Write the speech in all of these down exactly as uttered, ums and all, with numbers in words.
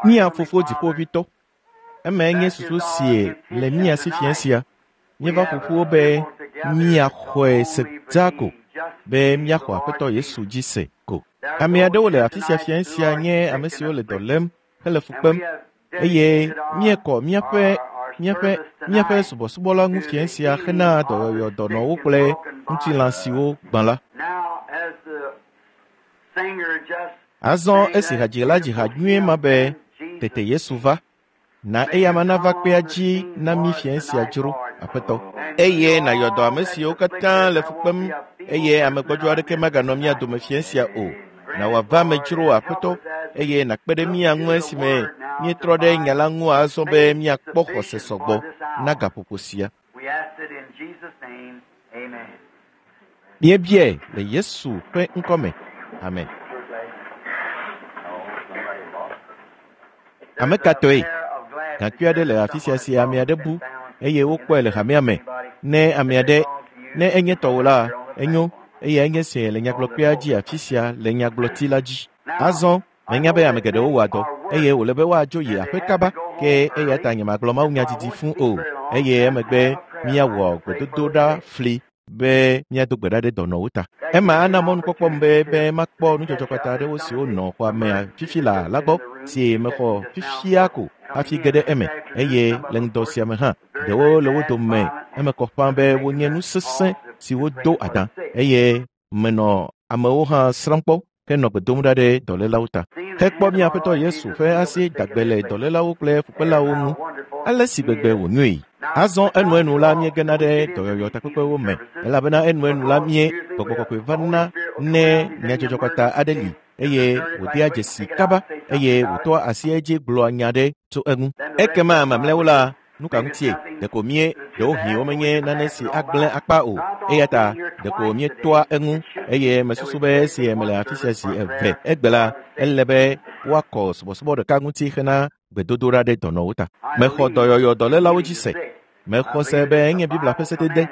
Mía fofo dziƒoʋĩtɔ. Emae nye susu si le mía si fiẽ sia. Míeva ƒoƒu be míaxɔe se dzaa ko, be míaxɔ Aƒetɔ Yesu dzi se ko. Ame aɖewo le afi sia fiẽ sia nye ame siwo le dɔ lém hele fu kpem eye míekɔ míaƒe míaƒe míaƒe subɔsubɔ la ŋu fiẽ sia hena dɔyɔyɔ dɔnɔwo kple ŋutilã siwo gbã la. Azɔ esi hadzila dzi ha nyuie ma be tete Yesu va, na eyama nava kpea dzi na mí fiẽ sia dzro, Aƒetɔ. Eye nàyɔ dɔ ame siwo katã le fu kpem eye ame gbɔdzɔ aɖeke maganɔ mía dome fiẽ sia o. Na wòava ame dzro, Aƒetɔ, eye nàkpe ɖe mía ŋu esime míetrɔ ɖe nya la ŋu azɔ be míakpɔ xɔse sɔgbɔ na gaƒoƒo sia. Míebiae le Yesu ƒe ŋkɔme. Amen. Ame ka tɔe? Gaŋkui aɖe le afi sia si ame aɖe bu eye wokpɔe le hamea me. Ne ame aɖe ne enye tɔwò la, enyo eye enye sie le nyagblɔkpea dzi afi sia le nyagblɔti la dzi. Azɔ menya be ame geɖewo wɔa dɔ eye wòle be woadzo yi aƒe kaba ke eya ta nyemagblɔ mawunya didi fũ o eye emegbe míawɔ gbedodoɖa fli be míado gbe ɖa ɖe dɔnɔwo ta. Ema ana mɔnukpɔkpɔm be be makpɔ nudzɔdzɔkpata aɖewo siwo nɔ xɔa mea fifi laa la gbɔ si mexɔ fifia ko hafi ge ɖe eme eye le ŋdɔ sia me hã ɖewo le wo dome eme kɔ ƒã be wonye nu sesẽ siwo do adã eye menɔ amewo hã srãm kpɔ henɔ gbe dom ɖa ɖe dɔlélawo ta. Hekpɔ mía Aƒetɔ Yesu ƒe asi dagbe le dɔlélawo kple fukpelawo ŋu ale si gbegbe wònyoe. Azɔ enuenu la míegena ɖe dɔyɔyɔ takpekpewo me elabena enuenu la mie gbɔgbɔ kɔkɔe vana ne nyadzɔdzɔkpata aɖe li eye wòdea dzesi kaba eye wòtɔa asi edzi gblɔa nya ɖe tso eŋu. Ekema mamlɛawo la nu ka ŋutie ɖeko mie ɖewohĩ womenye nane si agblẽ akpa o eya ta ɖeko míetoa eŋu eye mesusu be esi mele afi sia zi eve egbe la ele be woakɔ subɔsubɔ ɖeka ŋuti hena gbedodoɖa ɖe dɔnɔwo ta. Mexɔ dɔyɔyɔ dɔlélawo dzi se. Mexɔ se be enye Biblia ƒe sedede.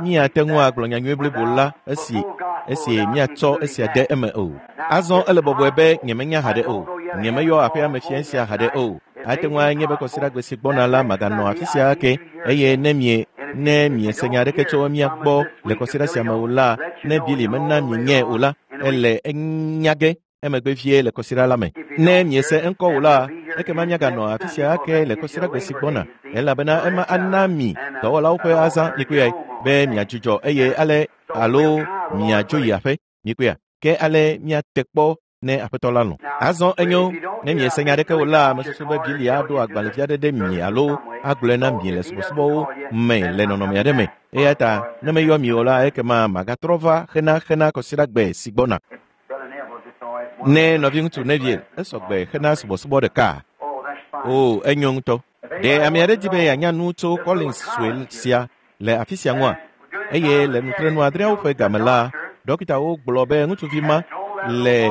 Míate ŋu agblɔ nyanyui blibo la esi esi míatsɔ esia de eme o. Azɔ ele bɔbɔe be nyemenya haɖe o. Nyemeyɔ aƒea me fiẽ sia haɖe o. Ate ŋu anye be kɔsiɖagbe si gbɔna la maganɔ afi sia ake eye ne mie ne miese nya aɖeke tso mía gbɔ le kɔsiɖa sia me o la, ne Bili mena mienyae o la, ele enya ge emegbe vie le kɔsiɖa la me. Ne miese eŋkɔ o la, ekema míaganɔ afi sia ake le kɔsiɖagbe si gbɔna elabena ema ana mi dɔwɔlawo ƒe azã mikpɔe be miadzudzɔ eye ale alo miadzo yi aƒe mikpɔea ke ale miate kpɔ ne Aƒetɔ la lɔ̃. Azɔ enyo ne miese nya aɖeke o la, mesusu be Bili aɖo agbalẽvi aɖe ɖe mi alo agblɔe na mi le subɔsubɔwo me le nɔnɔme aɖe me. Eya ta ne meyɔ mi o la, ekema magatrɔ va xena xena kɔsiɖagbe si gbɔna. Ne nɔviŋutsu Neville esɔgbe xena subɔsubɔ ɖeka. O, enyo ŋutɔ. Ɖe ame aɖe di be yeanya nu tso Collins sue sia le afi sia ŋua? Eye le nutrenu adreawo ƒe game la, dɔkitawo gblɔ be ŋutsuvi ma le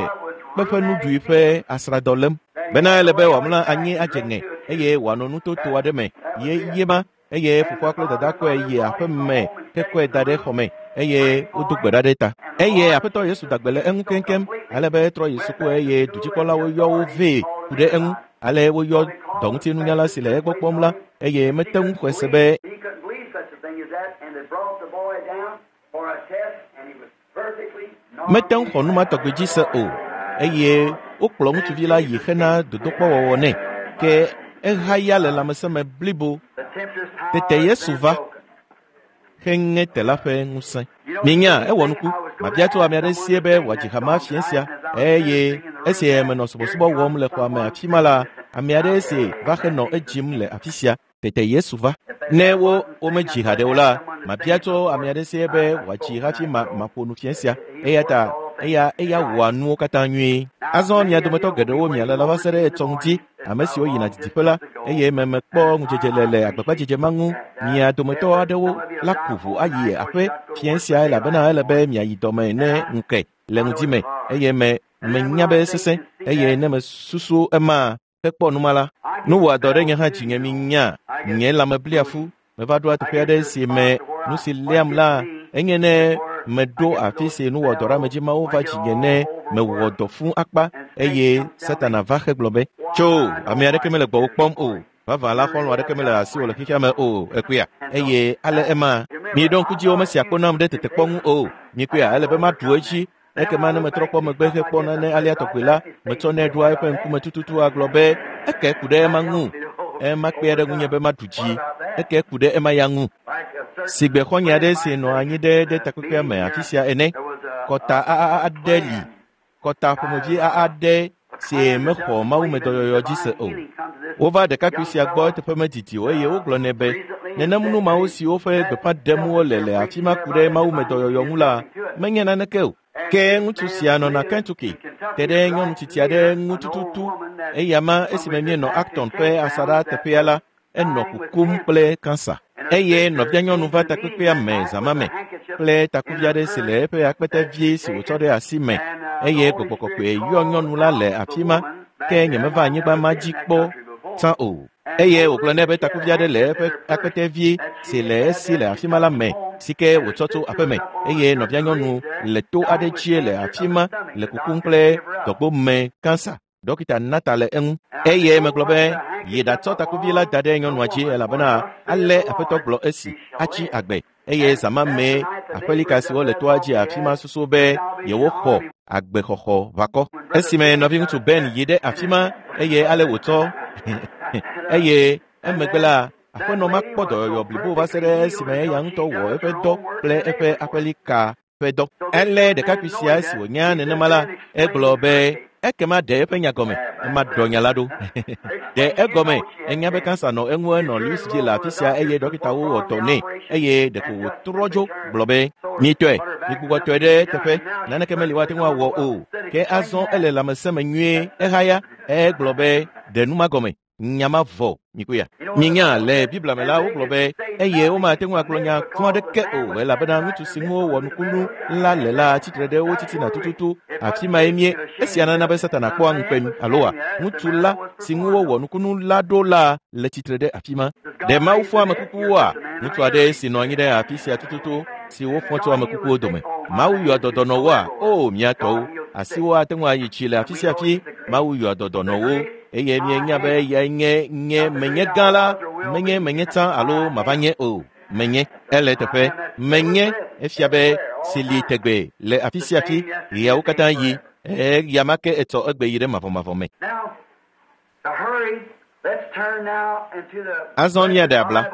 kpeƒenuɖui ƒe asradɔ lém bena ele be wòamlɔ anyi adze ŋe eye wòanɔ nutoto aɖe me ye ye ma eye fofoa kple dada kɔe yi aƒe me hekɔe da ɖe xɔ me eye wodo gbe ɖa ɖe ta. Eye Aƒetɔ Yesu da gbe le eŋu keŋkeŋ ale be etrɔ yi suku eye dudzikpɔlawo yɔ wo vɛ ku ɖe eŋu ale woyɔ dɔŋutinunyala si le egbɔ kpɔm la eye mete ŋu xɔe se be mete ŋu xɔ nu ma tɔgbi dzi se o eye wokplɔ ŋutsuvi la yi hena dodokpɔwɔwɔ nɛ ke ehaya le lãmesẽ me blibo. Tete Yesu va heŋe te la ƒe ŋusẽ. Minya ewɔ nuku mabia tso ame aɖe sie be wòadzi hama fiẽ sia eye esi menɔ subɔsubɔ wɔm le xɔa me afi ma la, ame aɖe si va henɔ edzim le afi sia. Tete Yesu va. Ne wo womedzi haɖe o la, mabia tso ame aɖe sie be wòadzi hafi ma maƒo nu fiẽ sia. Eya ta eya eya wɔa nuwo katã nyuie. Azɔ mia dometɔ geɖewo mialala va se ɖe etsɔ ŋuti ame siwo yina didiƒe la eye memekpɔ ŋudzedze le le agbagbadzedze ma ŋu. Mia dometɔ aɖewo la ku ʋu ayi aƒe fiẽ sia elabena ele be miayi dɔme ne ŋu ke le ŋdi me eye me menya be sesẽ eye ne mesusu ema hekpɔ numa la, nu wɔa dɔ ɖe nye hã dzinye minya nye lãme blia fu. Meva ɖoa teƒe aɖe si me nu si léam la enye ne Meɖo afi si nuwɔdɔɖeamedzi mawo va dzinye ne mewɔ dɔ fũu akpa eye Satana va hegblɔ be, tso, ame aɖeke mele gbɔwò kpɔm o. Vavã la xɔlɔ̃ aɖeke mele asiwò le xexea me o, ekpea. Eye ale ema, miɖo ŋku dzi womesia kpo nam ɖe tetekpɔ ŋu o. Mikpea, ele be maɖu edzi. Ekema ne metrɔ kpɔ megbe hekpɔ nane alea tɔgbi la, metsɔnɛ ɖoa eƒe ŋkume tututu agblɔ be, eke ku ɖe ema ŋu. Ema kpea ɖe ŋunye be maɖu dzi. Eke ku ɖe ema ya ŋu. Sigbe xɔ̃nye aɖe si nɔ anyi ɖe ɖe takpekpea me afi sia ene. Kɔta aɖe li. Kɔta ƒomevi aɖe si mexɔ mawumedɔyɔyɔ dzi se o. Wova ɖekakpui sia gbɔ eteƒe medidi o eye wogblɔ nɛ be nenem nu mawo siwo ƒe gbeƒã ɖem wole le afi ma ku ɖe mawumedɔyɔyɔ ŋu la menye naneke o. Ke ŋutsu sia nɔna Kentucky, te ɖe nyɔnu tsitsi aɖe ŋu tututu. Eya ma esime míenɔ Acton ƒe asaɖa teƒea la, enɔ kukum kple kansa. Eye nɔvia nyɔnu va takpekpea me zã ma me kple takuvi aɖe si le eƒe akpete vie si wòtsɔ ɖe asi me eye gbɔgbɔ kɔkɔe yɔ nyɔnu la le afi ma ke nyemeva anyigba ma dzi kpɔ tsã o. Eye wògblɔ nɛ be takuvi aɖe le eƒe akpete vie si le esi le afi ma la me si ke wòtsɔ tso aƒeme eye nɔvia nyɔnu le to aɖe dzie le afi ma le kukum kple dɔgbo me kansa. Dɔkita nata le eŋu eye megblɔ be yi ɖatsɔ takuvi la da ɖe nyɔnua dzi elabena ale aƒetɔ gblɔ esi atsi agbe eye zã ma mee aƒelika siwo le toa dzi afi ma susu be yewoxɔ agbexɔxɔ ʋakɔ. Esime nɔviŋutsu Ben yi ɖe afi ma eye ale wòtsɔ eye emegbe la aƒenɔ ma kpɔ dɔyɔyɔ blibo va se ɖe esime eya ŋutɔ wɔ eƒe dɔ kple eƒe aƒelika ƒe dɔ. Elé ɖekakpui sia esi wònya nenema la, egblɔ be ekema ɖe eƒe nya gɔme, ema ɖɔ nya la ɖo. Ɖe egɔme, enya be kansa nɔ eŋu enɔ Louisville le afi sia eye dɔkitawo wɔ dɔ nɛ eye ɖeko wòtrɔ dzo gblɔ be, mitɔe, migbugbɔ tɔe ɖe teƒe, naneke meli woate ŋu awɔ o. Ke azɔ ele lãmesẽ me nyuie, ehaya, egblɔ be ɖe nu ma gɔme. Nya ma vɔ, mikuya. Minya le Biblia me la wogblɔ be eye womate ŋu agblɔ nya kɔ aɖeke o elabena ŋutsu si ŋu wowɔ nukunu la le la tsitre ɖe wo titina tututu. Afi mae mie. Esia nana be Satana kpɔa ŋukpe mi aloa ŋutsu la si ŋu wowɔ nukunu la ɖo la le tsitre ɖe afi ma. Ɖe Mawu fɔ ame kukuwoa? Ŋutsu aɖe si nɔ anyi ɖe afi sia tututu si wofɔ tso ame kukuwo dome. Mawu yɔa dɔdɔnɔwoa? O mía tɔwo, asiwo ate ŋu ayi tsi le afi sia afi. Mawu yɔa dɔdɔnɔwo. Eye mienya be eyae nye nye menye gã la, menye menye tsã alo mava nye o. Menye ele teƒe. Menye efia be si li tegbe le afi sia afi ɣeawo katã yi. Eya ma ke etsɔ egbe yi ɖe mavɔmavɔ me. Azɔ míaɖe abla.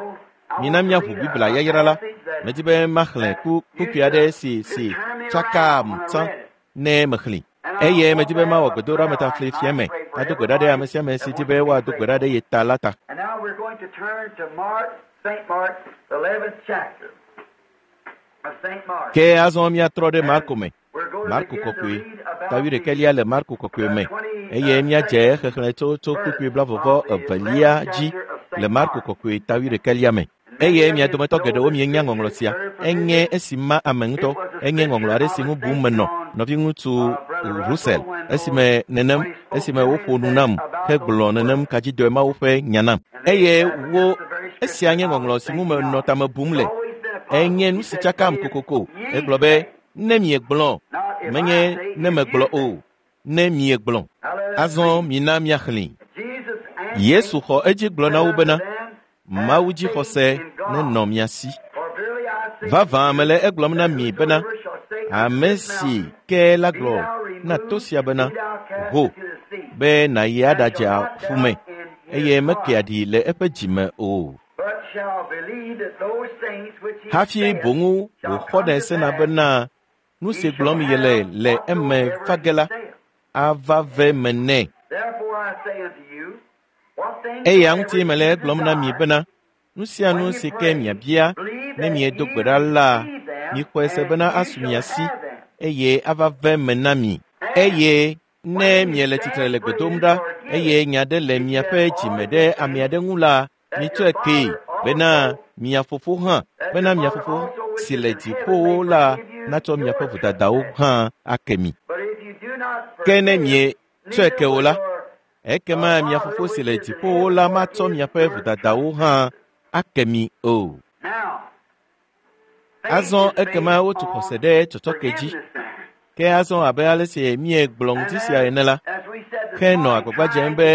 Mina míaʋu Biblia yayra la. Medi be maxlẽ ku kpukpui aɖe si si tsakam tsã ne mexlẽ. Eye medi be mawɔ gbedoɖa metafli fia me ado gbe ɖa ɖe ame sia ame si di be woado gbe ɖa ɖe ye ta la ta. And now we're going to turn to Mark, Saint Mark, the eleventh chapter of Saint Mark. Ke azɔ míatrɔ ɖe Marko me. We're going to Marko begin to kɔkɔe, read about ta wuiɖekɛlia le Marko kɔkɔe me eye míadze xexlẽ tso tso kpukpui blavɔvɔ evelia dzi le Marko kɔkɔe ta wuiɖekɛlia me. Eye mia dometɔ geɖewo mienya ŋɔŋlɔ sia. Enye esi ma ame ŋutɔ. Enye ŋɔŋlɔ aɖe si ŋu bum menɔ. Nɔviŋutsu Russell esime nenem esime woƒo nu nam hegblɔ nenem kadzidɔe mawo ƒe nya nam. Eye wo esia nye ŋɔŋlɔ si ŋu menɔ tame bum le. Enye nu si tsakam kokoko. Egblɔ be ne miegblɔ, menye ne megblɔ o, ne miegblɔ. Azɔ mina míaxlẽe. Jesus answered Yesu xɔ edzi gblɔ na wo bena, Mawu dzixɔse nenɔ mia si. For verily I say Vavã mele egblɔm na mi bena, ame si ke la gblɔ na to sia bena, ho, be nàyi aɖadze aƒu me, eye mekea ɖi le eƒe dzime o. but shall believe that those things which he Hafi saith boŋu shall wòxɔnɛ come to sena pass, bena nu si he shall gblɔm yele have le eme va ge la whatsoever he saith. ava ve me nɛ. Therefore I say unto you, what things Eya soever ŋuti mele you egblɔm na mi desire, bena nu sia nu when you si ke pray, miabia believe ne that miedo ye gbe ɖa la, receive them, mixɔe se and bena you asu shall mia si have them. eye ava ve me na mi. Eye ne miele tsitre le gbe dom ɖa eye nya ɖe le miaƒe dzime ɖe ame aɖe ŋu la, mitsɔe kee bena mia fofo hã bena mia fofo si le dziƒowo la natsɔ miaƒe vodadawo hã ake mi. But if you do not Ke ne forgive, mietsɔe neither ke o will la, your ekema mia fofo si le dziƒowo la matsɔ miaƒe vodadawo hã ake mi o. Now, Azɔ ekema wotu xɔse ɖe tsɔtsɔke dzi. Ke azɔ abe ale si míegblɔ ŋuti sia ene la, ke nɔ agbagba dzem be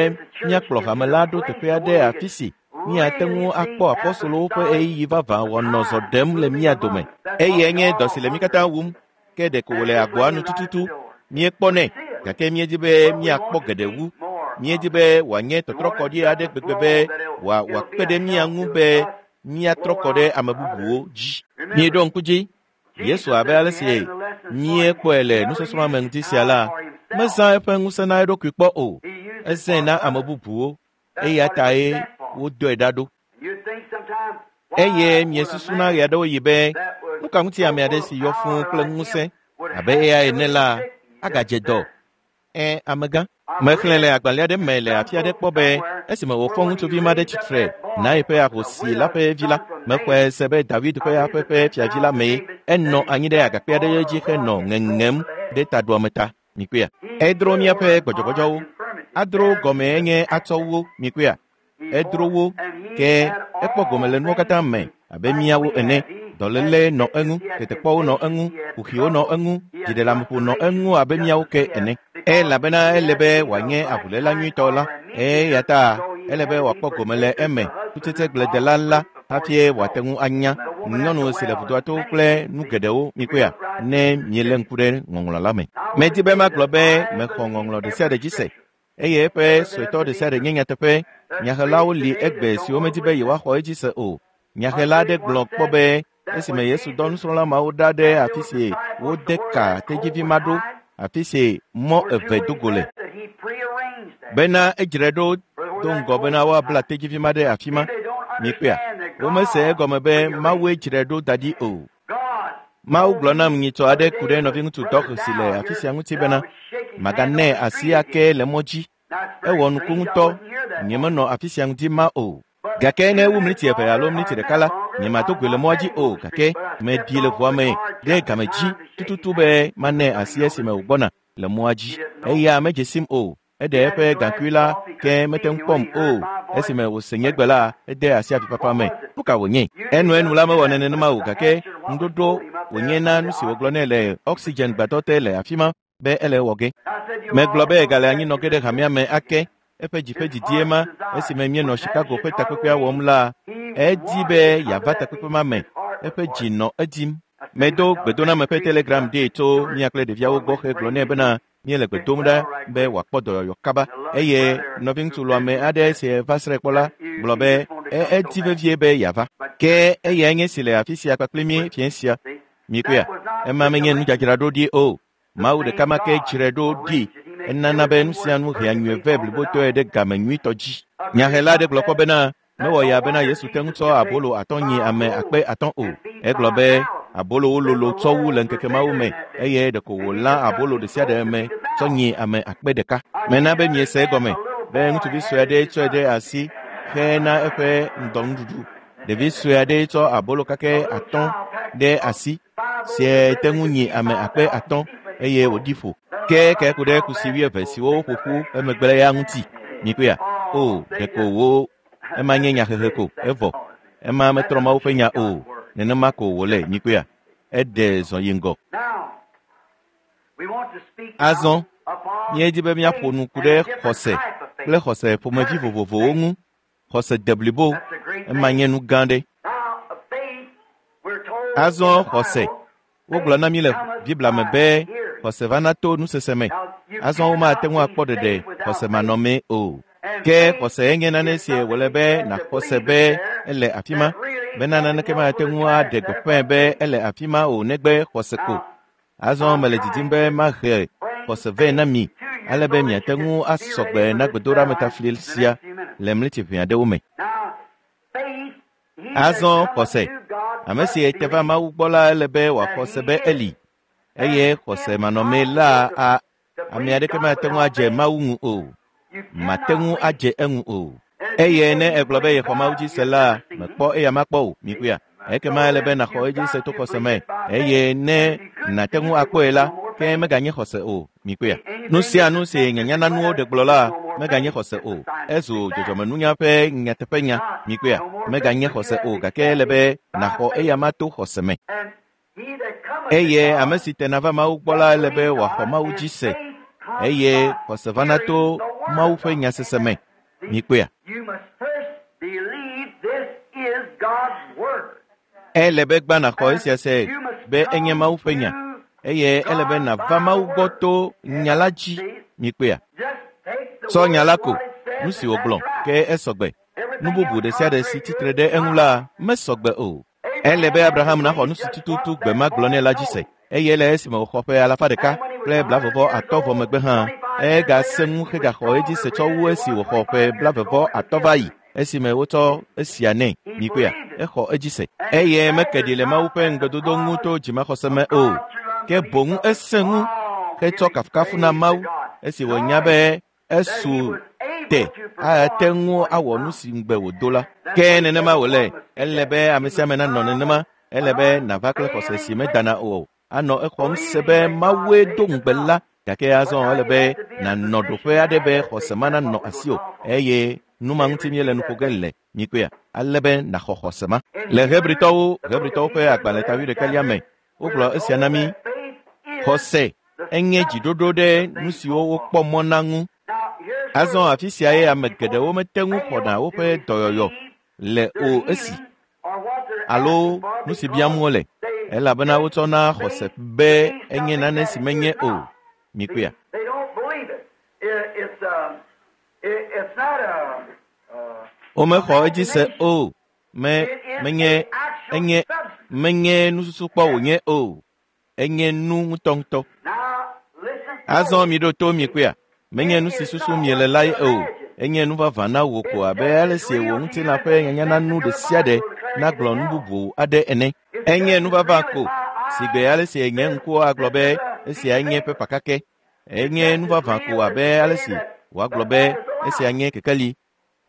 míakplɔ hame la ɖo teƒe aɖe afi si míate ŋu akpɔ apɔstolowo ƒe ɣeyiɣi vavã wòanɔ zɔ ɖem le mía dome. Eyae nye dɔ si le mí katã wum, ke ɖeko wòle agboa nu tututu. Míekpɔnɛ, gake míedi be míakpɔ geɖe wu. Míedi be wòanye tɔtrɔkɔɖi aɖe gbegbe be wòa wòakpe ɖe mía ŋu be míatrɔ kɔ ɖe ame bubuwo dzi. Míeɖo ŋku dzi. Yesu abe ale si míekpɔe le nusɔsrɔ̃a me ŋuti sia la, mezã eƒe ŋusẽ na eɖokui kpɔ o. Ezãe na ame bubuwo eya tae wodɔe ɖa ɖo. Eye miesusuna ɣe aɖewo yi be nu ka ŋuti ame aɖe si yɔ fũu kple ŋusẽ abe eya ene la agadze dɔ. Ẽ, amegã. Mexlẽ le agbalẽ aɖe me le afi aɖe kpɔ be esime wòfɔ ŋutsuvi ma ɖe tsitre na eƒe ahosi la ƒe vi la, mexɔe se be David ƒe aƒe ƒe fiavi la mee enɔ anyi ɖe agakpe aɖe dzi henɔ ŋeŋem ɖe taɖuame ta. Mikpɔea? Edro míaƒe gbɔdzɔgbɔdzɔwo. Adro gɔmee nye atsɔ wo. Mikpɔea? Edro wo ke ekpɔ gome le nuwo katã me abe míawo ene. Dɔléle nɔ eŋu, tetekpɔwo nɔ eŋu, kuxiwo nɔ eŋu, dziɖeleameƒo nɔ eŋu abe míawo ke ene. Elabena ele be wòanye avuléla nyuitɔ la, eya ta ele be wòakpɔ gome le eme kutsetsegbledela la hafi wòate ŋu anya nyɔnu si le vudoa to kple nu geɖewo. Mikpɔea? Ne míelé ŋku ɖe ŋɔŋlɔ la me. Medi be magblɔ be mexɔ ŋɔŋlɔ ɖe sia ɖe dzi se eye eƒe suetɔ ɖe sia ɖe nye nyateƒe. Nyahelawo li egbe siwo medi be yewoaxɔ edzi se o. Nyahela aɖe gblɔ kpɔ be esime Yesu dɔ nusrɔ̃la mawo ɖa ɖe afi si wode ka tedzivi ma ɖo, afi si mɔ eve do go le, bena edzrae ɖo do ŋgɔ bena woabla tedzivi ma ɖe afi ma. Mikpɔea? Womese egɔme be Mawue dzrae ɖo da ɖi o. Mawu gblɔ nam nyitsɔ aɖe ku ɖe nɔviŋutsu Dɔk si le afi sia ŋuti bena maganɛ asi ake le mɔ dzi. Ewɔ nuku ŋutɔ, nyemenɔ afi sia ŋuti ma o. Gake ne ewu mliti eve alo mliti ɖeka la, nyemado goe le mɔa dzi o, gake meɖi le ʋua me ɖe game dzi tututu be manɛ asi esime wògbɔna le mɔa dzi. Eya medze sim o. Eɖe eƒe gaŋkui la ke mete ŋu kpɔm o. Esime wòse nye gbe la, ede asi avifafa me. Nu ka wònye? Enuenu la mewɔ nenema o, gake ŋuɖoɖo wònye na nu si wògblɔ nɛ le oxygen gbadɔ te le afi ma be ele ewɔ ge. Megblɔ be gale anyi nɔ ge ɖe hamea me ake. Eƒe dzi ƒe didie ma esime míenɔ Chicago ƒe takpekpea wɔm la, edi be yeava takpekpe ma me. Eƒe dzi nɔ edim. Medo gbedoname ƒe telegram ɖee tso mía kple ɖeviawo gbɔ hegblɔ nɛ bena míele gbe dom ɖa be wòakpɔ dɔyɔyɔ kaba. Eye nɔviŋutsu lɔ̃ame aɖe si va srãe kpɔ la gblɔ be edi vevie be yeava. Ke eyae nye si le afi sia kpakple mí fiẽ sia. Mikpɔea? Ema menye nudzadzraɖo ɖi o. Mawu ɖeka ma ke dzrae ɖo ɖi. Enana be nu sia nu hea nyuie vɛ blibotɔe ɖe game nyuitɔ dzi. Nyahela aɖe gblɔ kpɔ bena mewɔ ya bena Yesu te ŋu tsɔ abolo atɔ̃ nyi ame akpe atɔ̃ o. Egblɔ be abolowo lolo tsɔ wu le ŋkeke mawo me eye ɖeko wòlã abolo ɖe sia ɖe me tsɔ nyi ame akpe ɖeka. Mena be miese egɔme be ŋutsuvi sue aɖe tsɔe ɖe asi hena eƒe ŋdɔnuɖuɖu. Ɖevi sue aɖe tsɔ abolo kakɛ atɔ̃ ɖe asi sie te ŋu nyi ame akpe atɔ̃ eye wòɖi ƒo. Ke ke ku ɖe kusi wuieve siwo woƒo ƒu emegbe ya ŋuti. Mikpɔea? O, ɖeko wo ema nye nyahehe ko evɔ. Ema metrɔ Mawu ƒe nya o. Nenema ko wòle. Mikpɔea? Eɖe zɔ yi ŋgɔ. Azɔ míedi be míaƒo nu ku ɖe xɔse kple xɔse ƒomevi vovovowo ŋu. Xɔse deblibo, ema nye nu gã ɖe. Azɔ xɔse. Wogblɔ na mí le Biblia me be xɔse vana to nusese me. Azɔ womate ŋu akpɔ ɖeɖe xɔse manɔmee o. Ke xɔse nye nane si wòle be nàxɔ se be ele afi ma, bena naneke mate ŋu aɖe gbeƒãe be ele afi ma o negbe xɔse ko. Azɔ mele didim be mahe xɔse vɛ na mi ale be miate ŋu asɔ gbe na gbedoɖametafli sia le mliti ʋɛ aɖewo me. Azɔ xɔse. Ame si te va Mawu gbɔ la ele be wòaxɔ se be eli eye xɔse manɔmee la a ame aɖeke mate ŋu adze Mawu ŋu o. Mate ŋu adze eŋu o. Eye ne egblɔ be yexɔ Mawu dzi se la, mekpɔ eya makpɔ o. Mikpɔea? Ekema ele be nàxɔ edzi se to xɔse me. Eye ne nàte ŋu akpɔe la, ke meganye xɔse o. Mikpɔea? Nu sia nu si nyanyananuwo ɖe gblɔ la, Meganye xɔse o. Ezu dzɔdzɔmenunya ƒe nyateƒenya. Mikpɔea? Meganye xɔse o gake ele be nàxɔ eya ma to xɔse me. Eye ame si tena va Mawu gbɔ la ele be wòaxɔ Mawu dzi se. Eye xɔse vana to Mawu ƒe nyasese me. Mikpɔea? Ele be gbã nàxɔ esia se be enye Mawu ƒe nya. Eye ele be nàva Mawu gbɔ to nya la dzi. Mikpɔea? Tsɔ nya la ko, nu si wògblɔ, ke esɔgbe. Nu bubu ɖe sia ɖe si tsitre ɖe eŋu la mesɔgbe o. Ele be Abraham naxɔ nu si tututu gbe ma gblɔ nɛ la dzi se. Eye le esime wòxɔ ƒe alafa ɖeka kple blavevɔ atɔ̃ vɔ megbe hã, egase ŋu hegaxɔ edzi se tsɔ wu esi wòxɔ ƒe blavevɔ atɔ̃ va yi esime wotsɔ esia nɛ. Mikpɔea? Exɔ edzi se. Eye meke ɖi le Mawu ƒe ŋugbedodo ŋu to dzimaxɔse me o. Ke boŋ esẽ ŋu hetsɔ kafukafu na Mawu esi wònya be esu te ate ŋu awɔ nu si ŋugbe wòdo la. Ke nenema wòle. Ele be ame sia ame nanɔ nenema. Ele be nàva kple xɔse si medana o. Anɔ exɔm se be Mawue do ŋugbe la. Gake azɔ ele be nànɔ ɖoƒe aɖe be xɔse ma nanɔ asiwò. Eye nu ma ŋuti míele nu ƒo ge le. Mikpɔea? Ale be nàxɔ xɔse ma. Le Hebritɔwo, Hebritɔwo ƒe agbalẽ ta wuiɖekɛlia me, wogblɔ esia na mí. Xɔse enye dziɖoɖo ɖe nu siwo wokpɔ mɔ na ŋu. Azɔ afi sia ye ame geɖewo mete ŋu xɔna woƒe dɔyɔyɔ le o esi alo nu si biam wole elabena wotsɔna xɔse be enye nane si menye o. Mikpɔea? Womexɔ edzi se o. Me menye enye menye nususukpɔ wònye o. Enye nu ŋutɔŋutɔ. Azɔ miɖo to mikpɔea? Menye nu si susu miele lae o. Enye nu vavã na wò ko abe ale si wò ŋutilã ƒe nyanyana ɖe sia ɖe nagblɔ nu bubu aɖe ene. Enye nu vavã ko si gbe ale si nye ŋkuwo agblɔ be esia nye pepa kakɛ. Enye nu vavã ko abe ale si wòagblɔ be esia nye kekeli.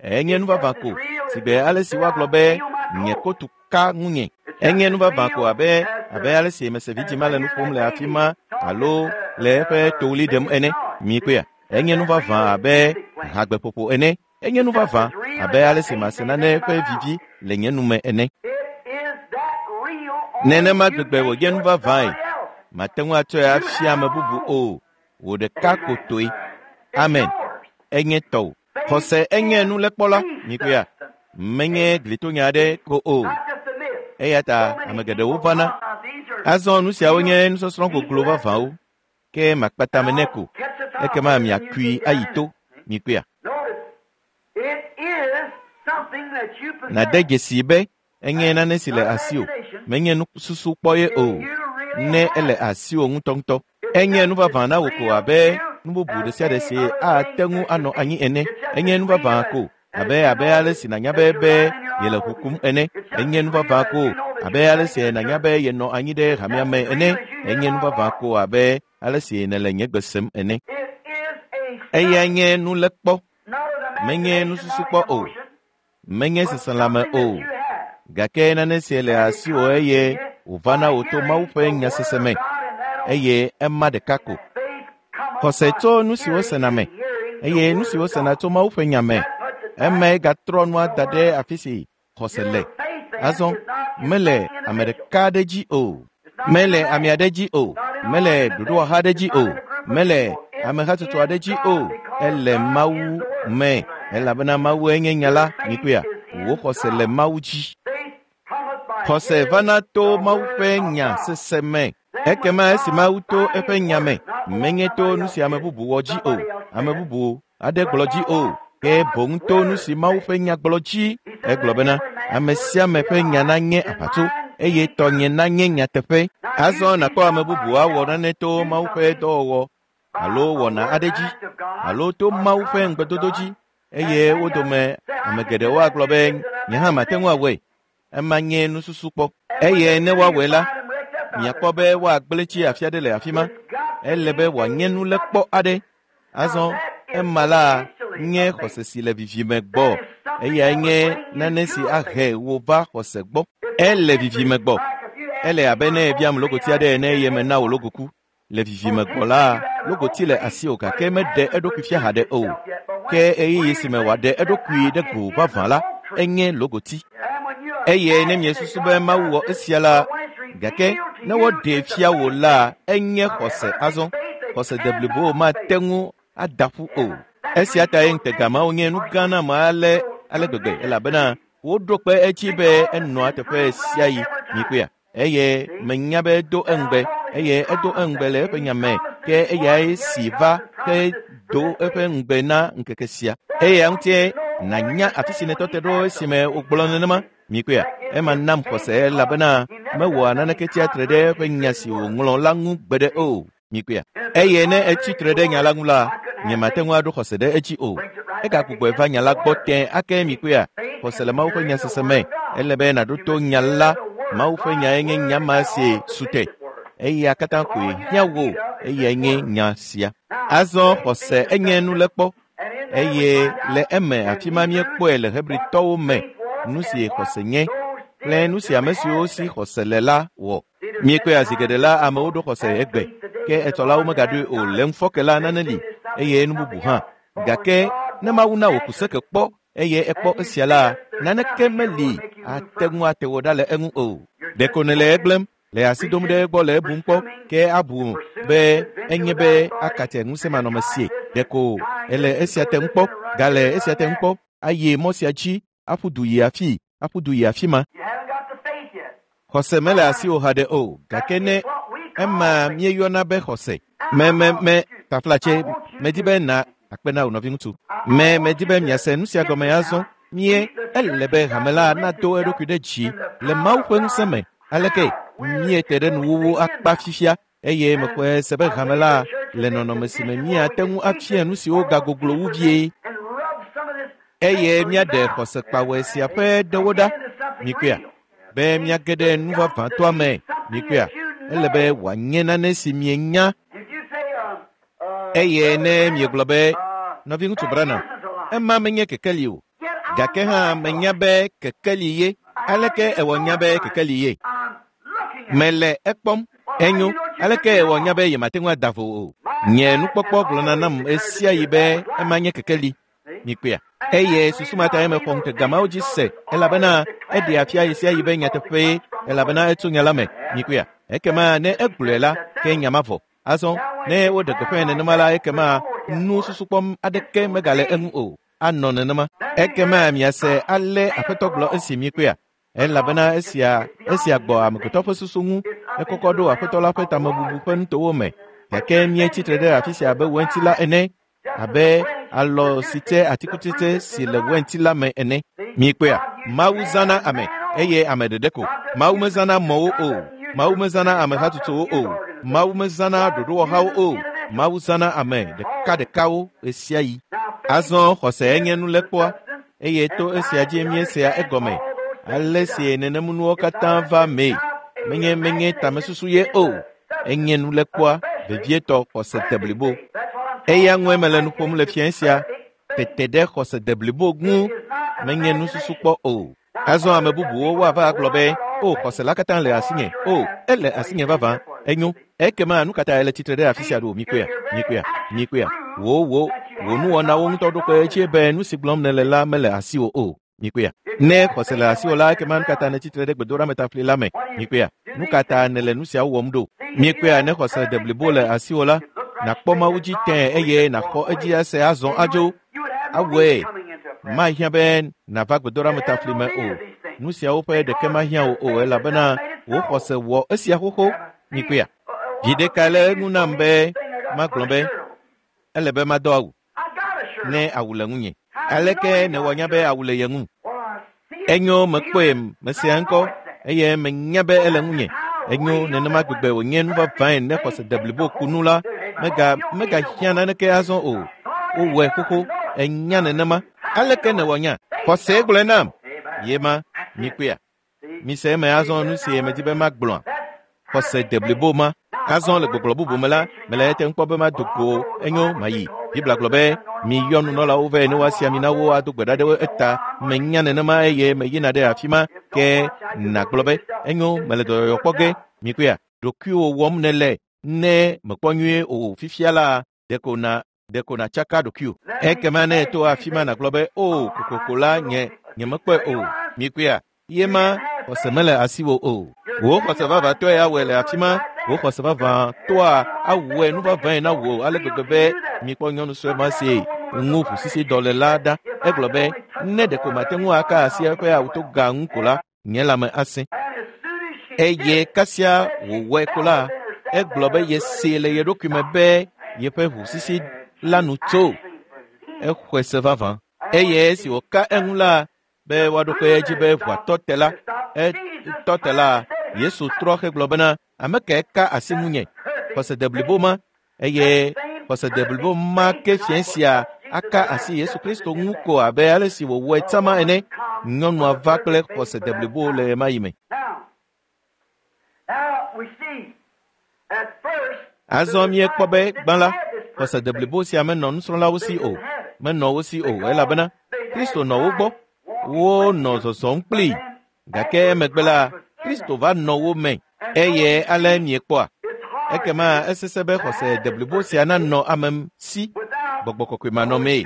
Enye nu vavã ko si gbe ale si woagblɔ be nye kotu ka ŋunye. Enye nu vavã ko abe abe ale si mese vidzĩ le nu ƒom le afi ma alo le eƒe toɣli ɖem ene. Mikpɔea? Enye nu vavã abe hagbeƒoƒo ene. Enye nu vavã abe ale si mase nane ƒe vivi le nye nu me ene. Nenema gbegbe wònye nu vavãe. Mate ŋu atsɔe afia ame bubu o. Wò ɖeka ko toe. Amen. Enye tɔwò. Xɔse enye nulekpɔla. Mikpɔea? Menye glitonya aɖe ko o. Eya ta ame geɖewo vana. Azɔ nu siawo nye nusɔsrɔ̃ goglo vavãwo. Ke makpata me nɛ ko. Ekema miakui ayi to. Mikpɔea? Nàde dzesi be enye nane si le asiwò. Menye nususukpɔ ye o. Ne ele asiwò ŋutɔŋutɔ. Enye nu vavã na wò ko abe nu bubu ɖe sia ɖe si ate ŋu anɔ anyi ene. Enye nu vavã ko abe abe ale si nànya be be yele ʋu kum ene. Enye nu vavã ko abe ale si nànya be yenɔ anyi ɖe hamea me ene. Enye nu vavã ko abe ale si nèle nye gbe sem ene. Eya nye nulekpɔ. Menye nususukpɔ o. Menye seselãme o. Gake nane si le asiwò eye wòva na wò to Mawu ƒe nyasese me. Eye ema ɖeka ko. Xɔse tso nu si wosena me eye nu si wosena tso Mawu ƒe nya me. Eme gatrɔ nua da ɖe afi si xɔse le. Azɔ mele ame ɖeka aɖe dzi o. Mele ame aɖe dzi o. Mele ɖoɖowɔha aɖe dzi o. Mele amehatsotso aɖe dzi o. Ele Mawu me elabena Mawue nye nya la. Mikpɔea? Wò xɔse le Mawu dzi. Xɔse vana to Mawu ƒe nya sese me. Ekema esi Mawu to eƒe nya me, menye to nu si ame bubu wɔ dzi o, ame bubu aɖe gblɔ dzi o, ke boŋ to nu si Mawu ƒe nya gblɔ dzi. Egblɔ bena ame sia ame ƒe nya nanye aʋatso eye tɔnye nanye nyateƒe. Azɔ nàkpɔ ame bubu awɔ nane to Mawu ƒe dɔwɔwɔ alo wɔna aɖe dzi alo to Mawu ƒe ŋugbedodo dzi eye wo dome ame geɖewo agblɔ be nye hã mate ŋu awɔe. Ema nye nususukpɔ. Eye ne woawɔe la, miakpɔ be woagblẽ tsi afi aɖe le afi ma. Ele be wòanye nulekpɔ aɖe. Azɔ ema la nye xɔse si le vivime gbɔ. Eyae nye nane si ahe wò va xɔse gbɔ. Ele vivime gbɔ. Ele abe ne ebiam logoti aɖe ene eye mena wò logoku. Le vivime gbɔ la, logoti le asiwò gake meɖe eɖokui fia haɖe o. Ke ɣeyiɣi si me wòaɖe eɖokui ɖe go vavã la, enye logoti. Eye ne miesusu be Mawu wɔ esia la, gake ne woɖee fia wò la, enye xɔse azɔ. Xɔse deblibo mate ŋu ada ƒu o. Esia tae ŋutega mawo nye nu gã na ame ale ale gbegbe elabena woɖo kpe edzi be enɔa teƒe sia yi mikpɔea. Eye menya be edo eŋugbe eye edo eŋugbe le eƒe nya me ke eyae si va ke do eƒe ŋugbe na ŋkeke sia. Eya ŋutie nànya afi si nètɔ te ɖo esime wògblɔ nenema mikpɔea. Ema nam xɔse elabena mewɔa naneke tsia tre ɖe eƒe nya si wòŋlɔ la ŋu gbeɖe o. Mikpɔea. Eye ne etsi tre ɖe nya la ŋu la, nyemate ŋu aɖo xɔse ɖe edzi o. Egagbugbɔe va nya la gbɔ tẽ ake mikpɔea. Xɔse le Mawu ƒe nya sese me. Ele be nàɖo to nya la. Mawu ƒe nyae nye nya ma si su te. Eya katã koe hiã wò eyae nye nya sia. Azɔ xɔse enye nulekpɔ eye le eme afi ma míekpɔe le Hebritɔwo me nu si xɔse nye kple nu si ame siwo si xɔse le la wɔ. Míekpɔe zi geɖe la amewo ɖo xɔse egbe ke etɔlawo megaɖoe o le ŋufɔke la nane li eye nu bubu hã. Gake ne Mawu na wò kuseke kpɔ eye ekpɔ esia la, naneke meli ate ŋu ate wò ɖa le eŋu o. Ɖeko nèle egblẽm le asi dom ɖe egbɔ le ebum kpɔ ke abu be enye be akate ŋusẽmanɔmesie. Ɖeko ele esia te ŋu kpɔ, gale esia te ŋu kpɔ, ayi mɔ sia dzi aƒu du yi afi, aƒu du yi afi ma. You haven't got the faith yet. Xɔse mele asiwò haɖe o, gake ne ema míeyɔna be xɔse. Me me me taflatse medi be na akpe na wò nɔviŋutsu. Me medi be miase nu sia gɔme azɔ. Mie ele be hame la nado eɖokui ɖe dzi le Mawu ƒe ŋusẽ me. Aleke míete ɖe nuwuwu akpa fifia eye mexɔe se be hame la le nɔnɔme si me míate ŋu afia nu siwo gagoglo wu vie And rub some of this eye míaɖe xɔse kpawɔe sia ƒe ɖewo ɖa. Mikpɔea be míage ɖe nu vavãtɔa me. Mikpɔea ele be wòanye nane si mienya If you say, um, uh, eye ne miegblɔ be uh, nɔviŋutsu Branham that isn't a lie. ema menye kekeli o. Yet I'm Gake hã menya be kekeli ye. Aleke ewɔ nya be kekeli ye? I'm looking at Mele ekpɔm. Enyo. Aleke ewɔ nya be yemate ŋu ada vo o? Nye nukpɔkpɔ gblɔna nam ɣesia ɣi be ema nye kekeli. Mikpɔea. Eye susu ma tae mexɔ ŋutega mawo dzi se elabena eɖea fia ɣesia ɣi be nyateƒee elabena etso nya la me. Mikpɔea. Ekema ne egblɔe la, ke nya ma vɔ. Azɔ ne woɖe gbeƒãe nenema la, ekema nususukpɔm aɖeke megale eŋu o. Anɔ nenema. Ekema miase ale Aƒetɔ gblɔ esi mikpɔea. Elabena esia esia gbɔ amegbetɔ ƒe susu ŋu ekɔkɔ ɖo Aƒetɔ la ƒe tamebubu ƒe nutowo me. Gake míetsi tre ɖe afi sia abe wɛnti la ene, abe alɔ si tse atikutsetse si le wɛnti la me ene. Mikpɔea, Mawu zãna ame eye ame ɖeɖe ko. Mawu mezãna mɔwo o. Mawu mezãna ame hatsotsowo o. Mawu mezãna ɖoɖowɔhawo o. Mawu zãna ame ɖekaɖekawo ɣesiaɣi. Azɔ xɔse enye nulekpɔa eye to esia dzi míesea egɔme. Ale si nenemunuwo katã va mee. Menye menye tamesusu ye o. Enye nulekpɔa vevietɔ xɔse deblibo. That's what I'm Eya ŋue mele nu ƒom le fiẽ sia. Tete ɖe xɔse deblibo ŋu menye nususukpɔ o. Azɔ ame bubuwo woava agblɔ be, o xɔse la katã le asinye. O, ele asinye vavã. Enyo. Ekema nu ka ta ele tsitre ɖe afi sia ɖo? Mikpɔea, mikpɔea, mikpɔea. Wò wò wò nuwɔnawo ŋutɔ ɖo kpe edzi be nu si gblɔm nèle la mele asiwò o. Mikpɔea. Ne xɔse le asiwò la, ekema nu ka ta nètsi tre ɖe gbedoɖametafli la me? Mikpɔea. Nu ka ta nèle nu siawo wɔm ɖo? Mikpɔea ne xɔse deblibo le asiwò la, nàkpɔ Mawu dzi tẽe eye nàxɔ edzi ase azɔ adzo. You would have no Awɔe. need coming into a prayer. Mahiã be nàva gbedoɖametafli me o. Nu siawo ƒe ɖeke mahiã wò o elabena wò xɔse wɔ esia xoxo. Mikpɔea. Viɖe ka le eŋu nam be magblɔ be ele be madɔ awu I got a shirt. ne awu le ŋunye. Aleke nèwɔ nya be awu le ye ŋu? Well, I see it. Enyo mekpɔe mesea ŋkɔ eye menya be ele ŋunye. Enyo nenema gbegbe wònye nu vavãe ne xɔse deblibo ku nu la mega megahiã naneke azɔ o. Wowɔe xoxo enya nenema. Aleke nèwɔ nya? Xɔse gblɔe nam. Ye ma mikpɔea. Mise eme azɔ nu si medi be magblɔa. Xɔse deblibo ma. Azɔ le gbɔgblɔ bubu me la, mele ete ŋu kpɔ be mado go enyo mayi. Biblia gblɔ be miyɔ nunɔlawo vɛ ne woasi ami na wo ado gbe ɖa ɖe wo eta. Menya nenema eye meyina ɖe afi ma ke nàgblɔ be enyo mele dɔyɔyɔ kpɔ ge. Mikpɔea, ɖokuiwò wɔm nèle Ne mekpɔ nyuie o fifia la ɖeko na ɖeko natsaka ɖokuiwò. Ekema ne èto afi ma nàgblɔ be o kokoko la nye nyemekpɔe o. Mikpɔea? Ye ma xɔse mele asiwò o. Wò xɔse vavãtɔe awɔe le afi ma. Wò xɔse vavãtɔa awɔe nu vavãe na wò ale gbegbe be mikpɔ nyɔnu sue ma si ŋu ʋusisi dɔ le la ɖa. Egblɔ be ne ɖeko mate ŋu aka asi eƒe awutoga ŋu ko la, nye lãme asẽ. Eye kasia wòwɔe ko la, egblɔ be yesee le ye ɖokui me be yeƒe ʋusisi la nu tso. Exɔe se vavã. Eye esi wòka eŋu la be woaɖo kpe edzi be ʋua tɔ te la, etɔ te la, Yesu trɔ hegblɔ bena ame kae ka asi ŋunye? Xɔse deblibo ma eye xɔse deblibo ma ke fiẽ sia aka asi Yesu Kristo ŋu ko abe ale si wòwɔe tsama ene. Nyɔnua va kple xɔse deblibo le ɣemaɣi me. Azɔ míekpɔ be gbã la, xɔse deblibo sia menɔ nusrɔ̃lawo si o. Menɔ wo si o elabena Kristo nɔ wo gbɔ. Wonɔ zɔzɔm kplii. Gake emegbe la, Kristo va nɔ wo me eye ale miekpɔa. Ekema esesẽ be xɔse deblibo sia nanɔ ame si gbɔgbɔ kɔkɔe manɔmee.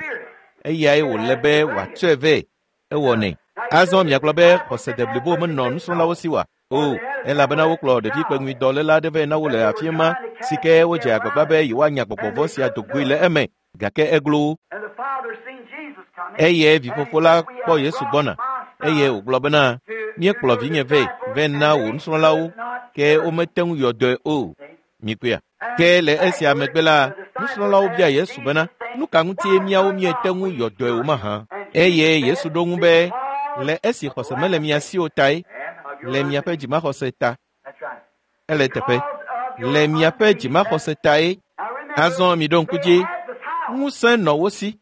Eyae wòle be wòatsɔe vɛ. Ewɔnɛ. Azɔ miagblɔ be xɔse deblibo menɔ nusrɔ̃lawo si oa? O, elabena wokplɔ ɖevi kpeŋuidɔléla aɖe vɛ na wo le afi ma si ke wodze agbagba be yewoanya gbɔgbɔ vɔ̃ sia do goe le eme gake eglo wo. Eye vifofo la kpɔ Yesu gbɔna eye wògblɔ bena míekplɔ vinye vɛ vɛ na wò nusrɔ̃lawo ke womete ŋu yɔ dɔe o. Mikpɔea? Ke le esia megbe la, nusrɔ̃lawo bia Yesu bena nu ka ŋutie míawo míete ŋu yɔ dɔe o mahã? Eye Yesu ɖo ŋu be le esi xɔse mele mia si o tae, le miaƒe dzimaxɔse ta. Ele teƒe. Le miaƒe dzimaxɔse tae. Azɔ miɖo ŋku dzi, ŋusẽ nɔ wo si.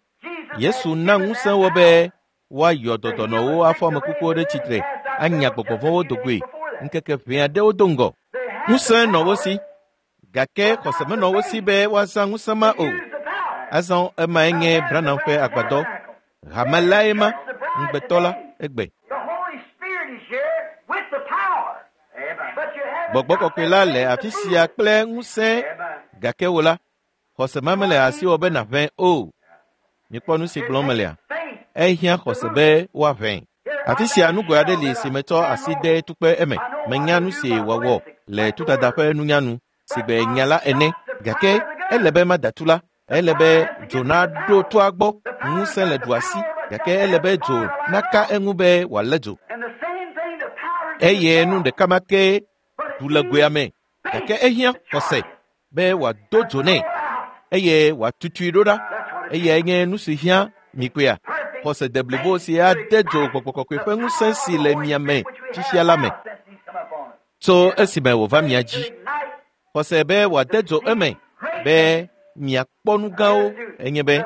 Yesu na ŋusẽ wo be woayɔ dɔdɔnɔwo afɔ ame kukuwo ɖe tsitre, anya gbɔgbɔ vɔ̃wo do goe ŋkeke ʋɛ aɖewo do ŋgɔ. Ŋusẽ nɔ wo si, gake xɔse menɔ wo si be woazã ŋusẽ ma o. Azɔ emae nye Branham ƒe agbadɔ. Hame lae ma, ŋugbetɔ la, egbe. Gbɔgbɔ kɔkɔe la le afi sia kple ŋusẽ, gake wò la, xɔse ma mele asiwò be nàʋẽ o. Mikpɔ nu si gblɔm melea? Ehiã xɔse be woaʋẽ. Afi sia nugoe aɖe li si metsɔ asi de tukpe eme. Menya nu si wòawɔ le tudada ƒe nunyanu si gbe nya la ene. Gake ele be mada tu la. Ele be dzo naɖo toa gbɔ. Ŋusẽ le dua si. Gake ele be dzo naka eŋu be wòalé dzo. Eye nu ɖeka ma ke du le goea me. Gake ehiã xɔse be wòado dzo nɛ eye wòatutui ɖo ɖa. Eyae nye nu si hiã mikpɔea? Xɔse deblibo si ade dzo gbɔgbɔ kɔkɔe ƒe ŋusẽ si le mia me fifia la me. Tso esime wòva mia dzi. Xɔse be wòade dzo eme be miakpɔ nu gãwo enye be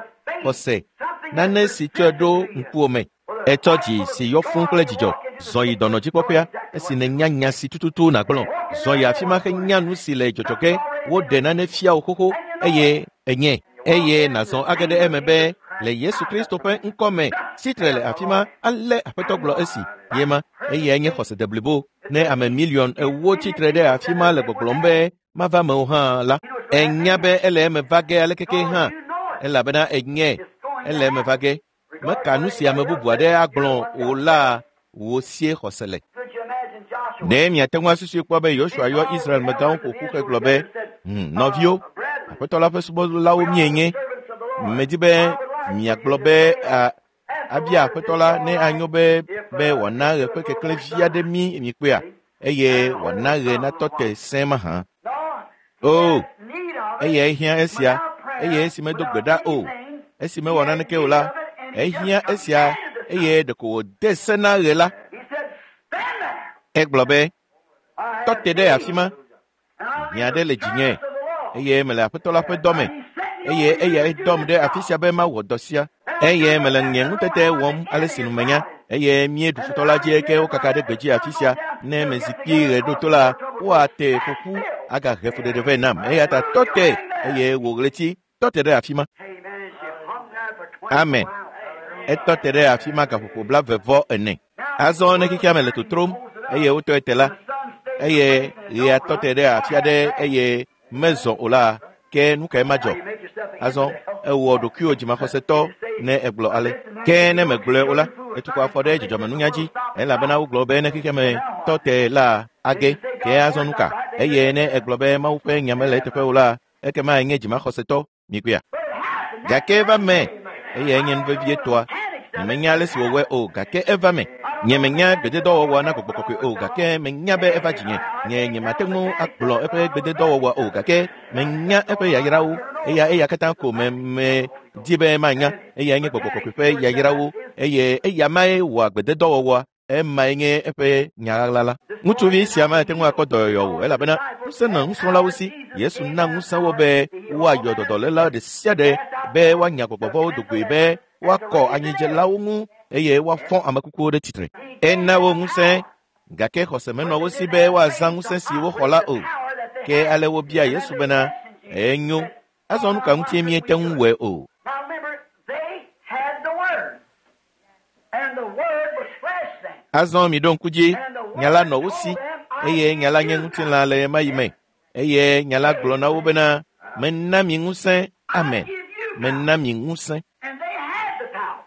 xɔse nane si tsɔe ɖo ŋkuwò me. Etsɔ dzi si yɔ fũu kple dzidzɔ zɔ yi dɔnɔdzikpɔƒea esi nènya nya si tututu nàgblɔ. Zɔ yi afi ma henya nu si le dzɔdzɔ ge woɖe nane fia wò xoxo eye enye. Eye nàzɔ age ɖe eme be le Yesu Kristo ƒe ŋkɔ me tsitre le afi ma ale Aƒetɔ gblɔ esi ye ma eyae nye xɔse deblibo. Ne ame miliɔn ewo tsitre ɖe afi ma le gbɔgblɔm be mava me o hã la, enya be ele eme va ge alekeke hã elabena enye ele eme va ge. Meka nu si ame bubu aɖe agblɔ o la wò sie xɔse le. Ɖe miate ŋu asusui kpɔ be Yosua yɔ Israel megãwo ƒo ƒu hegblɔ be hm nɔviwo, Aƒetɔ la ƒe subɔlawo míenye. Medi be miagblɔ be a abia Aƒetɔ la ne anyo be be wòana ɣe ƒe keklẽ vi aɖe mí mikpɔea eye wòana ɣe natɔ te sẽe mahã. O, eyae hiã esia eye esi medo gbe ɖa o, esi mewɔ naneke o la, ehiã esia eye ɖeko wòde se na ɣe la. Egblɔ be tɔ te ɖe afi ma. Hiã aɖe le dzinye eye mele Aƒetɔ la ƒe dɔ me eye eyae dɔm ɖe afi sia be mawɔ dɔ sia. Eye mele nye ŋutete wɔm ale si nu menya eye míeɖu futɔ la dzi ke wokaka ɖe gbedzi afi sia. Ne mezikpui ɣe ɖo to la, woate ƒoƒu agahe fuɖeɖe vɛ nam. Eya ta tɔ te eye wò ɣleti tɔ te ɖe afi ma. Amen. Etɔ te ɖe afi ma gaƒoƒo blaeve vɔ ene. Azɔ ne xexea me le totrom eye wotɔe te la, eye ɣea tɔ te ɖe afi aɖe eye mezɔ o la, ke nu kae madzɔ? Azɔ ewɔ ɖokuiwò dzimaxɔsetɔ ne egblɔ ale. Ke ne megblɔe o la, etukɔ afɔ ɖe dzɔdzɔmenunya dzi elabena wogblɔ be ne xexeme tɔ te la age. Ke azɔ nu ka? Eye ne egblɔ be Mawu ƒe nya mele eteƒe o la, ekema enye dzimaxɔsetɔ mikpɔea. Gake eva me eye enye nu vevietɔa. Nyemenya ale si wòwɔe o, gake eva me. Nye menya gbededɔwɔwɔ na gbɔgbɔ kɔkɔe o, gake menya be eva dzinye. Nye nyemate ŋu agblɔ eƒe gbededɔwɔwɔ o, gake menya eƒe yayrawo. Eya eya katã ko me me di be manya. Eya nye gbɔgbɔ kɔkɔe ƒe yayrawo eye eya mae wɔa gbededɔwɔwɔa. Emae nye eƒe nya ɣaɣla la. Ŋutsuvi sia mate ŋu akpɔ dɔyɔyɔ o elabena ŋusẽ nɔ nusrɔ̃lawo si. Yesu na ŋusẽ wo be woayɔ dɔdɔléla ɖe sia ɖe, be woanya gbɔgbɔvɔ̃wo do goe, be woakɔ anyidzelawo ŋu eye woafɔ ame kukuwo ɖe tsitre. Ena wo ŋusẽ, gake xɔse menɔ wo si be woazã ŋusẽ si woxɔ la o. Ke ale wobia Yesu bena, enyo, azɔ nu ka ŋutie míete ŋu wɔe o? Now remember, they had the Word, and the Word was flesh then. Azɔ miɖo ŋku dzi, nya la nɔ wo si eye nya la nye ŋutilã le ɣemaɣi me. Eye nya la gblɔ na wo bena, mena mi ŋusẽ, amen, mena mi ŋusẽ. And they had the power,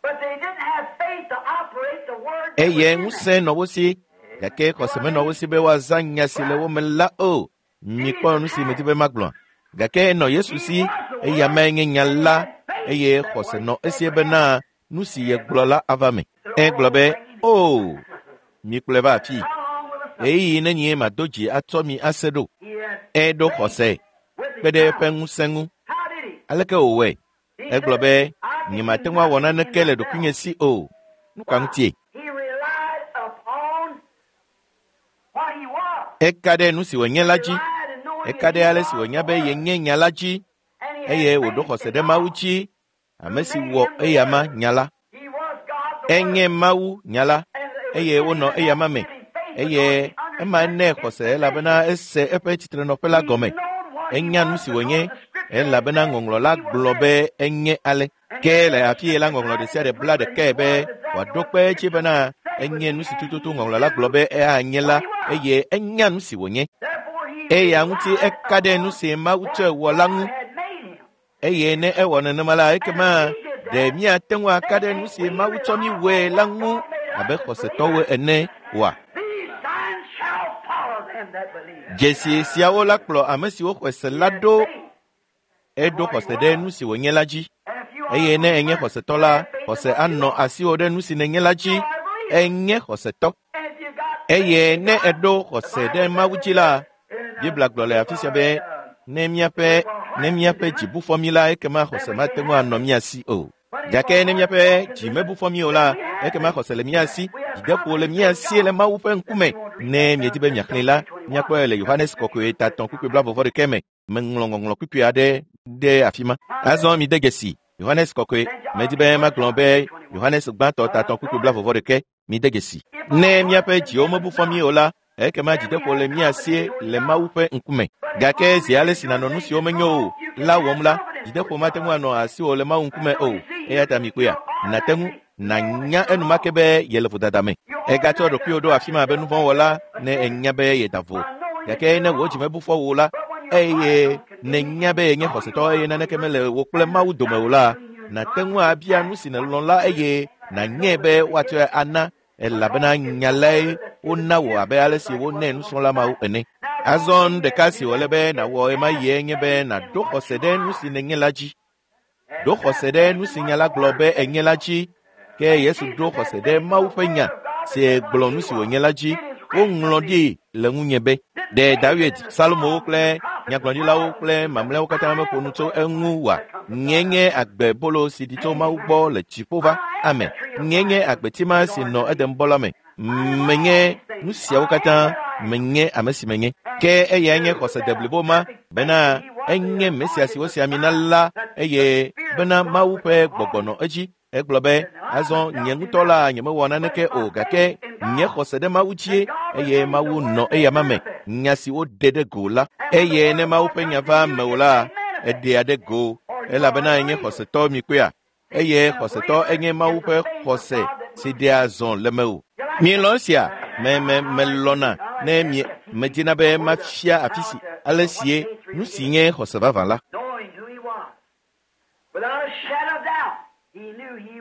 but they didn't have faith to operate the Word that was Eye in them. ŋusẽ nɔ wo si, gake xɔse menɔ wo si be woazã nya si le wo me la o. Mikpɔ nu si medi be magblɔ. Gake enɔ Yesu si, eya mae nye nya la, eye xɔse nɔ esie bena nu si yegblɔ la ava me. Egblɔ be, o, mikplɔe va afii. How long will the Ɣeyiɣi nenye mado dzi atsɔ mi ase ɖo. He had Eɖo xɔse with kpe his ɖe eƒe power. ŋusẽ ŋu. How did he? Aleke wòwɔe? He Egblɔ said, be, I can nyemate do ŋu awɔ nothing in naneke le myself. ɖokuinye si o. Nu ka ŋutie? He relied upon what he was. Eka ɖe nu si wònye la dzi. Relied in knowing Eka that ɖe he ale si was wònya the be Word. yenye nya la dzi And he had eye wòɖo faith xɔse in ɖe Mawu God. dzi, ame si wɔ eyama nya la. He was God the Enye Word. Mawu nya la And it was eye in him wonɔ that eyama me. gave him faith because Eye he ema understood nɛ his xɔse position. elabena ese eƒe tsitrenɔƒe la He gɔme. knowed what he Enya nu was si because wònye the scripture had elabena said ŋɔŋlɔ la he was gblɔ there. be enye ale. And Ke he le said the afi yi la scripture ŋɔŋlɔ ɖe tied sia it ɖe to bla prove that he ɖekae be was exactly wòaɖo what kpe the edzi scripture bena said he would enye be, nu si and tututu he ŋɔŋlɔ la gblɔ knew be eanye la what he was. eye enya nu si wònye. Therefore he Eya ŋuti relied eka ɖe nu upon si Mawu what tsɔe wɔ la God ŋu had made him. eye ne ewɔ nenema la And if ekema he did ɖe that, míate ŋu aka then ɖe nu can't si we Mawu tsɔ mí rely wɔe upon la what ŋu God made abe us as xɔsetɔwo believers? ene oa? These signs shall follow them that believe. Dzesi siawo la kplɔ ame siwo xɔe se He la had ɖo faith in eɖo what he xɔse ɖe was. nu si wònye la dzi. And if you are Eye a ne enye believer, xɔsetɔ you la, have faith in xɔse what you anɔ are. asiwò ɖe nu si nènye la You dzi. are a believer. Enye xɔsetɔ. And if you got faith Eye in ne God, èɖo the xɔse Bible ɖe says Mawu in dzi la, here, in uh, Biblia gblɔ le afi sia be if our, uh, ne míaƒe if our ne hearts míaƒe condemn dzi us, bu fɔ mí la, ekema then xɔse we mate can't ŋu have anɔ faith. mía si o. But if Gake our ne hearts míaƒe don't dzi condemn mebu us, fɔ mí o then la, we have ekema faith. xɔse le mía si, We have dzideƒo le confidence mía in si le God. Mawu ƒe ŋkume. If you want to read Ne that miedi down be there, miaxlẽe John la, three twenty-one. míakpɔe le Yohanes kɔkɔe ta etɔ̃ kpukpui blaeve vɔ ɖekɛ me. Meŋlɔ ŋɔŋlɔ kpukpui aɖe ɖe afi ma. Now Azɔ listen, mide dzesi Yohanes kɔkɔe. Saint John, Medi be First magblɔ John be three twenty-one. Yohanes gbãtɔ ta Uh, etɔ̃ kpukpui notice, blaeve vɔ ɖekɛ. Mide dzesi. if our Ne hearts míaƒe dziwo condemn mebu us fɔ mí not, o la, ekema then we dzideƒo have le mía si confidence toward le Mawu God. ƒe ŋkume. But as Gake long zi as ale you're si nànɔ doing nu things siwo that's menyo wrong, o you can la have wɔm la, confidence dzideƒo toward mate ŋu God. anɔ asiwò le Mawu ŋkume So o. you see, Eya you ta mikpɔea, you're nàte ŋu automatically know that nànya you're enumake wrong. be yele vodada me. You Ègatsɔ automatically ɖokuiwò ɖo accept afi ma abe yourself nuvɔ̃wɔla as a ne sinner ènya be yeda vo. by knowing that Gake you're ne wò dzi wrong. mebu fɔ wò la, But when your heart eye don't condemn you, nènya be yenye know you xɔsetɔ are eye a naneke believer, mele wò kple and Mawu there's dome o nothing la, between you and nàte God, ŋu abia ask nu si what nèlɔ̃ you la will, eye and nànyae know be that you woatsɔe get it ana elabena because it's nya the lae word that's given wona to wò you, abe ale just si like it was wonɛ to those nusrɔ̃la mawo disciples. ene. Now, the Azɔ only nu thing you ɖeka have to si do wòle then be is nàwɔ ɣemaɣie have nye be faith in nàɖo what xɔse you ɖe nu are. si nènye la dzi. And Ɖo have xɔse ɖe faith nu in si what nya la the gblɔ Word be says. enye la dzi. Ke And Yesu Jesus ɖo had xɔse ɖe faith in Mawu the ƒe Word nya of God that si said what gblɔ he nu si was. wònye la dzi. It is written Woŋlɔ of me. ɖi le ŋunye be, Didn't ɖe David David, and the Salomowo Psalms and kple the prophets and nyagblɔɖilawo all of kple them said, mamlɛawo katã I am meƒo the nu tso bread of eŋu life oa? that comes from Nye God. nye agbebolo si ɖi tso Mawu gbɔ le dziƒo va. I am Amen. the tree of Nye nye life agbeti which ma is si on nɔ the Edenbɔ la me. I am all Menye these nu things. siawo I am katã, that I am. menye ame si menye. And Ke he eyae nye knew xɔse that deblibo a ma perfect faith bena that he was the enye Mesia si anointed wosi ami na Messiah, la that the eye Spirit bena of God Mawu was ƒe upon gbɔgbɔ him. nɔ edzi. Egblɔ be, He said, Now I azɔ nye myself do ŋutɔ la nothing, nyemewɔ but naneke it's my o, gake faith in nye God. xɔse ɖe Mawu dzie And God eye released the Mawu word nɔ made eyama me. manifest. Nya si woɖe ɖe go la. And when the Eye word ne of Mawu God ƒe nya comes to va you, mewò it's la, made manifest. eɖea ɖe go For you are elabena a enye believer. xɔsetɔ mikpɔea. See, Eye and a xɔsetɔ believer enye Mawu is the ƒe faith of xɔse God that si moves. ɖea zɔ le mewò. You like Mielɔ̃ that? esia? Me me I like melɔ̃na I like ne that. mie medina be Oh, the mafia afi how si to ale sie nu si nye xɔse vavã la.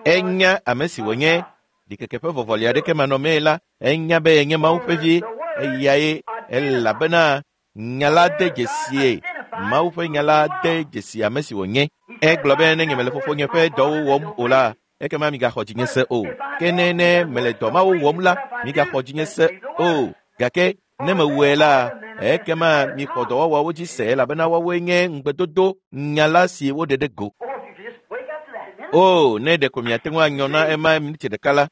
Enya ame si wònye ɖikeke ƒe vɔvɔli aɖeke manɔmee la, enya be yenye Mawu ƒe vi eyae elabena nya la de dzesie. Mawu ƒe nya la de dzesi ame si wònye. Egblɔ be ne nye mele fofonye ƒe dɔwo wɔm o la, ekema migaxɔ dzinye se o. Ke ne ne mele dɔ mawo wɔm la, migaxɔ dzinye se o. Gake ne mewɔe la, ekema mixɔ dɔwɔwɔwo dzi se elabena woawoe nye ŋugbedodo nya la si woɖe ɖe go. O, ne ɖeko miate ŋu anyɔ na ema miniti ɖeka la,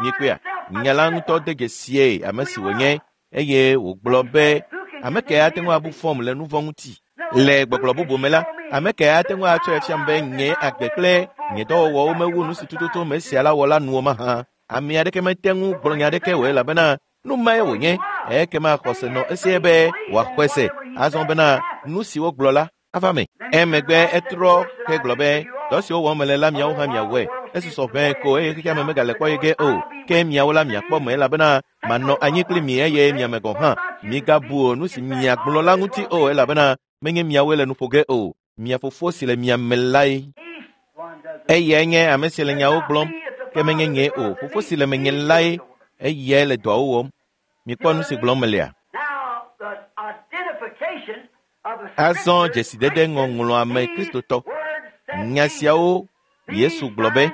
mikpɔea, nya la ŋutɔ de dzesie ame si wònye eye wògblɔ be ame ke ate ŋu abu fɔm le nu vɔ̃ ŋuti. Le gbɔgblɔ bubu me la, ame ke ate ŋu atsɔe fiam be nye agbe kple nye dɔwɔwɔwo mewu nu si tututu me sia la wɔ la nu o mahã. Ame aɖeke mete ŋu gblɔ nya aɖeke o elabena nu mae wònye. Ekema xɔse nɔ esie be wòaxɔe se azɔ bena nu si wogblɔ la ava me. Emegbe etrɔ hegblɔ be dɔ siwo wɔm mele la miawo hã miawɔe. Esusɔ ʋɛ ko eye xexea me megale kpɔ ye ge o. Ke miawo la miakpɔ me elabena manɔ anyi kpli mi eye miame gɔ̃ hã. Migabu nu si miagblɔ la ŋuti o elabena menye miawoe le nu ƒo ge o. Mia fofo si le mia me lae. Eyae nye ame si le nyawo gblɔm, ke menye nye o. Fofo si le menye lae, eyae le dɔawo wɔm. Mikpɔ nu si gblɔm melea. Azɔ dzesidede ŋɔŋlɔa me Kristotɔ. Nya siawo Yesu gblɔ be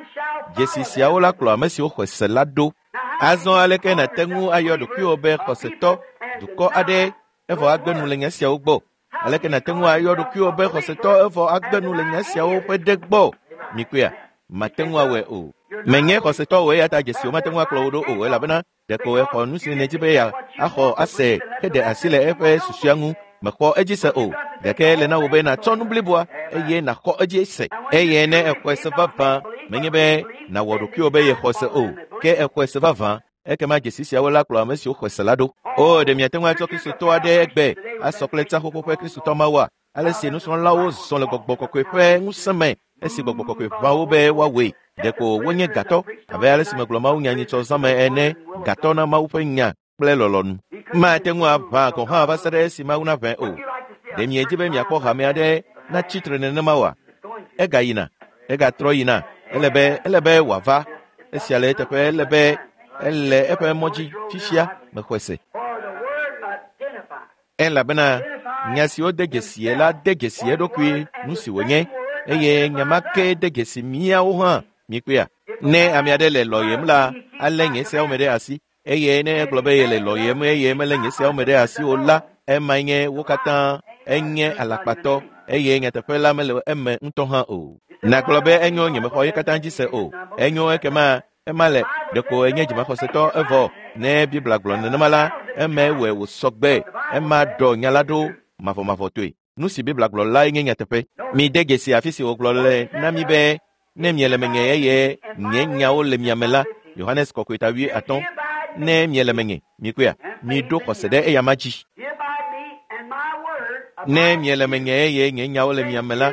dzesi siawo la kplɔ ame siwo xɔe se la ɖo. Azɔ aleke nàte ŋu ayɔ ɖokuiwò be xɔsetɔ dukɔ aɖe evɔ agbe nu le nya siawo gbɔ? Aleke nàte ŋu ayɔ ɖokuiwò be xɔsetɔ evɔ agbe nu le nya siawo ƒe ɖe gbɔ? Mikpɔea, mate ŋu awɔe o. Menye xɔsetɔ o eya ta dzesiwo mate ŋu akplɔ wò ɖo o elabena ɖeko exɔ nu si nèdi be yeaxɔ ase heɖe asi le eƒe susua ŋu. Mexɔ edzi se o. Gake ele na wò be nàtsɔ nu bliboa eye nàxɔ edzi se. Eye ne exɔe se vavã, menye be nàwɔ ɖokuiwò be yexɔ se o, ke exɔe se vavã, ekema dzesi siawo la kplɔ ame siwo xɔe se la ɖo. O, ɖe miate ŋu atsɔ Kristotɔ aɖe egbe asɔ kple tsã xoxo ƒe Kristotɔ mawoa? Ale si nusrɔ̃lawo zɔ le gbɔgbɔ kɔkɔe ƒe ŋusẽ me esi gbɔgbɔ kɔkɔe ʋã wo be woawɔe. Ɖeko wonye gatɔ abe ale si megblɔ Mawu nya nyitsɔ zã me ene, gatɔ na Mawu ƒe nya kple lɔlɔ̃nu. Mate ŋu aʋã gɔ̃ hã va se ɖe esi Mawu naʋãe o. Ɖe miedzi be miakpɔ hame aɖe natsi tre nenema oa? Egayina, egatrɔ yina. Ele be ele be wòava. Esia le eteƒe ele be ele eƒe mɔ dzi fifia mexɔe se. Elabena nya siwo de dzesie la de dzesi eɖokui nu si wònye eye nya ma ke de dzesi míawo hã. Mikpɔea, ne ame aɖe le lɔyem la, alé nye seawo me ɖe asi eye ne egblɔ be yele lɔyem eye melé nye seawo me ɖe asi o la, emae nye wo katã enye alakpatɔ eye nyateƒe la mele eme ŋutɔ hã o. Nàgblɔ be enyo nyemexɔ ye katã dzi se o. Enyo ekema ema le ɖeko enye dzimaxɔsetɔ evɔ ne Biblia gblɔ nenema la, eme wɔe wòsɔ gbe. Ema ɖɔ nya la ɖo mavɔmavɔtɔe. Nu si Biblia gblɔ lae nye nyateƒe. Mide dzesi afi si wògblɔ le na mi be ne miele menye eye nye nyawo le mia me la, Yohanes kɔkɔe ta wuiatɔ̃, ne miele menye, mikpɔea, miɖo xɔse ɖe eyama dzi. Ne miele menye eye nye nyawo le mia me la,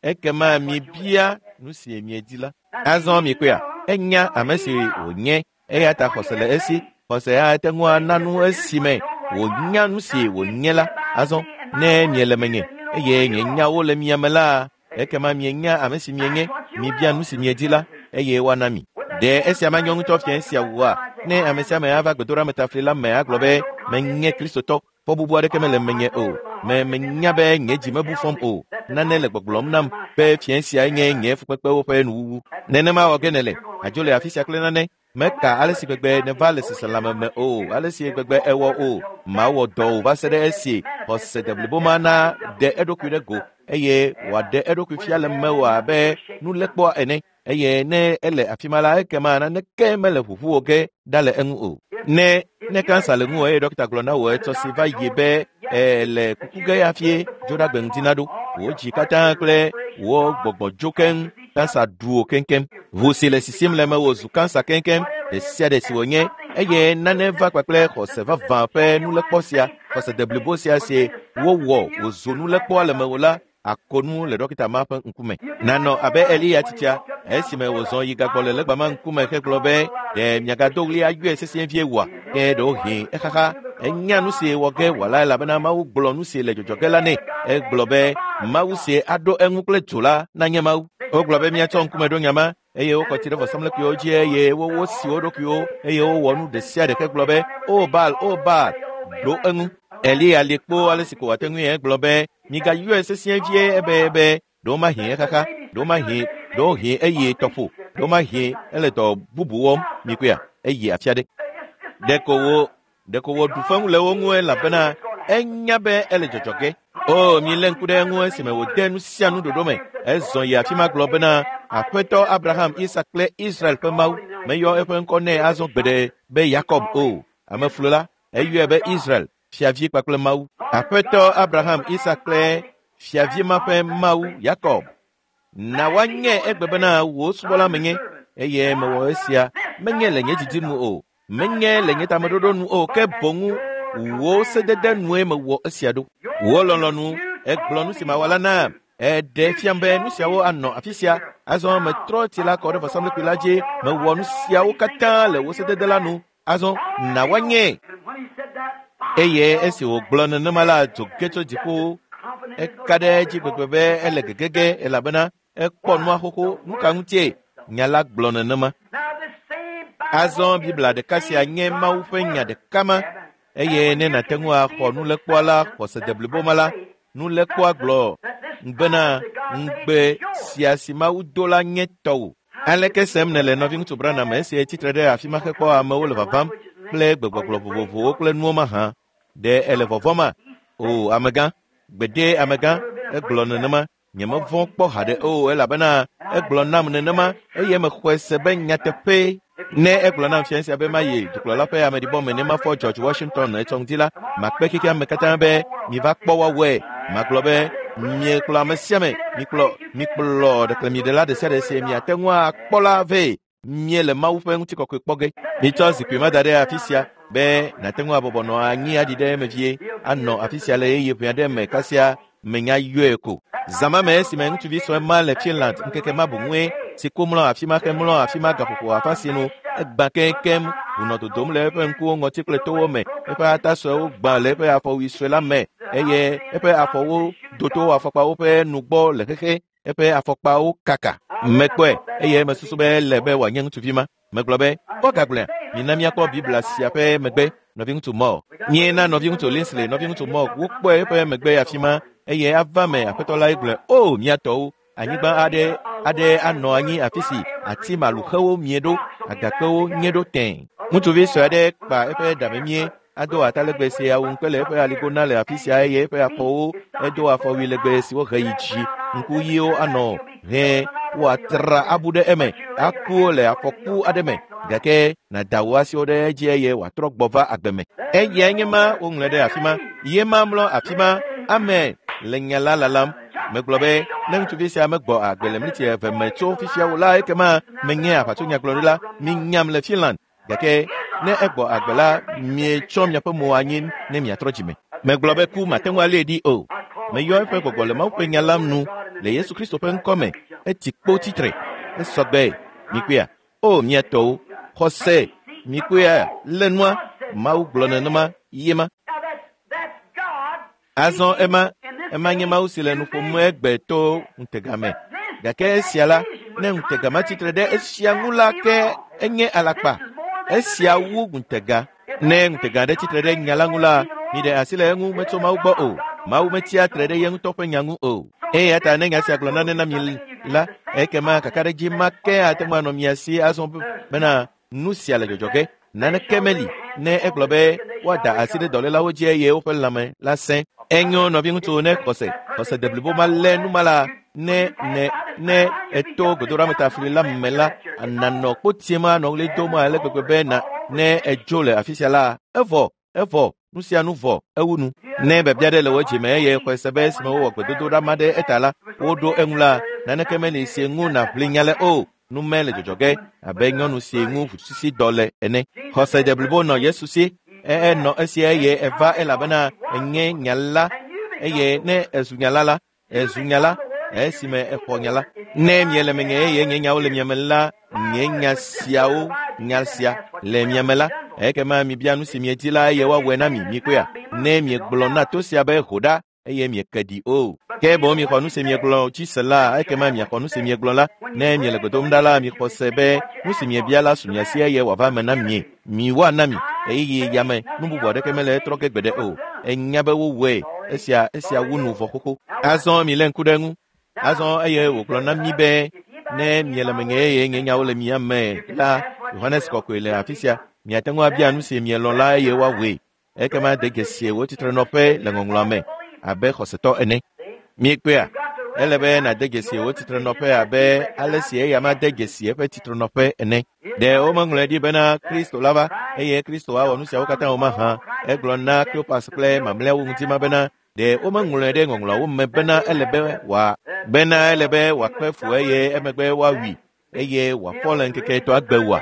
ekema mibia nu si miedi la. Azɔ mikpɔea, enya ame si wònye eya ta xɔse le esi. Xɔse ate ŋu ana nu esime wònya nu si wònye la. Azɔ ne miele menye eye nye nyawo le mia me la, ekema mienya ame si mienye. Mibia nu si miedi la eye woana mi. Ɖe esia manyɔ ŋutɔ fia esia wòa? Ne ame sia ame ava gbedoɖametafli la me agblɔ be menye Kristotɔ, fɔ bubu aɖeke mele menye o. Me menya be nye dzi mebu fɔm o. Nane le gbɔgblɔm nam be fia sia nye nye fukpekpewo ƒe nuwuwu. Nenema wɔ ge nèle. Àdzo le afi sia kple nane. Meka ale si gbegbe neva le seselãme me o, ale si gbegbe ewɔ o. Mawɔ dɔ o va se ɖe esi xɔse deblibo ma na ɖe eɖokui ɖe go eye wòaɖe eɖokui fia le mewò abe nulekpɔa ene. Eye ne ele afi ma la, ekema naneke mele ʋuʋu wò ge ɖa le eŋu o. Ne ne kansa le ŋuwò eye ɖɔkita gblɔ na wò etsɔ si va yi be ele kuku ge hafie dzoɖagbe ŋdi naɖo, wò dzi katã kple wò gbɔgbɔ dzo keŋ, kansa ɖu wò keŋkeŋ. Ʋu si le sisim le mewò zu kansa keŋkeŋ ɖe sia ɖe si wònye eye nane va kpakple xɔse vavã ƒe nulekpɔ sia, xɔse deblibo sia si wowɔ wòzu nulekpɔa le mewò la, akonu le ɖɔkita ma ƒe ŋkume. Nanɔ abe Eliya tsitsia esime wòzɔ yi gagbɔ le legba ma ŋkume hegblɔ be ɖe miagado ɣli ayɔe sesĩe vie wòa? Ke ɖewohĩ exaxa Enya nu si wɔ ge wòala elabena Mawu gblɔ nu si le dzɔdzɔ ge la nɛ. Egblɔ be Mawu si aɖo eŋu kple dzo la nanye Mawu. Wogblɔ be míatsɔ ŋkume ɖo nya ma eye wokɔ tsi ɖe vɔsamlekpuiwo dzi eye wowosi wo ɖokuiwo eye wowɔ nu ɖe sia ɖe gblɔ be o Baal, o Baal, ɖo eŋu. Eliya li kpo ale si ko wòate ŋui egblɔ be migayɔe sesĩe vie ebe be ɖewomahi exaxa, ɖewomahi ɖewohĩ eye tɔƒo, ɖewomahi ele dɔ bubu wɔm mikoa eye afi aɖe. Ɖeko wo ɖeko wòɖu feŋu le wo ŋu elabena enya be ele dzɔdzɔ ge. O milé ŋku ɖe eŋu esime wòde nu sia nu ɖoɖo me. Ezɔ yi afi ma gblɔ bena Aƒetɔ Abraham, Isak kple Israel ƒe Mawu meyɔ eƒe ŋkɔ nɛ azɔ gbeɖe be Yakob o. Ameflu la, eyɔe be Israel, fiavi kpakple Mawu. Aƒetɔ Abraham, Isak kple fiavi ma ƒe Mawu Yakob. Na woanye egbe bena wò subɔla menye eye mewɔ esia menye le nye didi nu o, menye le nye tameɖoɖo nu o, ke boŋ wò sedede nue mewɔ esia ɖo. Wò lɔlɔ̃nu egblɔ nu si mawɔ la nam. Eɖe fiam be nu siawo anɔ afi sia. Azɔ metrɔ tsi la kɔ ɖe vɔsamlekpui la dzi. Mewɔ nu siawo katã le wò sedede la nu. Azɔ na woanye. Eye esi wògblɔ nenema la, dzo ge tso dziƒo. Eka ɖe edzi gbegbe be ele gegege elabena ekpɔ nua xoxo. Nu ka ŋutie nya la gblɔ nenema? Azɔ Biblia ɖeka sia nye Mawu ƒe nya ɖeka ma eye ne nàte ŋu axɔ nulekpɔa la xɔse deblibo ma la, nulekpɔa gblɔ bena ŋugbe sia si Mawu do la nye tɔwò. Aleke sem nèle nɔviŋutsu Branham esi tsitre ɖe afi ma hekpɔ amewo le vavam kple gbegbɔgblɔ vovovowo kple nuwo mahã? Ɖe ele vɔvɔ̃ma? O amegã, gbede amegã, egblɔ nenema. Nyemevɔ̃ kpɔ haɖe o elabena egblɔ nam nenema eye mexɔe se be nyateƒee. Ne egblɔ nam fia sia be mayi dukplɔla ƒe ameɖibɔ me ne mafɔ George Washington etsɔ ŋdi la, makpe xexea me katã be miva kpɔ woawɔe. Magblɔ be miekplɔ ame sia ame, mikplɔ mikplɔ ɖeklemiɖela ɖe sia ɖe si miate ŋu akpɔ la vɛ. Miele Mawu ƒe ŋutikɔkɔe kpɔ ge. Mitsɔ zikpui ma da ɖe afi sia be nàte ŋu abɔbɔ nɔ anyi aɖi ɖe eme vie anɔ afi sia le ɣeyiɣi ʋɛ aɖe me kasia menya yɔe ko. Zã ma me esime ŋutsuvi sue ma le Finland ŋkeke ma boŋue si ko mlɔ afi ma hemlɔ afi ma gaƒoƒo afã si nu egbã keŋkeŋ wònɔ dodom le eƒe ŋkuwo ŋɔti kple towo me. Eƒe ata suewo gbã le eƒe afɔwui sue la me eye eƒe afɔwo do to afɔkpawo ƒe nugbɔ le xexe. Eƒe afɔkpawo kaka. Mekpɔe eye mesusu be ele be wòanye ŋutsuvi ma. Megblɔ be kpɔ gagblɔa, mina míakpɔ Biblia sia ƒe megbe nɔviŋutsu Moore. Míena nɔviŋutsu Linsley, nɔviŋutsu Moore wokpɔe eƒe megbe afi ma eye ava me aƒetɔ la gblɔe o míatɔwo anyigba aɖe aɖe anɔ anyi afi si ati maluxewo mie ɖo, agakpewo nye ɖo tẽe. Ŋutsuvi sue aɖe kpa eƒe ɖa memie ado atalegbe si awu ŋukpe le eƒe aligo na le afi sia eye eƒe afɔwo edo afɔwui legbe siwo he yi dzi. Ŋku ɣiwo anɔ hẽ woatra abu ɖe eme aku le afɔku aɖe me gake nàda wò asiwo ɖe edzi eye wòatrɔ gbɔ va agbe me. Eyae nye ma woŋlɔe ɖe afi ma. Ye ma mlɔ afi ma. Amen. Le nya la lalam. Megblɔ be ne ŋutsuvi sia megbɔ agbe le mliti eve me tso fifia o la ekema menye aʋatsonyagblɔɖila minyam le Finland. Gake ne egbɔ agbe la mietsɔ miaƒe mo anyi ne miatrɔ dzime. Megblɔ be ku mate ŋu alée ɖi o. Meyɔ eƒe gbɔgbɔ le Mawu ƒe nya la nu le Yesu Kristo ƒe ŋkɔ me. Etsi kpo tsitre. Esɔgbe. Mikpɔea? O miatɔwo, xɔse, mikpɔea lé nua. Mawu gblɔ nenema ye ma. Azɔ ema ema nye Mawu si le nu ƒom egbe to ŋutega me. Gake esia la, ne ŋutega ma tsitre ɖe esia ŋu la ke enye alakpa. Esia wu ŋutega. Ne ŋutega ɖe tsitre ɖe nya la ŋu la, miɖe asi le eŋu metso Mawu gbɔ o. Mawu metsia tre ɖe ye ŋutɔ ƒe nya ŋu o. Eya ta ne nya sia gblɔ nane na mi la, ekema kakaɖedzi ma ke ate ŋu anɔ mia si azɔ bena nu sia le dzɔdzɔ ge. Naneke meli ne egblɔ be woada asi ɖe dɔlélawo dzi eye woƒe lãme la sẽ. Enyo nɔviŋutsu ne xɔse xɔse deblibo ma lé nu ma la ne ne ne eto godoɖametafli la me la nanɔ kpotie ma anɔ ɣli dom ale gbegbe be na ne edzo le afi sia la evɔ evɔ nu sia nu vɔ ewu nu. Ne biabia ɖe le wò dzime eye xɔe se be esime wowɔ gbedodoɖa ma ɖe eta la woɖo eŋu la naneke meli si ŋu nàʋli nya le o. Nu me le dzɔdzɔ ge abe nyɔnu si ŋu ʋusisi dɔ le ene. Xɔse deblibo nɔ Yesu si. Enɔ esia eye eva elabena enye nya la eye ne ezu nya la la ezu nya la esime exɔ nya la. Ne miele menye eye nye nyawo le mia me la nye nya siawo nya sia le mia me la Ekema mibia nu si miedi la eye woawɔe na mi mikpɔea. Ne miegblɔ na to sia be ho ɖa eye mieke ɖi o. Ke boŋ mixɔ nu si miegblɔ dzi se la, ekema miaxɔ nu si miegblɔ la. Ne miele gbe dom ɖa la, mixɔ se be nu si miebia la su mia si eye wòava eme na mie. Miwoana mi eye yame nu bubu aɖeke mele etrɔ ge gbeɖe o. Enya be wowɔe esia esia wu nu vɔ xoxo. Azɔ milé ŋku ɖe eŋu. Azɔ eye wògblɔ na mi be ne miele menye eye nye nyawo le mia me la, Yohanes Kɔkɔe le afi sia. Miate ŋu abia nu si mielɔ̃ la eye woawɔe. Ekema de dzesi wò tsitrenɔƒe le ŋɔŋlɔa me abe xɔsetɔ ene. Miekpɔea? Ele be nàde dzesi wò tsitrenɔƒe abe ale si eya ma de dzesi eƒe tsitrenɔƒe ene. Ɖe womeŋlɔe ɖi bena Kristo la va eye Kristo awɔ nu siawo katã o mahã. Egblɔ na Kleopas kple mamlɛawo ŋuti ma bena ɖe womeŋlɔe ɖe ŋɔŋlɔawo me bena ele be wòa bena ele be wòakpe fu eye emegbe woawui eye wòafɔ le ŋkeke etɔ̃a gbe oa?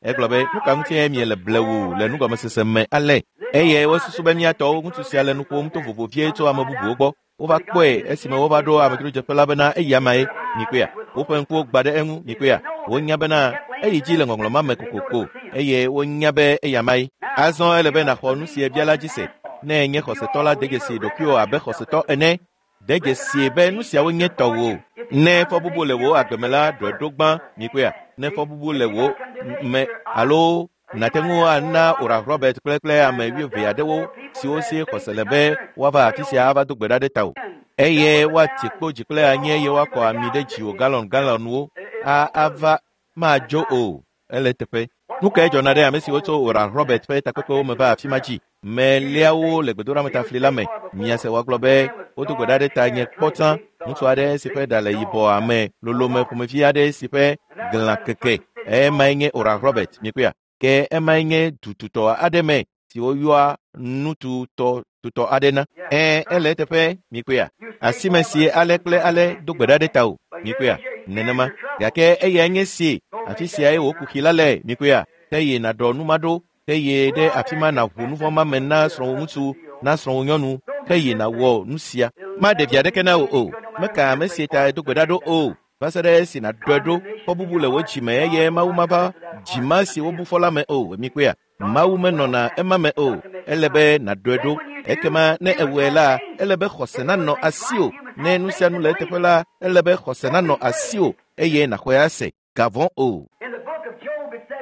Egblɔ be nu ka ŋutie miele blewu le nugɔmesese me ale? Eye wosusu be míatɔwo ŋutsu sia le nu ƒom to vovo vie tso ame bubuwo gbɔ. Wova kpɔe esime wova ɖo amedzrodzeƒe la bena eya mae mikpɔea. Woƒe ŋkuwo gbã ɖe eŋu mikpɔea. Wonya bena eyi dzi le ŋɔŋlɔ ma me kokoko eye wonya be eya mae. Azɔ ele be nàxɔ nu si ebia la dzi se. Ne enye xɔsetɔ la, de dzesi ɖokuiwò abe xɔsetɔ ene. De dzesi be nu siawo nye tɔwò. Ne fɔbubu le wò agbe me la, ɖɔe ɖo gbã mikpɔea. Ne fɔbubu le wò me alo nàte ŋu ana Oral Robert kple kple ame wuieve aɖewo siwo si xɔse le be woava afi sia ava do gbe ɖa ɖe tawò. Eye woati kpo dzi kple anyi eye woakɔ ami ɖe dziwò galɔn galɔnwo a ava madzo o. Ele teƒe. Nu kae dzɔna ɖe ame siwo tso Oral Robert ƒe takpekpewo me va afi ma dzi? Meliawo le gbedoɖametafli la me. Miase woagblɔ be wodo gbe ɖa ɖe ta nye kpɔ tsã. Ŋutsu aɖe si ƒe ɖa le yibɔ ame lolome ƒomevi aɖe si ƒe glã keke. Emae nye Oral Robert mikpɔea. Ke emae nye dututɔ aɖe me si woyɔa nututɔ tutɔ aɖe na. Ẽ, ele eteƒe mikpɔea. Asime si ale kple ale do gbe ɖa ɖe tawò mikpɔea. Nenema. Gake eyae nye si afi siae wò kuxi la le mikpɔea. Ke yi nàɖɔ nu ma ɖo. Ke yi ɖe afi ma nàʋu nu vɔ̃ ma me na srɔ̃wò ŋutsu, na srɔ̃wò nyɔnu. Ke yi nàwɔ nu sia. Maɖe vi aɖeke na wò o. Meka ame si ta do gbe ɖa ɖo o. Va se ɖe esi nàɖɔe ɖo. Fɔbubu le wò dzime eye Mawu mava dzima si wobu fɔ la me o. Mikpɔea? Mawu menɔna ema me o. Ele be nàɖɔe ɖo. Ekema ne ewɔe la, ele be xɔse nanɔ asiwò. Ne nu sia nu le eteƒe la, ele be xɔse nanɔ asiwò eye nàxɔe ase. Gavɔ̃ o.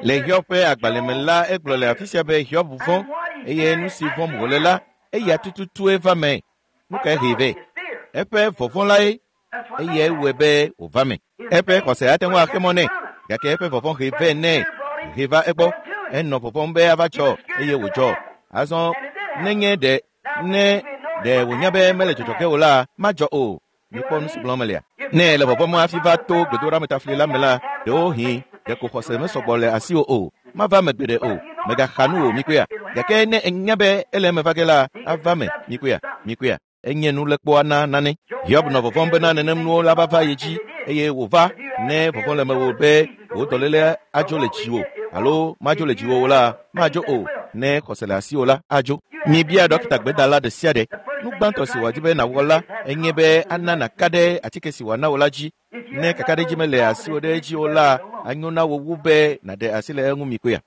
Le Hiob ƒe agbalẽ me la, egblɔ le afi sia be Hiob vɔ̃ eye nu si vɔ̃m wòle la, eya tututue va me. Nu kae hee vɛ? Eƒe vɔvɔ̃ lae eye ewɔe be wòva me. Eƒe xɔse ate ŋu axe mɔ nɛ, gake eƒe vɔvɔ̃ hee vɛ nɛ, hee va egbɔ. Enɔ vɔvɔ̃m be ava dzɔ eye wòdzɔ. Azɔ nenye ɖe ne ɖe wònya be mele dzɔdzɔ ge o la, madzɔ o. Mikpɔ nu si gblɔm melea. Ne ele vɔvɔ̃m hafi va to gbedoɖametafli la me la, ɖewohĩ ɖeko xɔse mesɔgbɔ le asiwò o. Mava me gbeɖe o. Mègaxa nu o mikpɔea. Gake ne enya be ele eme va ge la, ava me mikpɔea. Mikpɔea. Enye nulekpɔa na nane. Hiob nɔ vɔvɔ̃m bena nenem nuwo la va va ye dzi eye wòva. Ne vɔvɔ̃ le mewò be wò dɔléle adzo le dziwò alo madzo le dziwò o la, madzo o. Ne xɔse le asiwò la, adzo. Mibia ɖɔkita gbedala ɖe sia ɖe. Nu gbãtɔ si wòadi be nàwɔ la enye be ana nàka ɖe atike si wòana wò la dzi. Ne kakaɖedzi mele asiwò ɖe edzi o la, anyo na wò wu be nàɖe asi le eŋu mikpɔea.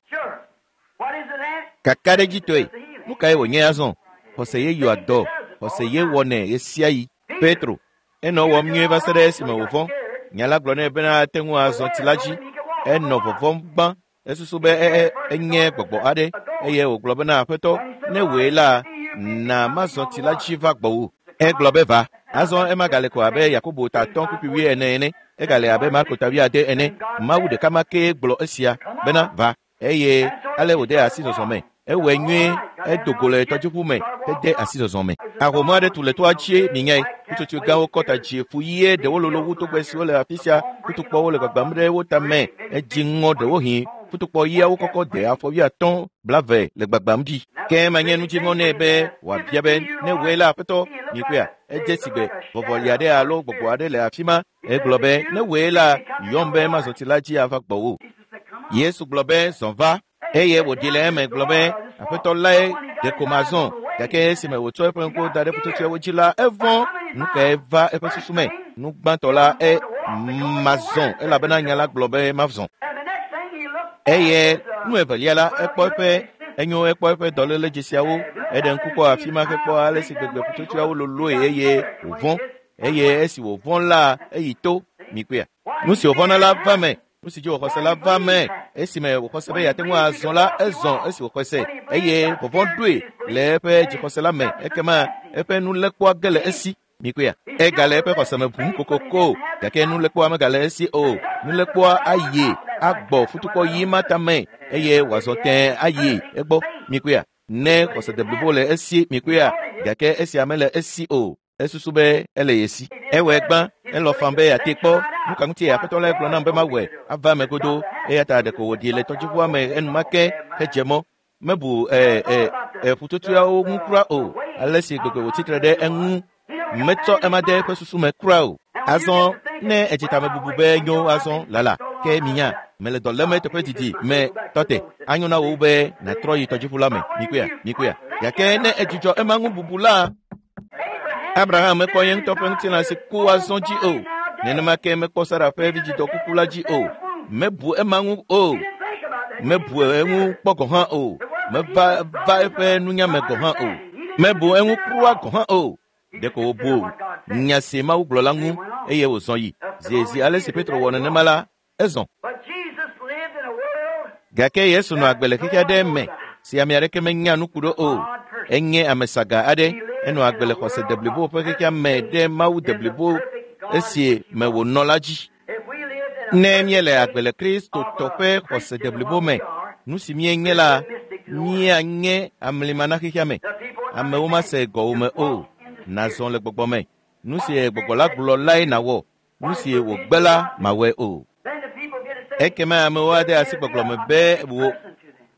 Kakaɖedzitɔe, nu kae wònye azɔ? Xɔse ye yɔa dɔ. Xɔse ye wɔnɛ ɣesiaɣi. Petro, enɔ wɔm nyuie va se ɖe esime wòvɔ̃. Nya la gblɔ nɛ bena ate ŋu azɔ tsi la dzi. Enɔ vɔvɔ̃m gbã. Esusu be e enye gbɔgbɔ aɖe eye wògblɔ bena aƒetɔ, ne wòe la, na mazɔ tsi la dzi va gbɔwò. Egblɔ be va. Azɔ ema gale ko abe Yakobo ta atɔ̃ kpukpui wuiene ene. Egale abe Marko ta wuiade ene. Mawu ɖeka ma kee gblɔ esia bena va. Eye ale wòde asi zɔzɔ me. Ewɔe nyuie, edo go le tɔdziʋu me hede asi zɔzɔ me. Ahom aɖe tu le toa dzie minyae. Ƒutsotsoe gãwo kɔ ta dzi fu ɣie ɖewo lolo wu togbɛ siwo le afi sia. Futukpɔwo le gbagbam ɖe wo tame. Edzi ŋɔ ɖewohĩ. Futukpɔ ɣiawo kɔkɔ de afɔ wuiatɔ̃ blave le gbagbam ɖi. Ke manye nu dziŋɔ nɛ be wòabia be ne wòe la aƒetɔ mikpɔea. Edze si gbe vɔvɔli aɖe alo gbɔgbɔ aɖe le afi ma. Egblɔ be ne wòe la, yɔm be mazɔ tsi la dzi ava gbɔwò. Yesu gblɔ be zɔ va. Eye wòɖi le eme gblɔ be aƒetɔ lae ɖeko mazɔ. Gake esime wòtsɔ eƒe ŋkuwo da ɖe ƒutsotsoeawo dzi la, evɔ̃. Nu kae va eƒe susu me? Nu gbãtɔ la e mazɔ elabena nya la gblɔ be mazɔ. Eye nu evelia la, ekpɔ eƒe Enyo ekpɔ eƒe dɔléle dzesiawo, eɖe ŋku kpɔ afi ma hekpɔ ale si gbegbe ƒutsotsoeawo loloe eye wòvɔ̃. Eye esi wòvɔ̃ la, eyi to. Mikpɔea? Nu si wòvɔ̃na la va me. Nu si dzi wòxɔ se la va me. Esime wòxɔ se be yeate ŋu azɔ la, ezɔ esi wòxɔ se. Eye vɔvɔ̃ ɖoe le eƒe dzixɔse la me. Ekema eƒe nulekpɔa ge le esi. Mikpɔea? Egale eƒe xɔse me ʋum kokoko gake nulekpɔa megale esi o. Nulekpɔa ayi agbɔ futukpɔ yi ma tame eye wòazɔ tẽe ayi egbɔ. Mikpɔea? Ne xɔse deblibo le esi. Mikpɔea? Gake esia mele esi o. Esusu be ele ye si. Ewɔe gbã, elɔ fam be yeate kpɔ. Nu ka ŋuti aƒetɔ la gblɔ nam be mawɔe ava eme godoo. Eya ta ɖeko wòɖi le tɔdziʋua me enumake hedze mɔ. Mebu ɛ ɛ ɛ ƒutsotsoeawo ŋu kura o. Ale si gbegbe wòtsitre ɖe eŋu metsɔ ema de eƒe susu me kura o. Azɔ ne edze tamebubu be nyo azɔ lala ke minya mele dɔ lém eteƒe didi me tɔte. Anyo na wò be nàtrɔ yi tɔdziʋu la me. Mikpɔea? Mikpɔea? Gake ne edzudzɔ ema ŋu bubu la, Abraham mekpɔ ye ŋutɔ ƒe ŋutilã si ku azɔ dzi o. Nenema ke mekpɔ Sara ƒe vidzidɔ kuku la dzi o. Mebu ema ŋu o. Mebu eŋu kpɔ gɔ̃ hã o. Meva va eƒe nunya me gɔ̃ hã o. Mebu eŋu kura gɔ̃ hã o. Ɖeko wòbu nya si Mawu gblɔ la ŋu eye wòzɔ yi. Zi ale si Petro wɔ nenema la, ezɔ. Gake Yesu nɔ agbe le xexe aɖe me si ame aɖeke menya nu ku ɖo o. Enye ame saga aɖe. Enɔ agbe le xɔse deblibo ƒe xexea me ɖe Mawu deblibo esi me wònɔ la dzi. Ne míele agbe le Kristotɔ ƒe xɔse deblibo me, nu si míenye la, míanye amlima na xexea me. Amewo mase gɔwòme o. Nazɔ le gbɔgbɔ me. Nu si gbɔgbɔ la gblɔ lae nàwɔ. Nu si wògbe la mawɔe o. Ekema amewo ade asi gbɔgblɔ me be wò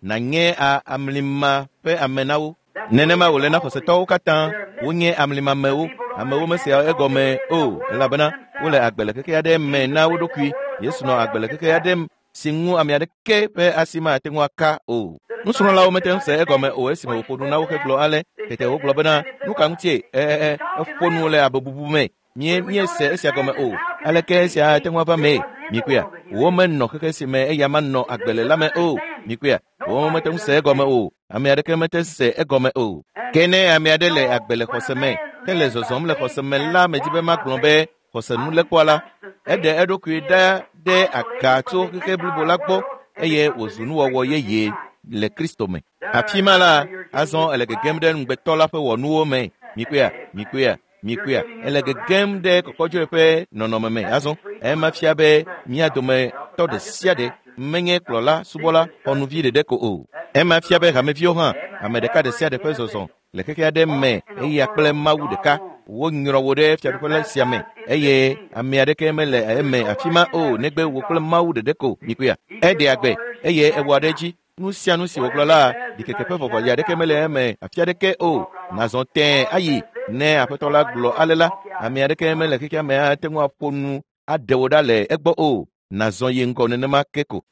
nànye amlima ƒe ame na wo. Nenema wòle na xɔsetɔwo katã. Wonye amlimamewo. Amewo mesea egɔme o elabena wole agbe le xexe aɖe me na wo ɖokui. Yesu nɔ agbe le xexe aɖe si ŋu ame aɖeke ƒe asi mate ŋu aka o. Nusrɔ̃lawo mete ŋu se egɔme o esime wòƒo nu na wo hegblɔ ale. Tete wogblɔ bena, nu ka ŋutie ɛ ɛ eƒo nu le abe bubu me? Mie míese esia gɔme o. Aleke esia ate ŋu ava mee? Mikpɔea? Womenɔ xexe si me eya manɔ agbe le la me o. Mikpɔea? Womete ŋu se egɔme o. Ame aɖeke mete se egɔme o. Ke ne ame aɖe le agbe le xɔse me, hele zɔzɔm le xɔse me la, medzi be magblɔ be xɔse nulekpɔa la, eɖe eɖokui ɖa ɖe aga tso xexe blibo la gbɔ eye wòzu nuwɔwɔ yeye le Kristo me. Afi ma la, azɔ ele gegem ɖe ŋugbetɔ la ƒe wɔnuwo me. Mikpɔea? Mikpɔea? Mikpɔea? Ele gegem ɖe kɔkɔdzoe ƒe nɔnɔme me. Azɔ ema fia be mía dometɔ ɖe sia ɖe menye kplɔla, subɔla, xɔnuvi ɖeɖe ko o. Ema fia be hameviwo hã, ame ɖeka ɖe sia ɖe ƒe zɔzɔ le xexe aɖe me eya kple Mawu ɖeka. Wonyrɔ wò ɖe fiaɖuƒe la sia me eye ame aɖeke mele eme afi ma o negbe wò kple Mawu ɖeɖe ko. Mikpɔea? Eɖe agbe eye ewɔ ɖe edzi. Nu sia nu si wògblɔ la, ɖikeke ƒe vɔvɔli aɖeke mele eme afi aɖeke o. Nazɔ tẽe ayi. Ne aƒetɔ la gblɔ ale la, ame aɖeke mele xexea me ate ŋu aƒo nu aɖe wò ɖa le egbɔ o. Nazɔ yi ŋgɔ nenema ke ko.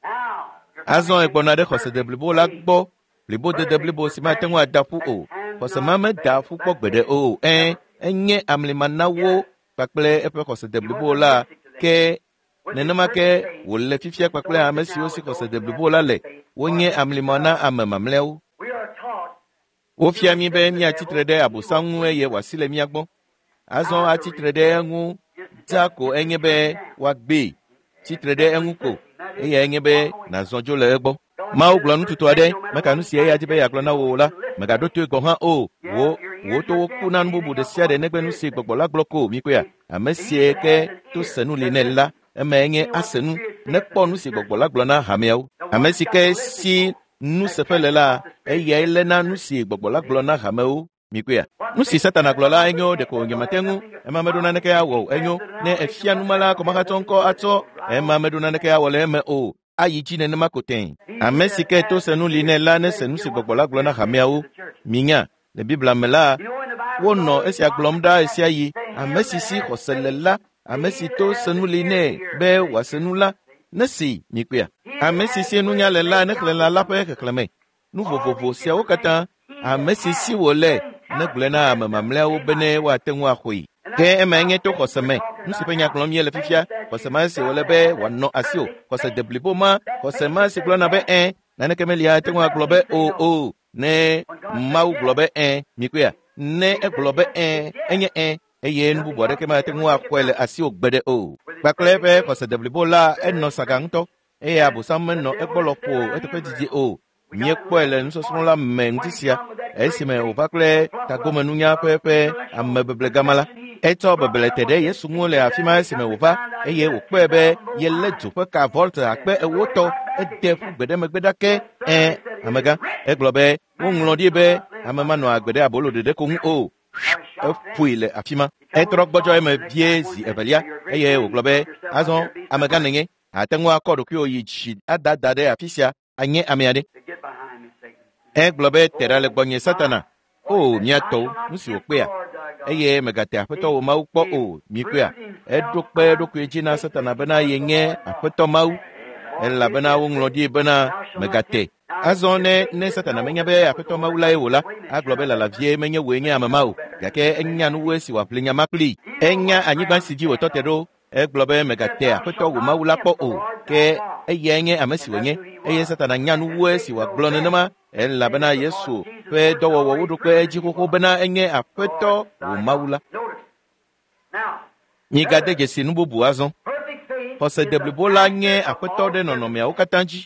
Azɔ egbɔna ɖe xɔse deblibo la gbɔ. Blibodede blibo si mate ŋu ada ƒu o. Xɔse ma meda ƒu kpɔ gbeɖe o. Ẽ, enye amlima na wo kpakple eƒe xɔse deblibo la ke nenema ke wòle fifia kpakple ame siwo si xɔse deblibo la le. Wonye amlima na ame mamlɛawo. Wofia mí be míatsitre ɖe Abosam ŋu eye wòasi le mía gbɔ. Azɔ atsitre ɖe eŋu dzaa ko enye be woagbee. Tsitre ɖe eŋu ko eya enye be nàzɔ dzo le egbɔ. Mawu gblɔ nututu aɖe, meka nu si eya dzi be yeagblɔ na wò o la, mègaɖo toe gɔ̃ hã o. Wò wò towo ku na nu bubu ɖe sia ɖe negbe nu si gbɔgbɔ la gblɔ ko. Mikpɔea? Ame sie ke to se nu li nɛ la, eme enye ase nu nekpɔ nu si gbɔgbɔ la gblɔ na hameawo. Ame si ke si nuseƒe le la, eyae léna nu si gbɔgbɔ la gblɔ na hamewo. Mikpɔea? Nu si Satana gblɔ la enyo ɖeko nyemate ŋu. Ema meɖo naneke awɔ o. Enyo ne efia numala kɔmahatsɔ ŋkɔ atsɔ. Ema meɖo naneke awɔ le eme o. Ayi dzi nenema ko tẽe. Ame si ke to se nu li nɛ la nese nu si gbɔgbɔ la gblɔ na hameawo. Minya, le Biblia me la, wonɔ esia gblɔm ɖa ɣe sia ɣi. Ame si si xɔse le la, ame si to se nu li nɛ be wòase nu la, nesi. Mikpɔea? Ame si si nunya le la nexlẽ lã la ƒe xexlẽme. Nu vovovo siawo katã, ame si si wòle negblɔe na ame mamlɛawo bene woate ŋu axɔe. Ke ema nye to xɔse me. Nu si ƒe nya gblɔm míele fifia, xɔse ma si wòle be wòanɔ asiwò. Xɔse deblibo ma, xɔse ma si gblɔna be ẽ, Naneke meli ate ŋu agblɔ be o o ne Mawu gblɔ be ẽ mikpɔea ne egblɔ be ẽ enye ẽ eye nu bubu aɖeke mate ŋu axɔe le asiwò gbeɖe o. Kpakple eƒe xɔse deblibo la enɔ saga ŋutɔ eye Abosam menɔ egbɔ lɔƒo eteƒe didi o. Míekpɔe le nusɔsrɔ̃ la me ŋuti sia esime wòva kple tagomenunya ƒe eƒe amebeblegama la. Etsɔ beble te ɖe Yesu ŋu le afi ma esime wòva eye wòkpɔe be yelé dzo ƒe ka volt akpe ewo tɔ ede ƒu gbe ɖe megbe ɖake ẽ amegã. Egblɔ be woŋlɔ ɖi be ame manɔ agbe ɖe abolo ɖeɖe ko ŋu o. Eƒoe le afi ma. Etrɔ gbɔdzɔ eme vie zi evelia eye wògblɔ be azɔ amegã nenye ate ŋu akɔ ɖokuiwò yi dzi adada ɖe afi sia anye ame aɖe. Egblɔ be te ɖa le gbɔnye Satana. O mía tɔwo, nu si wòkpea eye megate Aƒetɔ wò Mawu kpɔ o mikpɔea. Eɖo kpe eɖokui dzi na Satana bena yenye Aƒetɔ Mawu elabena woŋlɔ ɖi bena megate. Azɔ ne ne Satana menya be Aƒetɔ Mawu lae wò la, agblɔ be lala vie menye wòe nye ame ma o. Gake enya nuwoe si wòaƒle nya ma kplii. Enya anyigba si dzi wòtɔ te ɖo. Egblɔ be megate Aƒetɔ wò Mawu la kpɔ o. Ke eyae nye ame si wònye eye Satana nya nuwoe si wòagblɔ nenema elabena Yesu ƒe dɔwɔwɔwo ɖo kpe edzi xoxo bena enye Aƒetɔ wò Mawu la. Migade dzesi nu bubu azɔ. Xɔse deblibo la nye Aƒetɔ ɖe nɔnɔmeawo katã dzi.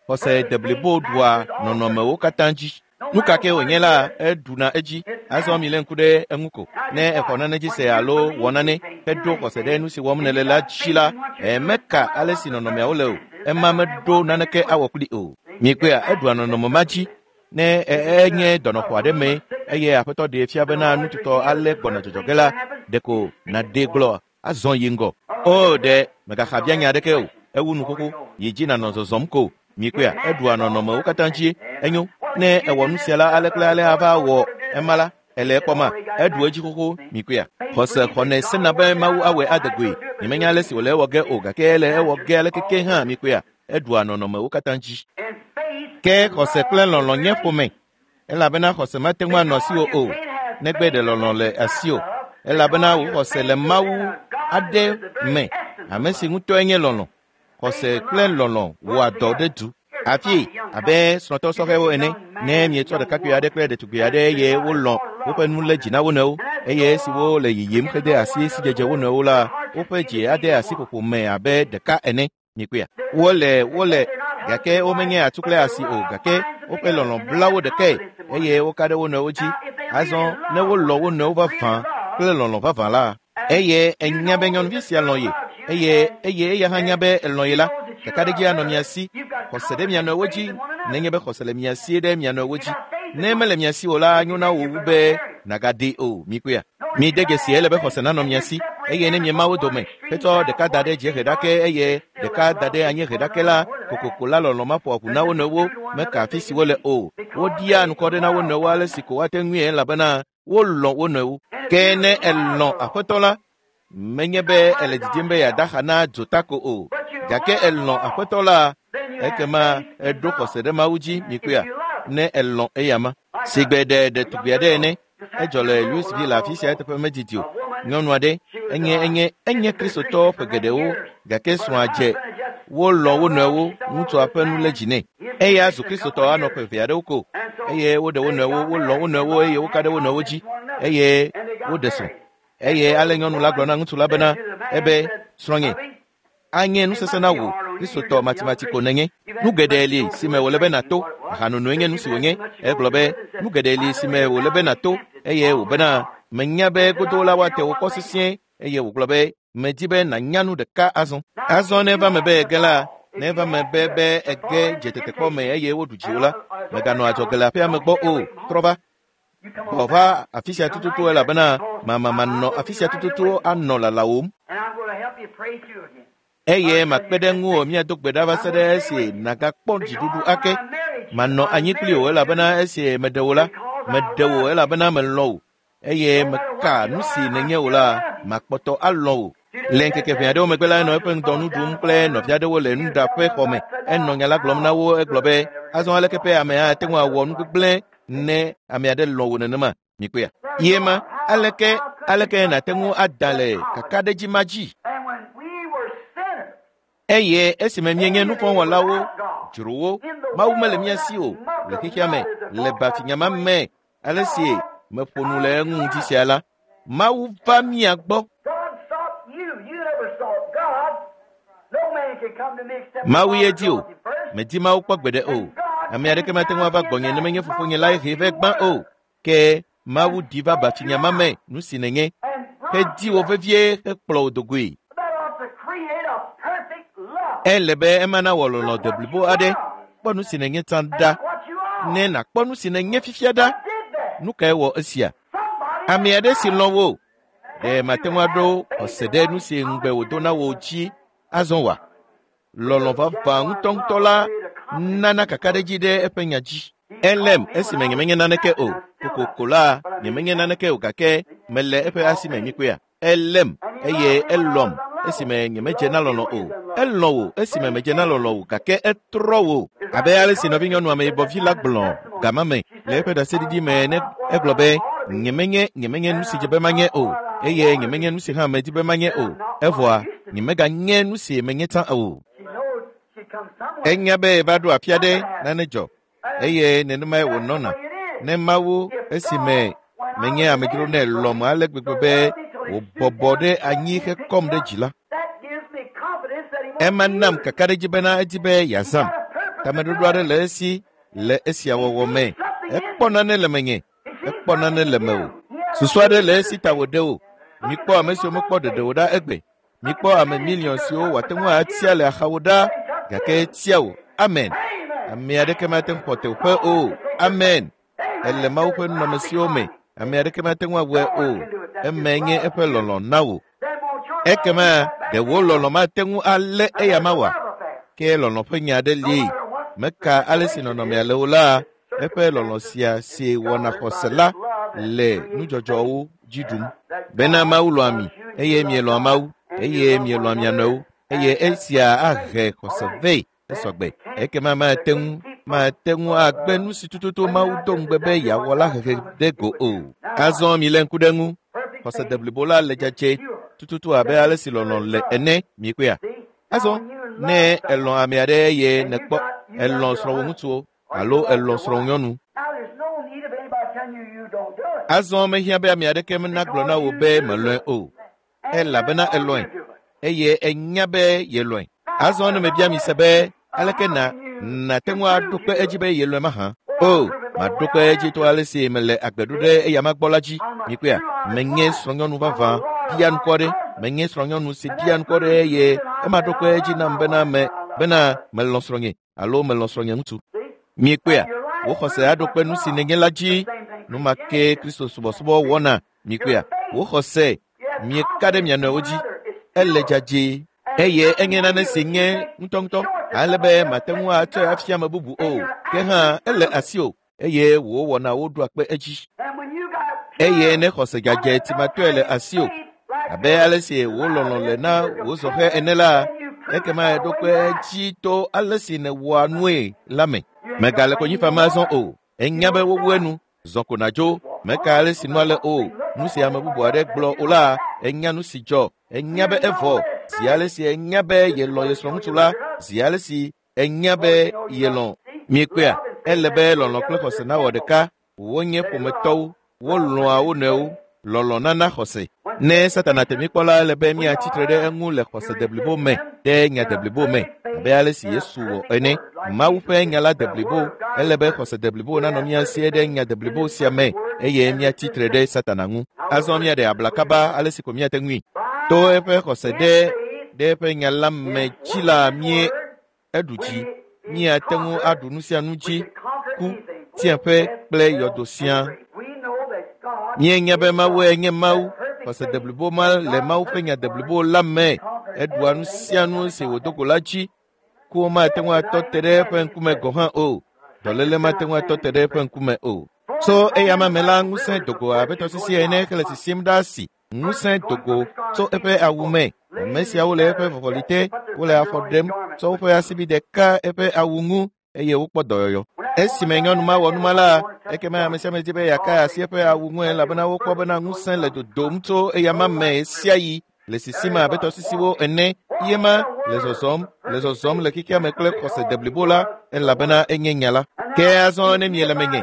Xɔse deblibo ɖua nɔnɔmewo katã dzi. Nu ka ke wònye la, eɖuna edzi. Azɔ milé ŋku ɖe eŋu ko. Ne exɔ nane dzi se alo wɔ nane heɖo xɔse ɖe nu si wɔm nèle la dzi la, meka ale si nɔnɔmeawo le o. Ema meɖo naneke awɔ kpli o. Mikpɔea, eɖua nɔnɔme ma dzi. Ne enye dɔnɔxɔ aɖe me eye Aƒetɔ ɖee fia bena nututɔ ale gbɔna dzɔdzɔ ge la, ɖeko nàɖee gblɔ azɔ yi ŋgɔ. O ɖe mègaxa bia nya aɖeke o. Ewu nu xoxo yi dzi nànɔ zɔzɔm ko. Mikpɔea, eɖua nɔnɔmewo katã dzi. Enyo ne ewɔ nu sia la ale kple ale ava wɔ ema la, ele ekpɔma eɖu edzi xoxo. Mikpɔea, xɔse xɔnɛ sena be Mawu awɔe ade goe. Nyemenya ale si wòle ewɔ ge o gake ele ewɔ ge ale keke hã. Mikpɔea, eɖua nɔnɔmewo katã dzi. Ke xɔse kple lɔlɔ̃ nye ƒome elabena xɔse mate ŋu anɔ asiwò o negbe ɖe lɔlɔ̃ le asiwò elabena wò xɔse le Mawu aɖe me ame si ŋutɔe nye lɔlɔ̃. Xɔse kple lɔlɔ̃ wɔa dɔ ɖe du. Afi abe srɔ̃tɔ sɔhɛwo ene ne mietsɔ ɖekakpui aɖe kple ɖetugbui aɖe eye wolɔ̃ woƒe nu lé dzi na wo nɔewo eye esiwo le yiyim hede asi sidzedze wo nɔewo la, woƒe dzi ade asi ƒoƒo me abe ɖeka ene. Mikpɔea, wole wole gake womenye atu kple asi o gake woƒe lɔlɔ̃ bla wo ɖekae eye woka ɖe wo nɔewo dzi. Azɔ ne wolɔ̃ wo nɔewo vavã kple lɔlɔ̃ vavã la, eye enya be nyɔnuvi sia lɔ̃ ye eye eye eya hã nya be elɔ̃ ye la, kakaɖedzi anɔ mia si. Xɔse ɖe mia nɔewo dzi nenye be xɔse le mia si ɖe mia nɔewo dzi. Ne mele mia si o la, nyo na wò wu be nàgaɖee o. Mikpɔea, mide dzesi ele be xɔse nanɔ mia si eye ne miema wo dome hetsɔ ɖeka da ɖe dziehe ɖake eye ɖeka da ɖe anyiehe ɖake la, kokoko la lɔlɔ̃ maƒo aʋu na wo nɔewo meka afi si wole o. Woɖia nukɔ ɖe na wo nɔewo ale si ko woate ŋui elabena wolɔ̃ wo nɔewo. Ke ne elɔ̃ Aƒetɔ la, menye be ele didim be yeada xa na dzota ko o gake elɔ̃ Aƒetɔ la, ekema eɖo xɔse ɖe Mawu dzi. Mikpɔea, ne elɔ̃ eyama sigbe ɖe ɖetugbui aɖe ene. Edzɔ le Louisville afi sia eteƒe medidi o. Nyɔnu aɖe enye enye enye kristotɔ ƒe geɖewo gake srɔ̃a dze wolɔ̃ wo nɔewo. Ŋutsua ƒe nu lé dzi nɛ. Eya zu kristotɔ anɔ ƒe eve aɖewo ko eye woɖe wo nɔewo, wolɔ̃ wo nɔewo eye woka ɖe wo nɔewo dzi eye woɖe srɔ̃. Eye ale nyɔnu la gblɔ na ŋutsu la bena ebe srɔ̃nye anye nusese na wò kristotɔ matimati ko nenye. Nu geɖe li si me wòle be nàto. Ahanonoe nye nu si wònye. Egblɔ be nu geɖe li si me wòle be nàto eye wòbena menya be godo la woate wò kɔ sesĩe eye wògblɔ be medi be nànya nu ɖeka azɔ. Azɔ ne eva me be ege la, ne eva me be be ege dze tetekpɔ me eye woɖu dziwò la, mèganɔ adzɔge le aƒea me gbɔ o. Trɔ va. Gbɔ va afi sia tututu elabena mama manɔ afi sia tututu anɔ lalawòm. Eye makpe ɖe ŋuwò míado gbe ɖa va se ɖe esi nàgakpɔ dziɖuɖu ake. Manɔ anyi kpli wò elabena esi meɖe wò la, meɖe wò elabena melɔ̃ wò eye meka nu si nènye wò la, makpɔtɔ alɔ̃ wò. Le ŋkeke ʋɛ aɖewo megbe la, enɔ eƒe ŋdɔ nu ɖum kple nɔvi aɖewo le nuɖaƒe xɔ me. Enɔ nya la gblɔm na wo. Egblɔ be azɔ aleke ƒe ame ate ŋu awɔ nu gbegblẽ ne ame aɖe lɔ̃ wò nenema? Mikpɔea, ye ma aleke aleke nàte ŋu ada le kakaɖedzi ma dzi? And when we were sinners, Eye esime míenye nuvɔ̃wɔlawo, dzrowo, Mawu mele mía si o le xexea me, le bafinyama me, ale si meƒo nu le eŋu ŋuti sia la, Mawu va mía gbɔ. Mawu ye di o. Medi Mawu kpɔ gbeɖe o. Ame aɖeke mate ŋu ava gbɔnye ne menye fofonye lae hee vɛ gbã o. Ke Mawu ɖi va bafinyama me nu si nènye, hedi wò vevie hekplɔ wò dogoe. Ele be ema nawɔ lɔlɔ̃ deblibo aɖe. Kpɔ nu si nènye tsã ɖa. Ne nàkpɔ nu si nènye fifia ɖa. Nu kae wɔ esia? Ame aɖe si lɔ̃ wò. Ɖe mate ŋu aɖo xɔse ɖe nu si ŋugbe wòdo na wò dzi azɔ wa? Lɔlɔ̃ vavã ŋutɔŋutɔ la nana kakaɖedzi ɖe eƒe nya dzi. Elem esime nyemenye naneke o. Kokoko la nyemenye naneke o gake mele eƒe asi me nyikpea. Elem eye elɔm esime nyemedze na lɔlɔ̃ o. Elɔ̃ wò esime medze na lɔlɔ̃ o gake etrɔ wò. Abe ale si nɔvinyɔnu ameyibɔvi la gblɔ gama me le eƒe ɖaseɖiɖi me ne egblɔ be nyemenye nyemenye nu si dze be manye o eye nyemenye nu si hã medi be manye o. Evɔa nyemeganye nu si menye tsã o. Enya be va ɖo afi aɖe nane dzɔ eye nenemae wònɔna. Ne Mawu esime menye amedzro nɛ lɔ̃m ale gbegbe be wòbɔbɔ ɖe anyi hekɔm ɖe dzi la, ema nam kakaɖedzi bena edi be yeazãm. Tameɖoɖo aɖe le esi le esia wɔwɔ me. Ekpɔ nane le menye, ekpɔ nane le mewò. Susu aɖe le esi ta wòɖe wò. Mikpɔ ame siwo mekpɔ ɖeɖe o ɖa egbe. Mikpɔ ame miliɔn siwo wòate ŋu atia le axawo ɖa gake etia wò. Amen. Ame aɖeke mate ŋu xɔ teƒe o. Amen. Ele Mawu ƒe nunɔamesiwo me. Ame aɖeke mate ŋu awɔe o. Emae nye eƒe lɔlɔ̃ na wò. Ekema ɖe wò lɔlɔ̃ mate ŋu alé eya ma oa? Ke lɔlɔ̃ ƒe nya aɖe li. Meka ale si nɔnɔmea le o la, eƒe lɔlɔ̃ sia si wɔna xɔse la le nudzɔdzɔwo dzi ɖum. Bena Mawu lɔ̃a mi eye mielɔ̃a Mawu eye mielɔ̃a mia nɔewo eye esia ahe xɔse vɛ esɔgbe. Ekema mate ŋu mate ŋu agbe nu si tututu Mawu do ŋugbe be yeawɔ la hehe ɖe go o. Azɔ milé ŋku ɖe eŋu. Xɔse deblibo la le dzadzɛ tututu abe ale si lɔlɔ̃ le ene miekpɔea. Azɔ ne elɔ̃ ame aɖe eye nèkpɔ elɔ̃ srɔ̃wò ŋutsuwo alo elɔ̃ srɔ̃wò nyɔnu. Azɔ mehiã be ame aɖeke nagblɔ na wò be melɔ̃e o, elabena elɔ̃e eye enya be yelɔ̃e. Azɔ ne mebia mi se be aleke na nàte ŋu aɖo kpe edzi be yelɔ̃e mahã? O, maɖo kpe edzi to ale si mele agbe ɖo ɖe eyama gbɔ la dzi. Mikpɔea, menye srɔ̃nyɔnu vavã ɖia ŋkɔ ɖe, menye srɔ̃nyɔnu si ɖia ŋkɔ ɖe eye ema ɖo kpe edzi nam bena me bena melɔ̃ srɔ̃nye alo melɔ̃ srɔ̃nye ŋutsu. Miekpɔea, wò xɔse aɖo kpe nu si nènye la dzi. Nu ma ke Kristo subɔsubɔ wɔna. Mikpɔea, wò xɔse mieka ɖe mia nɔewo dzi. Ele dzadzɛ eye enye nane si nye ŋutɔŋutɔ ale be mate ŋu atsɔe afia ame bubu o. Ke hã ele asiwò eye wò wɔnawo ɖoa kpe edzi. Eye ne xɔse dzadzɛ timatɔe le asiwò abe ale si wò lɔlɔ̃ le na wò zɔhɛ ene la, ekema eɖo kpe edzi to ale si nèwɔa nue la me. Mègale konyi fam azɔ o. Enya be wowu enu. Zɔ ko nàdzo. Meka ale si nua le o. Nu si ame bubu aɖe gblɔ o la, enya nu si dzɔ. Enya be evɔ. Zi ale si enya be yelɔ̃ ye srɔ̃ŋutsu la, zi ale si enya be yelɔ̃. Miekpɔea, ele be lɔlɔ̃ kple xɔse nawɔ ɖeka. Wonye ƒometɔwo. Wolɔ̃a wo nɔewo. Lɔlɔ̃ nana xɔse. Ne Satana te mí kpɔ la, ele be míatsi tre ɖe eŋu le xɔse deblibo me ɖe nya deblibo me abe ale si Yesu wɔ ene. Mawu ƒe nya la deblibo. Ele be xɔse deblibo nanɔ mía si ɖe nya deblibo sia me eye míatsi tre ɖe Satana ŋu. Azɔ míaɖe abla kaba ale si ko míate ŋui. To eƒe xɔse ɖe ɖe eƒe nya la me dzi la mie eɖu dzi. Míate ŋu aɖu nu sia nu dzi, ku, tsiẽƒe kple yɔdo siaa. Míenya be Mawue nye Mawu. Xɔse deblibo ma le Mawu ƒe nya deblibo la me. Eɖua nu sia nu si wòdo go la dzi. Ku mate ŋu atɔ te ɖe eƒe ŋkume gɔ̃ hã o. Dɔléle mate ŋu atɔ te ɖe eƒe ŋkume o. Tso eyama me la, ŋusẽ dogo abe tɔsisi ene hele sisim ɖe asi. Ŋusẽ dogo tso eƒe awu me. Ame siawo le eƒe vɔvɔli te, wole afɔ ɖem tsɔ woƒe asibi ɖeka eƒe awu ŋu eye wokpɔ dɔyɔyɔ. Esime nyɔnu ma wɔ nu ma la, ekema ame sia ame di be yeaka asi eƒe awu ŋu elabena wokpɔ bena ŋusẽ le dodom tso eyama me ɣe sia ɣi le sisim abe tɔsisiwo ene. Yema le zɔzɔm le zɔzɔm le xexea me kple xɔse deblibo la, elabena enye nya la. Ke azɔ ne miele menye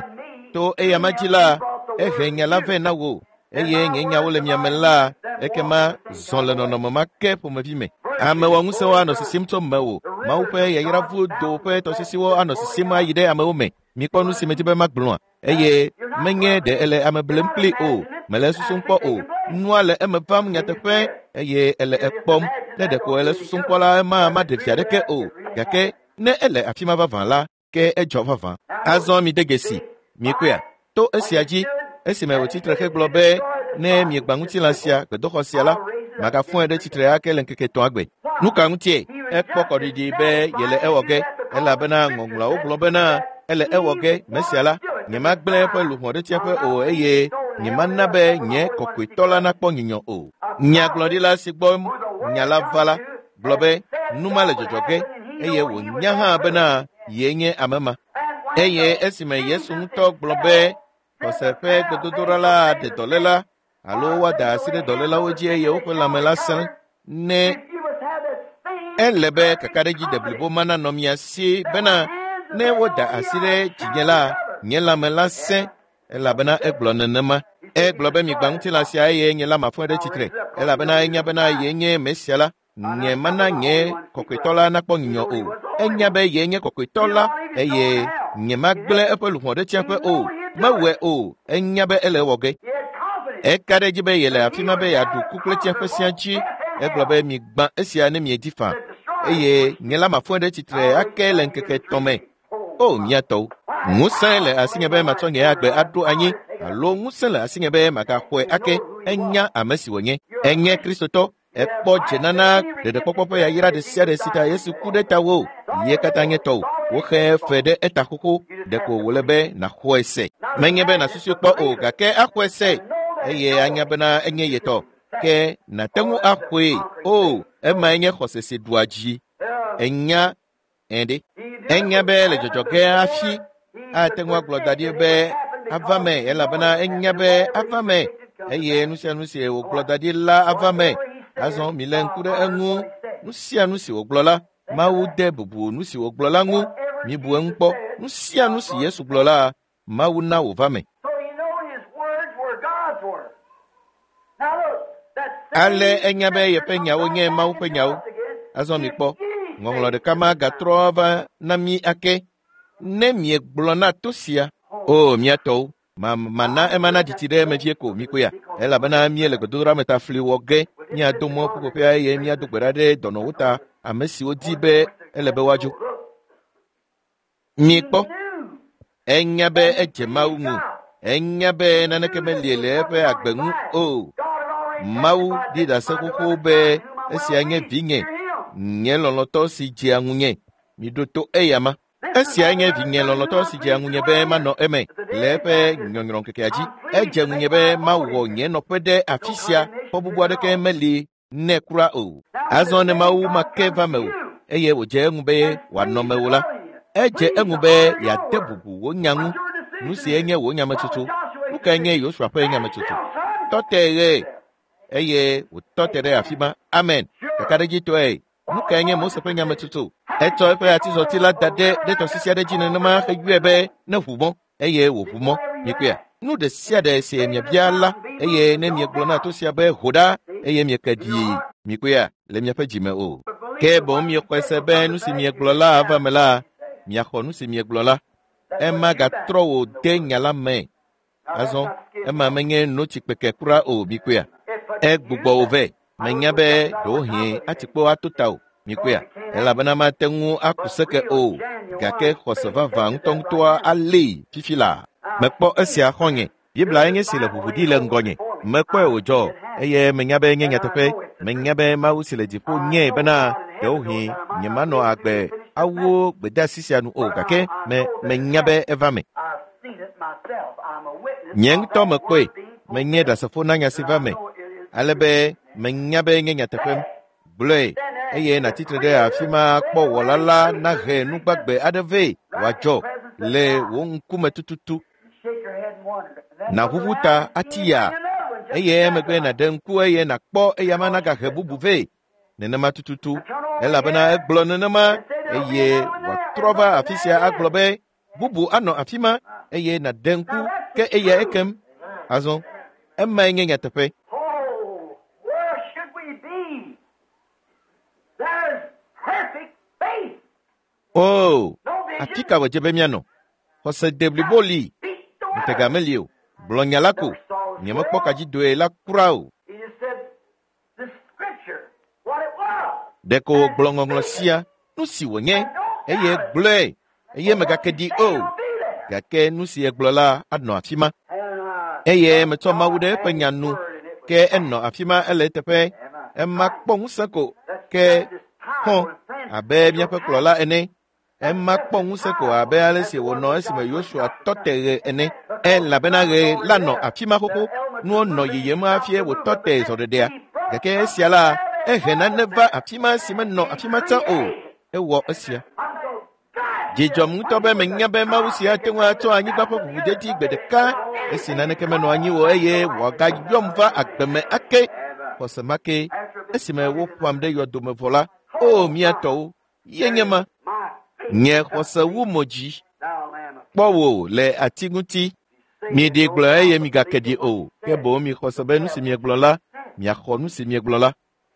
to eya ma dzi la, ehe nya la vɛ na wò eye nye nyawo le miame la, ekema zɔ le nɔnɔme ma ke ƒomevi me. Amewɔ ŋusẽwo anɔ sisim tso mewò. Mawu ƒe yayravudo ƒe tɔsisiwo anɔ sisim ayi ɖe amewo me. Mikpɔ nu si medi be magblɔa eye menye ɖe ele ame blem kpli o, mele susum kpɔ o. Nua le eme vam nyateƒe eye ele ekpɔm. Ne ɖeko ele susum kpɔ la, ema maɖe vi aɖeke o. Gake ne ele afi ma vavã la, ke edzɔ vavã. Azɔ mi de dzesi, mikpɔea? To esia dzi, esime wòtsi tre hegblɔ be ne miegba ŋutilã sia, gbedoxɔ sia la, magafɔe ɖe tsitre ake le ŋkeke etɔ̃a gbe. Nu ka ŋutie? Ekpɔ kɔɖiɖi be yele ewɔ ge, elabena ŋɔŋlɔawo gblɔ bena ele ewɔ ge Mesia la. Nyemagblẽ eƒe luʋɔ ɖe tsiaƒe o eye nyemana be nye kɔkɔetɔ la nakpɔ nyunyɔ o. Nyagblɔɖila si gbɔ nya la va la gblɔ be nu ma le dzɔdzɔ ge eye wònya hã bena yee nye ame ma. Eye esime Yesu ŋutɔ gblɔ be xɔse ƒe gbedodoɖa la ɖe dɔléla alo woada asi ɖe dɔlélawo dzi eye woƒe lãme la sẽ ne ele be kakaɖedzi deblibo ma nanɔ mia si bena ne woda asi ɖe dzinye la, nye lãme la sẽ, elabena egblɔ nenema. Egblɔ be migbã ŋutilã sia eye nye la mafɔe ɖe tsitre, elabena enya bena yee nye Mesia la. Nye mana nye kɔkɔetɔ la nakpɔ nyunyɔ o. Enya be yee nye kɔkɔetɔ la eye nye magblẽ eƒe luʋɔ ɖe tsiaƒe o. Mewɔe o. Enya be ele ewɔ ge. Eka ɖe edzi be yele afi ma be yeaɖu ku kple tsiaƒe sia dzi. Egblɔ be migbã esia ne miedi faa eye nye la mafɔe ɖe tsitre ake le ŋkeke etɔ̃ me. O mia tɔwo, ŋusẽ le asinye be matsɔ nye agbe aɖo anyi alo ŋusẽ le asinye be magaxɔe ake. Enya ame si wònye. Enye Kristotɔ. Ekpɔ dzenana ɖeɖekpɔkpɔ ƒe yayra ɖe sia ɖe si ta Yesu ku ɖe tawò. Ye katã nye tɔwò. Woxe fe ɖe eta xoxo. Ɖeko wòle be nàxɔe se. Menye be nàsusui kpɔ o, gake axɔe se eye anya bena enye ye tɔ. Ke nàte ŋu axɔe. O, emae nye xɔse si ɖua dzi. Enya ɛɖe. Enya be le dzɔdzɔ ge hafi ate ŋu agblɔ da ɖi be ava me, elabena enya be ava me eye nu sia nu si wògblɔ da ɖi la ava me. Azɔ milé ŋku ɖe eŋu. Nu sia nu si wògblɔ la, Mawu de bubu nu si wògblɔ la ŋu. Mibu eŋu kpɔ. Nu sia nu si Yesu gblɔ la, Mawu na wòva me. So he know his words were God's words. Now look, that same Ale enya be yeƒe nyawo nye Mawu ƒe nyawo. Azɔ mikpɔ, ŋɔŋlɔ ɖeka ma gatrɔ va na mí ake. Ne miegblɔ na to sia, o mia tɔwo, ma mana ema na dzitsi ɖe eme vie ko mikpɔea, elabena míele gbedodoɖa me ta fli wɔ ge. Míado mɔ ƒuƒoƒea eye míado gbe ɖa ɖe dɔnɔwo ta, ame siwo di be ele be woadzo. Mikpɔ, enya be edze Mawu ŋu. Enya be naneke meli le eƒe agbe ŋu o. Mawu ɖi ɖase xoxo be esia nye vinye, nye lɔlɔ̃tɔ si dzea ŋunye. Miɖo to eya ma. Esia nye vinye lɔlɔ̃tɔ si dzea ŋunye be manɔ eme le eƒe nyɔnyrɔ̃ŋkekea dzi. Edze ŋunye be mawɔ nye nɔƒe ɖe afi sia. Xɔ bubu aɖeke meli nɛ kura o. Azɔ ne Mawu ma ke va mewò eye wòdze eŋu be wòanɔ mewò la, edze eŋu be yeade bubu wò nya ŋu. Nu si enye wò nyametsotso. Nu kae nye Yosua ƒe nyametsotso? Tɔ te ɣe eye wòtɔ te ɖe afi ma. Amen. Kakaɖedzitɔe. Nu kae nye Mose ƒe nyametsotso? Etsɔ eƒe atizɔti la da ɖe ɖe tɔsisi aɖe dzi nenema heyɔe be ne ʋu mɔ eye wòʋu mɔ. Mikpɔea? Nu ɖe sia ɖe si miebia la eye ne miegblɔ na to sia be ho ɖa eye mieke ɖii, mikpɔea le miaƒe dzime o. Ke boŋ miexɔe se be nu si miegblɔ la ava me la, miaxɔ nu si miegblɔ la. Ema gatrɔ wò de nya la me. Azɔ ema menye notsi kpeke kura o, mikpɔea? Egbugbɔ wò vɛ. Menya be ɖewohĩ atikpo ato ta o, mikpɔea? Elabena mate ŋu aku seke o, gake xɔse vavã ŋutɔŋutɔa alée fifi laa. Mekpɔ esia xɔ̃nye. Biblia nye si le ʋuʋu ɖi le ŋgɔnye. Mekpɔe wòdzɔ eye menya be nye nyateƒe. Menya be Mawu si le dziƒo nye bena ɖewohĩ nyemanɔ agbe awu gbedeasi sia nu o, gake me menya be eva me. I've seen it myself. I'm a witness. Nye of ŋutɔ that mekpɔe. word being Menye ɖasefo na nya si va me. Ale be menya be nye nyateƒe. Gblɔe eye nàtsitre ɖe afi ma kpɔ wɔla la nahe nu gbagbe aɖe vɛ wòadzɔ le wò ŋkume tututu. Shake your head and wonder. And that's Nàʋuʋu what ta happened. ati ya Another one Eye emegbe nàɖe ŋku eye nàkpɔ eyama nagahe bubu vɛ. Nenema tututu elabena egblɔ nenema eye wòatrɔ va afi sia agblɔ be bubu anɔ afi ma eye nàɖe ŋku ke eya ekem. Azɔ emae nye nyateƒe. Oh, where should we be? There's perfect faith. O, No vision. afi ka wòdze be míanɔ? Xɔse deblibo li, Speak the ŋutega word. meli o. Gblɔ nya la ko. Nyemekpɔ kadzidoe la kura o. He just said the scripture, what it was. Ɖeko wògblɔ ŋɔŋlɔ sia, nu si wònye, eye gblɔe, eye megake ɖi o. It'll be there. Gake nu si egblɔ la anɔ afi ma. And, uh, Eye metsɔ Mawu ɖe eƒe nya nu, ke enɔ afi ma ele eteƒe. Ema kpɔ ŋusẽ ko, ke xɔ abe míaƒe kplɔla ene. Ema kpɔ ŋusẽ ko abe ale si wònɔ esime Yosua tɔ te ɣe ene. Elabena ɣe la nɔ afi ma xoxo. Nuwo nɔ yiyim hafi wòtɔ te zɔɖeɖea. Gake esia la, ehe nane va afi ma si menɔ afi ma tsã o. Ewɔ esia. I'm so glad. Dzidzɔm ŋutɔ be menya be Mawu sia ate ŋu atsɔ anyigba ƒe ʋuʋudedi gbe ɖeka esi naneke menɔ anyi o eye wòagayɔm va agbe me ake. Xɔse ma ke esime woƒam ɖe yɔdome vɔ la, o mía tɔwo, ye nye ma. My faith. Nye xɔse wu mo dzi. Thou Lamb of Kpɔ wò le ati ŋuti. Miɖi gblɔ eye migake ɖi o. Ke boŋ mixɔ se be nu si miegblɔ la, miaxɔ nu si miegblɔ la.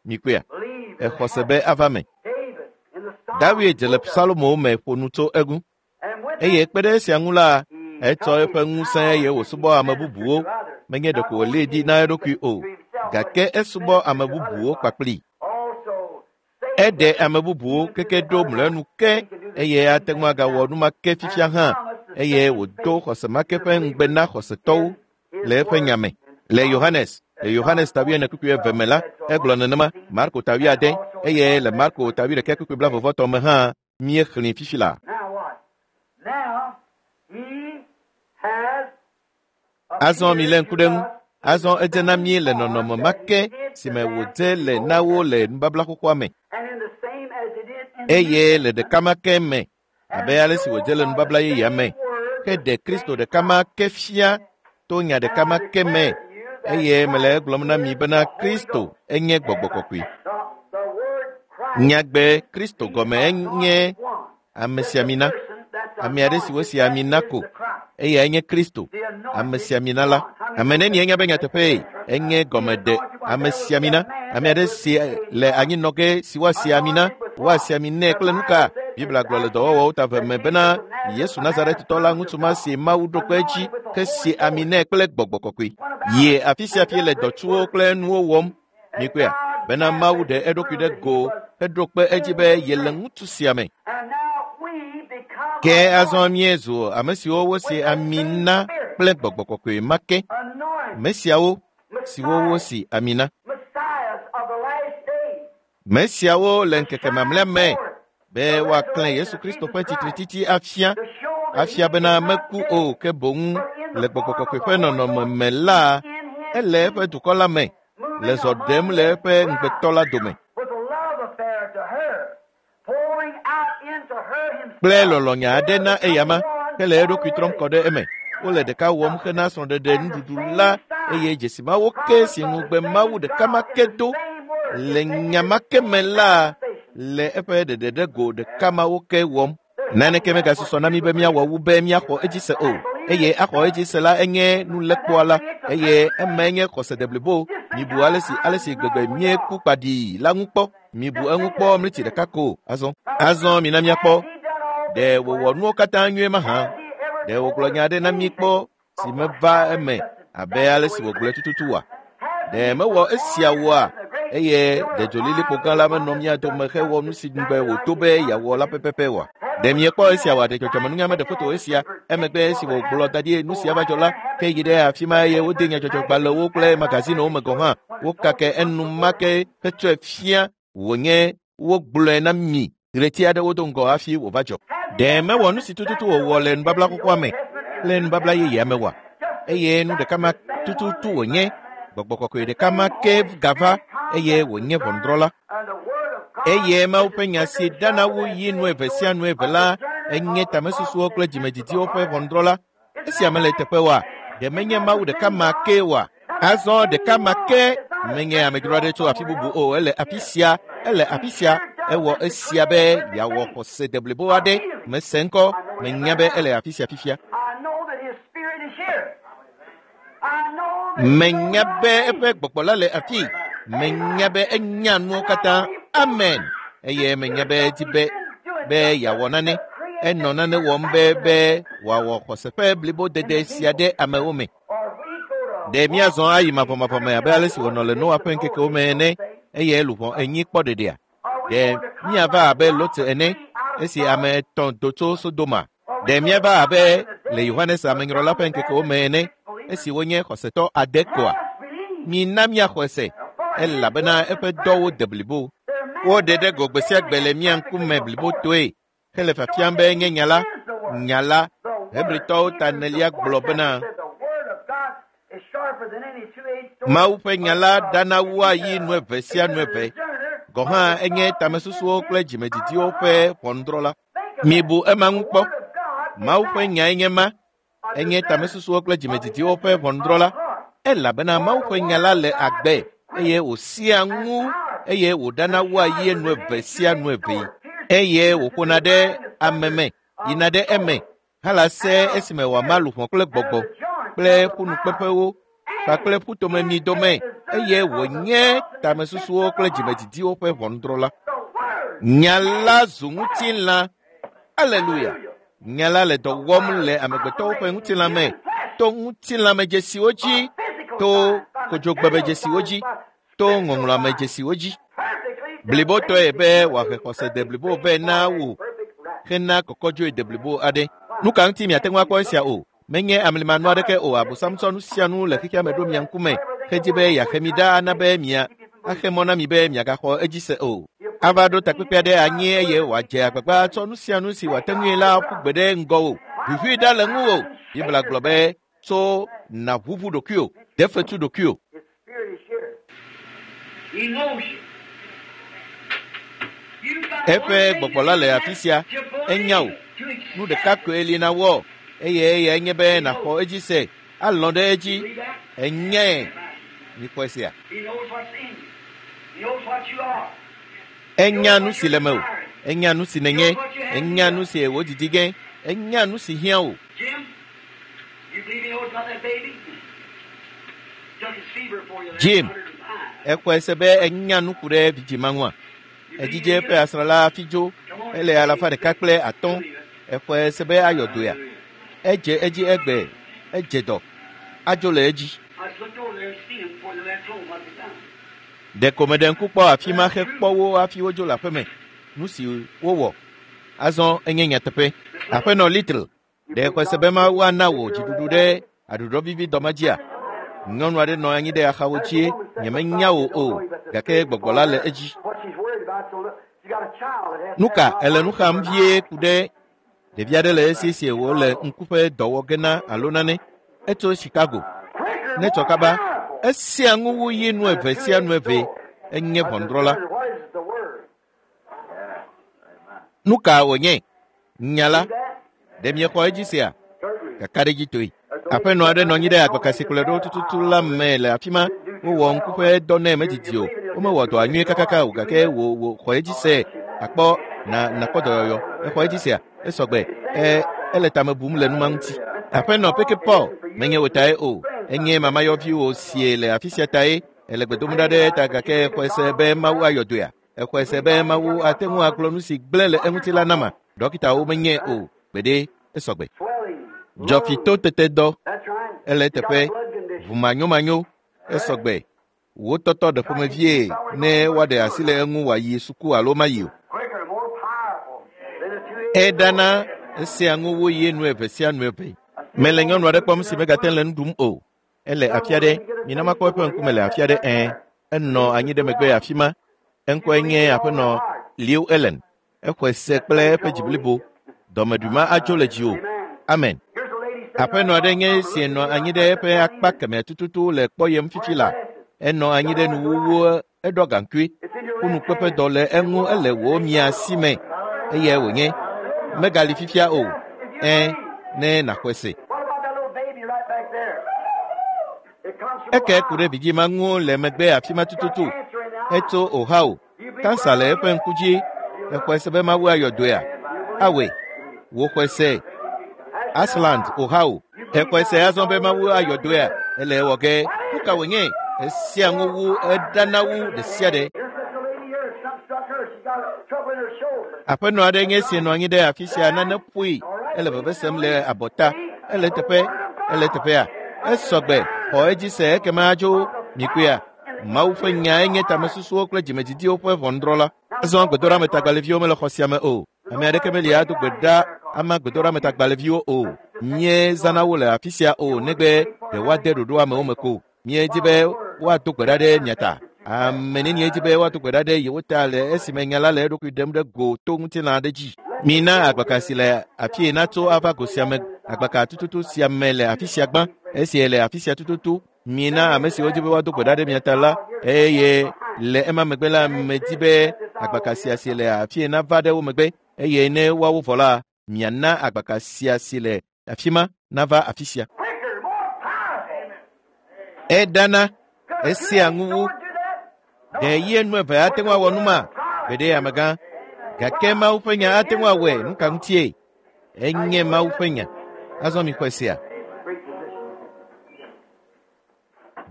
Mikpɔea? Believe in Exɔ se be ava me. David in the Psalm. David le Psalmowo me ƒo nu tso eŋu. And with Eye kpe ɖe esia ŋu la, etsɔ eƒe ŋusẽ eye wòsubɔ ame bubuwo. Menye ɖeko wòlée ɖi na eɖokui o, gake esubɔ ame bubuwo kpakplii. also Eɖe ame bubuwo keke ɖo mlɔenu ke eye ate ŋu agawɔ nu ma ke fifia hã eye wòdo xɔse ma ke ƒe ŋugbe na xɔsetɔwo le eƒe nya me. Le Yohanes, le Yohanes ta wuiene kpukpui eve me la, egblɔ nenema, Marko ta wuiade eye le Marko ta wuiɖekɛ kpukpui blaeve-vɔ-etɔ̃ me hã míexlẽe fifi la. Now what? Now he has Azɔ milé ŋku ɖe ŋu. Azɔ edze na mí le nɔnɔme ma ke si me wòdze le na wo le nubabla xoxoa me and in the same as it is in the eye le ɖeka ma ke me abe ale si wòdze le nubabla yeyea me. Ke ɖe Kristo ɖeka ma ke fia to nya ɖeka ma ke me eye mele egblɔm na mi bena Kristo enye gbɔgbɔ kɔkɔe. The, the word Christ Nyagbe Kristo gɔme enye amesiamina, ame aɖe si wosi ami na ko eyae nye Kristo, amesiamina la. Ame nenie enya be nyateƒee enye gɔmeɖe amesiamina, ame aɖe si le anyinɔ ge si woasi ami na, woasi ami nɛ kple nu ka? Biblia gblɔ le dɔwɔwɔwo ta eve me bena Yesu Nazaretitɔ la ŋutsu ma si Mawu ɖo kpe edzi ke si ami nɛ kple gbɔgbɔ kɔkɔe. Yie afi sia fi le dɔtsuwo kple nuwo wɔm. Mikpɔea? Bena Mawu ɖe eɖokui ɖe go heɖo kpe edzi be yele ŋutsu sia me. And now we become Ke azɔ míezu ame siwo wosi ami na kple gbɔgbɔ kɔkɔe ma ke. anointed Ame siawo siwo wosi ami na. messiahs of the last days. Me siawo le ŋkeke mamlɛa me be woaklẽ Yesu Kristo ƒe tsitretiti afia To show that afia bena meku o ke boŋ le gbɔgbɔ kɔkɔe ƒe nɔnɔme me la ele eƒe dukɔ la me le zɔ ɖem le eƒe ŋugbetɔ la dome with a love affair to her, pouring out into her himself. kple lɔlɔ̃nya aɖe na eyama hele eɖokui trɔm kɔ ɖe eme. Wole ɖeka wɔm hena srɔ̃ɖeɖe nuɖuɖu la eye dzesi mawo ke si ŋugbe Mawu ɖeka ma ke do le nya ma ke me la le eƒe ɖeɖe ɖe go ɖeka mawo ke wɔm. Naneke megasusɔ na mí be míawɔ wu be míaxɔ edzi se o. Eye axɔ edzi se la enye nulekpɔa la eye emae nye xɔse deblibo. Mibu ale si ale si gbegbe míeku kpaɖii la ŋu kpɔ. Mibu eŋu kpɔ mliti ɖeka ko azɔ. Azɔ mina míakpɔ. Ɖe wòwɔ nuwo katã nyuie mahã? Ɖe wògblɔ nya aɖe na mí kpɔ si meva eme abe ale si wògblɔe tututu oa? Ɖe mewɔ esia oa? Eye ɖe dzolilikpo gã la menɔ mía dome hewɔ nu si ŋugbe wòdo be yeawɔ la pɛpɛpɛ oa? Ɖe miekpɔ esia oa? Ɖe dzɔdzɔmenunya meɖe foto esia emegbe esi wògblɔ da ɖi nu sia va dzɔ la, ke yi ɖe afi ma eye wode nyadzɔdzɔgbalẽwo kple magazinewo me gɔ̃ hã. Wokake enumake hetsɔe fia wònye wogblɔe na mi ɣleti aɖewo do ŋgɔ hafi wòva dzɔ. Ɖe mewɔ nu si tututu wòwɔ le nubabla xoxoa me kple nubabla yeyea me oa? Eye nu ɖeka ma tututu wònye gbɔgbɔ kɔkɔe ɖeka ma ke gava eye wònye ʋɔnudrɔ̃la. And the word of God Eye Mawu ƒe nya si dana wu yi nu eve sia nu eve la enye tamesusuwo kple dzimedidiwo ƒe ʋɔnudrɔ̃la. Esia mele teƒe oa? Ɖe menye Mawu ɖeka ma ke oa? Azɔ ɖeka ma ke menye amedzro aɖe tso afi bubu o, ele afi sia, ele afi sia. Ewɔ esia be yeawɔ xɔse deblibo aɖe. Mese ŋkɔ, menya be ele afi sia fifia. Menya be eƒe gbɔgbɔ la le afi. Menya be enya nuwo katã. Amen. Eye menya be edi be be yeawɔ nane. Enɔ nane wɔm be be wòawɔ xɔse ƒe blibodede sia ɖe amewo me. Ɖe míazɔ ayi mavɔmavɔ me abe ale si wònɔ le Noa ƒe ŋkekewo me ene eye luʋɔ enyi kpɔ ɖeɖea? Ɖe míava abe Lot ene esi ame etɔ̃ do tso Sodoma? Ɖe míava abe le Yohanes Amenyrɔla ƒe ŋkekewo me ene esi wonye xɔsetɔ ade koa? Mina míaxɔe se elabena eƒe dɔwo de blibo. Woɖe ɖe go gbe sia gbe le mía ŋkume blibotoe hele fiafiam be nye nya la, nya la. Hebritɔwo ta enelia gblɔ bena Mawu ƒe nya la ɖana wua yi nu eve sia nu eve. Gɔ̃ hã enye tamesusuwo kple dzimedidiwo ƒe ʋɔnudrɔ̃la. Mibu ema ŋu kpɔ. Mawu ƒe nyae nye ma. Enye tamesusuwo kple dzimedidiwo ƒe ʋɔnudrɔ̃la. Elabena Mawu ƒe nya la le agbe eye wòsia ŋu eye wòɖana wua yi nu eve sia nu eve. Eye wòƒona ɖe ame me, yina ɖe eme hala se esime wòama luʋɔ kple gbɔgbɔ kple ƒunukpeƒewo kpakple ƒutomemi dome eye wònye tamesusuwo kple dzimedidiwo ƒe ʋɔnudrɔ̃la. Nya la zu ŋutilã. Aleluya. Nya la le dɔ wɔm le amegbetɔwo ƒe ŋutilã me to ŋutilãmedzesiwo dzi, to kodzogbemedzesiwo dzi, to ŋɔŋlɔamedzesiwo dzi. Blibotɔe be wòahe xɔse deblibo vɛ na wò hena kɔkɔdzoe deblibo aɖe. Nu ka ŋuti miate ŋu akpɔ esia o? Menye amlimanu aɖeke o. Abosam tsɔ nu sia nu le xexea me ɖo mia ŋkume hedzi be yeaxe mi ɖa ana be mia axe mɔ na mi be miagaxɔ edzi se o. Ava ɖo takpekpe aɖe anyi eye wòadze agbagba tsɔ nu sia nu si wòate ŋui la ƒu gbe ɖe ŋgɔwò. Ʋuʋui ɖa le ŋuwò. Biblia gblɔ be tso nàʋuʋu ɖokuiwò, de fetu ɖokuiwò. Eƒe gbɔgbɔ la le afi sia. Enya wò. Nu ɖeka koe li na wɔ eye eyae nye be nàxɔ edzi se, alɔ̃ ɖe edzi. Enyae. Mikpɔ esia. Enya nu si le mewò. Enya nu si nènye. Enya nu si wò didi ge. Enya nu si hiã wò. Jim, exɔe se be enya nu ku ɖe vidzima ŋua? Edzidze ƒe asrala hafi dzo. Ele alafa ɖeka kple atɔ̃. Exɔe se be ayɔ dɔea? Edze edzi egbe. Edze dɔ. Adzo le edzi. Ɖeko meɖe ŋku kpɔ afi ma hekpɔ wo hafi wodzo le aƒeme. Nu si wowɔ. Azɔ enye nyateƒe. Aƒenɔ Little, ɖe exɔe se be Mawu ana wò dziɖuɖu ɖe aɖuɖɔvivi dɔma dzia? Nyɔnu aɖe nɔ anyi ɖe axawo dzie. Nyemenya wò o, gake gbɔgbɔ la le edzi. Nu ka ele nu xam vie ku ɖe ɖevi aɖe le esi si wòle ŋku ƒe dɔ wɔ ge na alo nane. Etso Chicago. Ne tsɔ kaba, esia ŋu wu yi nu eve sia nu eve. Enye ʋɔnudrɔ̃la. Nu ka wònye? Nya la. Ɖe miexɔ edzi sia? Kakaɖedzitoe. Aƒenɔ aɖe nɔ anyi ɖe agbaka si kplɔe ɖo tututu la me le afi ma. Wowɔ ŋku ƒe dɔ nɛ medidi o. Womewɔ dɔa nyuie kakaka o gake wò wò xɔ edzi se. Akpɔ na nakpɔ dɔyɔyɔ. Exɔ edzi sea? Esɔgbe. E ele tame bum le numa ŋuti. Aƒenɔ Peke Paul menye wò tae o. Enye mamayɔviwò sie le afi sia tae. Ele gbe dom ɖa ɖe ta gake exɔe se be Mawu ayɔ dɔea? Exɔe se be Mawu ate ŋu agblɔ nu si gblẽ le eŋuti la nama? Ɖɔkitawo menye o. Gbeɖe esɔgbe. Dzɔfito tete dɔ. Ele teƒe. Ʋumanyomanyo. Esɔgbe. Wò tɔtɔ ɖe ƒomevie ne woaɖe asi le eŋu wòayi suku alo mayi o. Eɖana esia ŋu wu yi nu eve sia nu eve. Mele nyɔnu aɖe kpɔm si megate le nu ɖum o. Ele afi aɖe. Mina makpɔ eƒe ŋkume le afi aɖe ẽ. Enɔ anyi ɖe megbe afi ma. Eŋkɔe nye aƒenɔ Liu Ellen. Exɔe se kple eƒe dzi blibo. Dɔmeɖui ma adzo le dziwò. Amen. Aƒenɔ aɖe nye esi nɔ anyi ɖe eƒe akpa kemɛ tututu le kpɔyem fifi la. Enɔ anyi ɖe nuwuwu eɖɔ gaŋkui. Ƒunukpeƒe dɔ le eŋu ele wò mia si me. Eyae wònye. Megali fifia o. Ẽ, ne nàxɔe se. Eke ku ɖe vidzima ŋu le megbe afi ma tututu. Etso Ohio. Kansa le eƒe ŋku dzi. Exɔe se be Mawu ayɔ dɔea? Awɔe. Wò xɔe se. Ashland, Ohio. Exɔe se azɔ be Mawu ayɔ dɔea? Ele ewɔ ge. Nu ka wònye? Esia ŋu wu eɖana wu ɖe sia ɖe. Aƒenɔ aɖe nye esi nɔ anyi ɖe afi sia nane ƒoe. Ele veve sem le abɔta. Ele teƒe. Ele teƒea. Esɔgbe. Xɔ edzi se ekema adzo mikuia. Mawu ƒe nyae nye tamesusuwo kple dzimedidiwo ƒe ʋɔnudrɔ̃la. Azɔ gbedoɖametagbalẽviwo mele xɔ sia me o. Ame aɖeke meli ado gbe ɖa ama gbedoɖametagbalẽviwo o. Míezãna wo le afi sia o negbe ɖe woade ɖoɖo amewo me ko. Míedi be woado gbe ɖa ɖe mia ta. Ame nenie di be woado gbe ɖa ɖe yewo ta le esime nya la le eɖokui ɖem ɖe go to ŋutilã aɖe dzi. Mina agbaka si le afie natso ava go sia me. Agbaka tututu sia me le afi sia gbã. Esi le afi sia tututu. Mina ame siwo di be woado gbe ɖa ɖe mia ta la eye le ema megbe la medi be agbaka sia si le afie nava ɖe wo megbe eye ne woawo vɔ la miana agbaka sia si le afi ma nava afi sia. Eɖana esia ŋu wu. Ɖe ye nu eve ate ŋu awɔ nu ma? Gbeɖe amegã. Gake Mawu ƒe nya ate ŋu awɔe. Nu ka ŋutie? Enye Mawu ƒe nya. Azɔ mixɔe sia.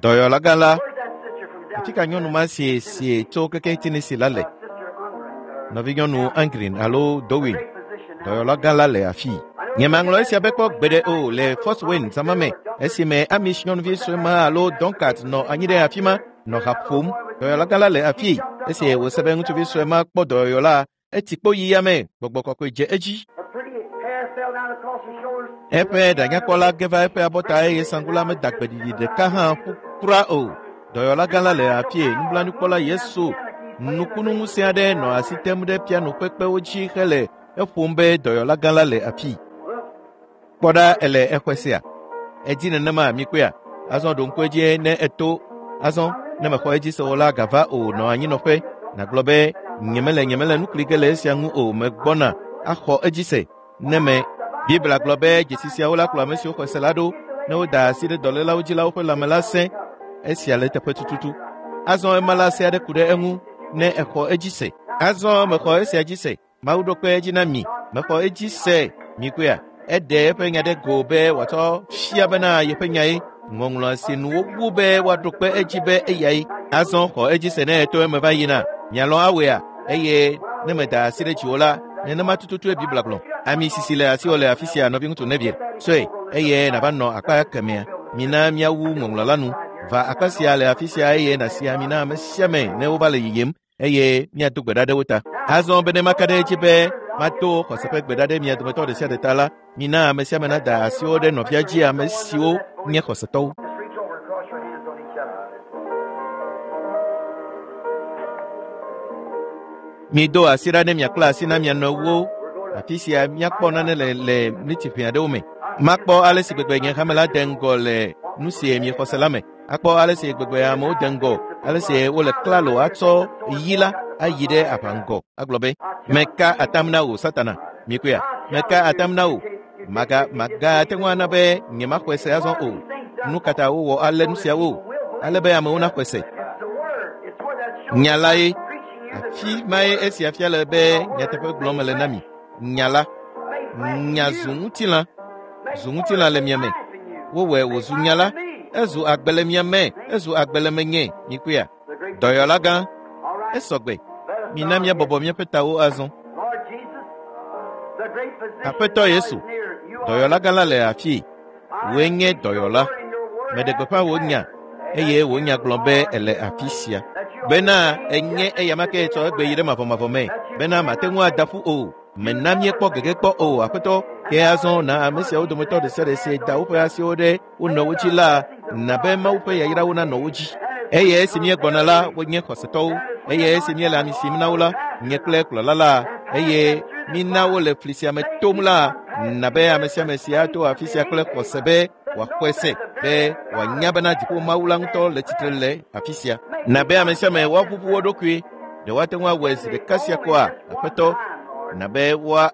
Dɔyɔlagã la, afi ka nyɔnu ma si si tso keke Tennessee la le? Nɔvinyɔnu Angrin alo Dowin. Dɔyɔlagã la le afi. Nyemaŋlɔ esia be kpɔ gbeɖe o le Fort Wayne zãma me esime Amish nyɔnuvi sue ma alo Duncat nɔ anyi ɖe afi ma nɔ ha ƒom. Dɔyɔlagã la le afi. Esi wòse be ŋutsuvi sue ma kpɔ dɔyɔla, etsi kpo yi yame, gbɔgbɔ kɔkɔe dze edzi. Eƒe ɖanyakpɔla ge va eƒe abɔta eye saŋku la meda gbeɖiɖi ɖeka hã ƒu kura o. Dɔyɔlagã la le afie. Nublanuikpɔla Yesu nukunuŋusẽ aɖe nɔ asi tem ɖe piano ƒe kpewo dzi hele eƒom be dɔyɔlagã la le afi. Kpɔ ɖa ele exɔe sia. Edzi nenema mikpɔea? Azɔ ɖo ŋku edzi ne eto. Azɔ ne mexɔ edzi se o la gava o nɔ anyinɔƒe. Nàgblɔ be nyemele nyemele nu kli ge le esia ŋu o megbɔna axɔ edzi se. Ne me Biblia gblɔ be dzesi siawo la kplɔ ame siwo xɔ se la ɖo ne woda asi ɖe dɔlélawo dzi la woƒe lãme la sẽ. Esia le teƒe tututu. Azɔ ema la se aɖe ku ɖe eŋu ne exɔ edzi se. Azɔ mexɔ esia dzi se. Mawu ɖo kpe edzi na mi. Mexɔ edzi se. Mikpɔea? Eɖe eƒe nya ɖe go be wòatsɔ fia bena yeƒe nyae. Ŋɔŋlɔ si nu wowu be woaɖo kpe edzi be eyae. Azɔ xɔ edzi se ne eto eme va yina. Mialɔ̃ awɔea? Eye ne meda asi ɖe dziwò la, nenema tututue Biblia gblɔ. Ami sisi le asiwò le afi sia nɔviŋutsu Neville. Sɔe eye nàva nɔ akpa kemɛa. Mina míawu ŋɔŋlɔ la nu. Va akpa sia le afi sia eye nàsi ami na ame sia ame ne wova le yiyim eye míado gbe ɖa ɖe wo ta. Azɔ be ne maka ɖe edzi be mato xɔse ƒe gbe ɖa ɖe mia dometɔ ɖe sia ɖe ta la, mina ame sia ame nada asiwo ɖe nɔvia dzi ame siwo nye xɔsetɔwo. Mido asi ɖa ne miakpla asi na mia nɔewo. Afi sia míakpɔ nane le le mlitiƒe aɖewo me. Makpɔ ale si gbegbe nye hame la de ŋgɔ le nu si miexɔ se la me. Akpɔ ale si gbegbe amewo de ŋgɔ, ale si wole klalo atsɔ yi la ayi ɖe aʋa ŋgɔ. Agblɔ be, meka atam na wò Satana. Mikpɔea? Meka atam na wò. Maga magate ŋu ana be nyemaxɔe se azɔ o. Nu ka ta wowɔ ale nu siawo? Ale be amewo naxɔe se. Nya lae. Afi mae esia fia le be nyateƒe gblɔm mele na mi. Nya la. Nya zu ŋutilã. Zu ŋutilã le mia me. Wowɔe wòzu nya la. Ezu agbe le mia me. Ezu agbe le menye. Mikpɔea? Dɔyɔlagã. Esɔgbe. Mina míabɔbɔ míaƒe tawo azɔ. Aƒetɔ Yesu, dɔyɔlagã la le afii. Wòe nye dɔyɔla. Meɖe gbeƒã wò nya eye wò nya gblɔ be ele afi sia. Bena enye eyama ke tsɔ egbe yi ɖe mavɔmavɔ me. Bena mate ŋu ada ƒu o. Mena míekpɔ gege kpɔ o aƒetɔ. Ke azɔ na ame siawo dometɔ ɖe sia ɖe si da woƒe asiwo ɖe wo nɔewo dzi la, na be Mawu ƒe yayrawo nanɔ wo dzi. Eye esi míegbɔna la, wonye xɔsetɔwo. Eye esi míele ami sim na wo la, nye kple kplɔla la, eye mina wo le fli sia me tom la, na be ame sia ame si ato afi sia kple xɔse be wòaxɔe se be wòanya bena dziƒo Mawu la ŋutɔ le tsitre le afi sia. Na be ame sia ame woaʋuʋu wo ɖokui. Ɖe woate ŋu awɔe zi ɖeka sia koa, aƒetɔ? Na be woa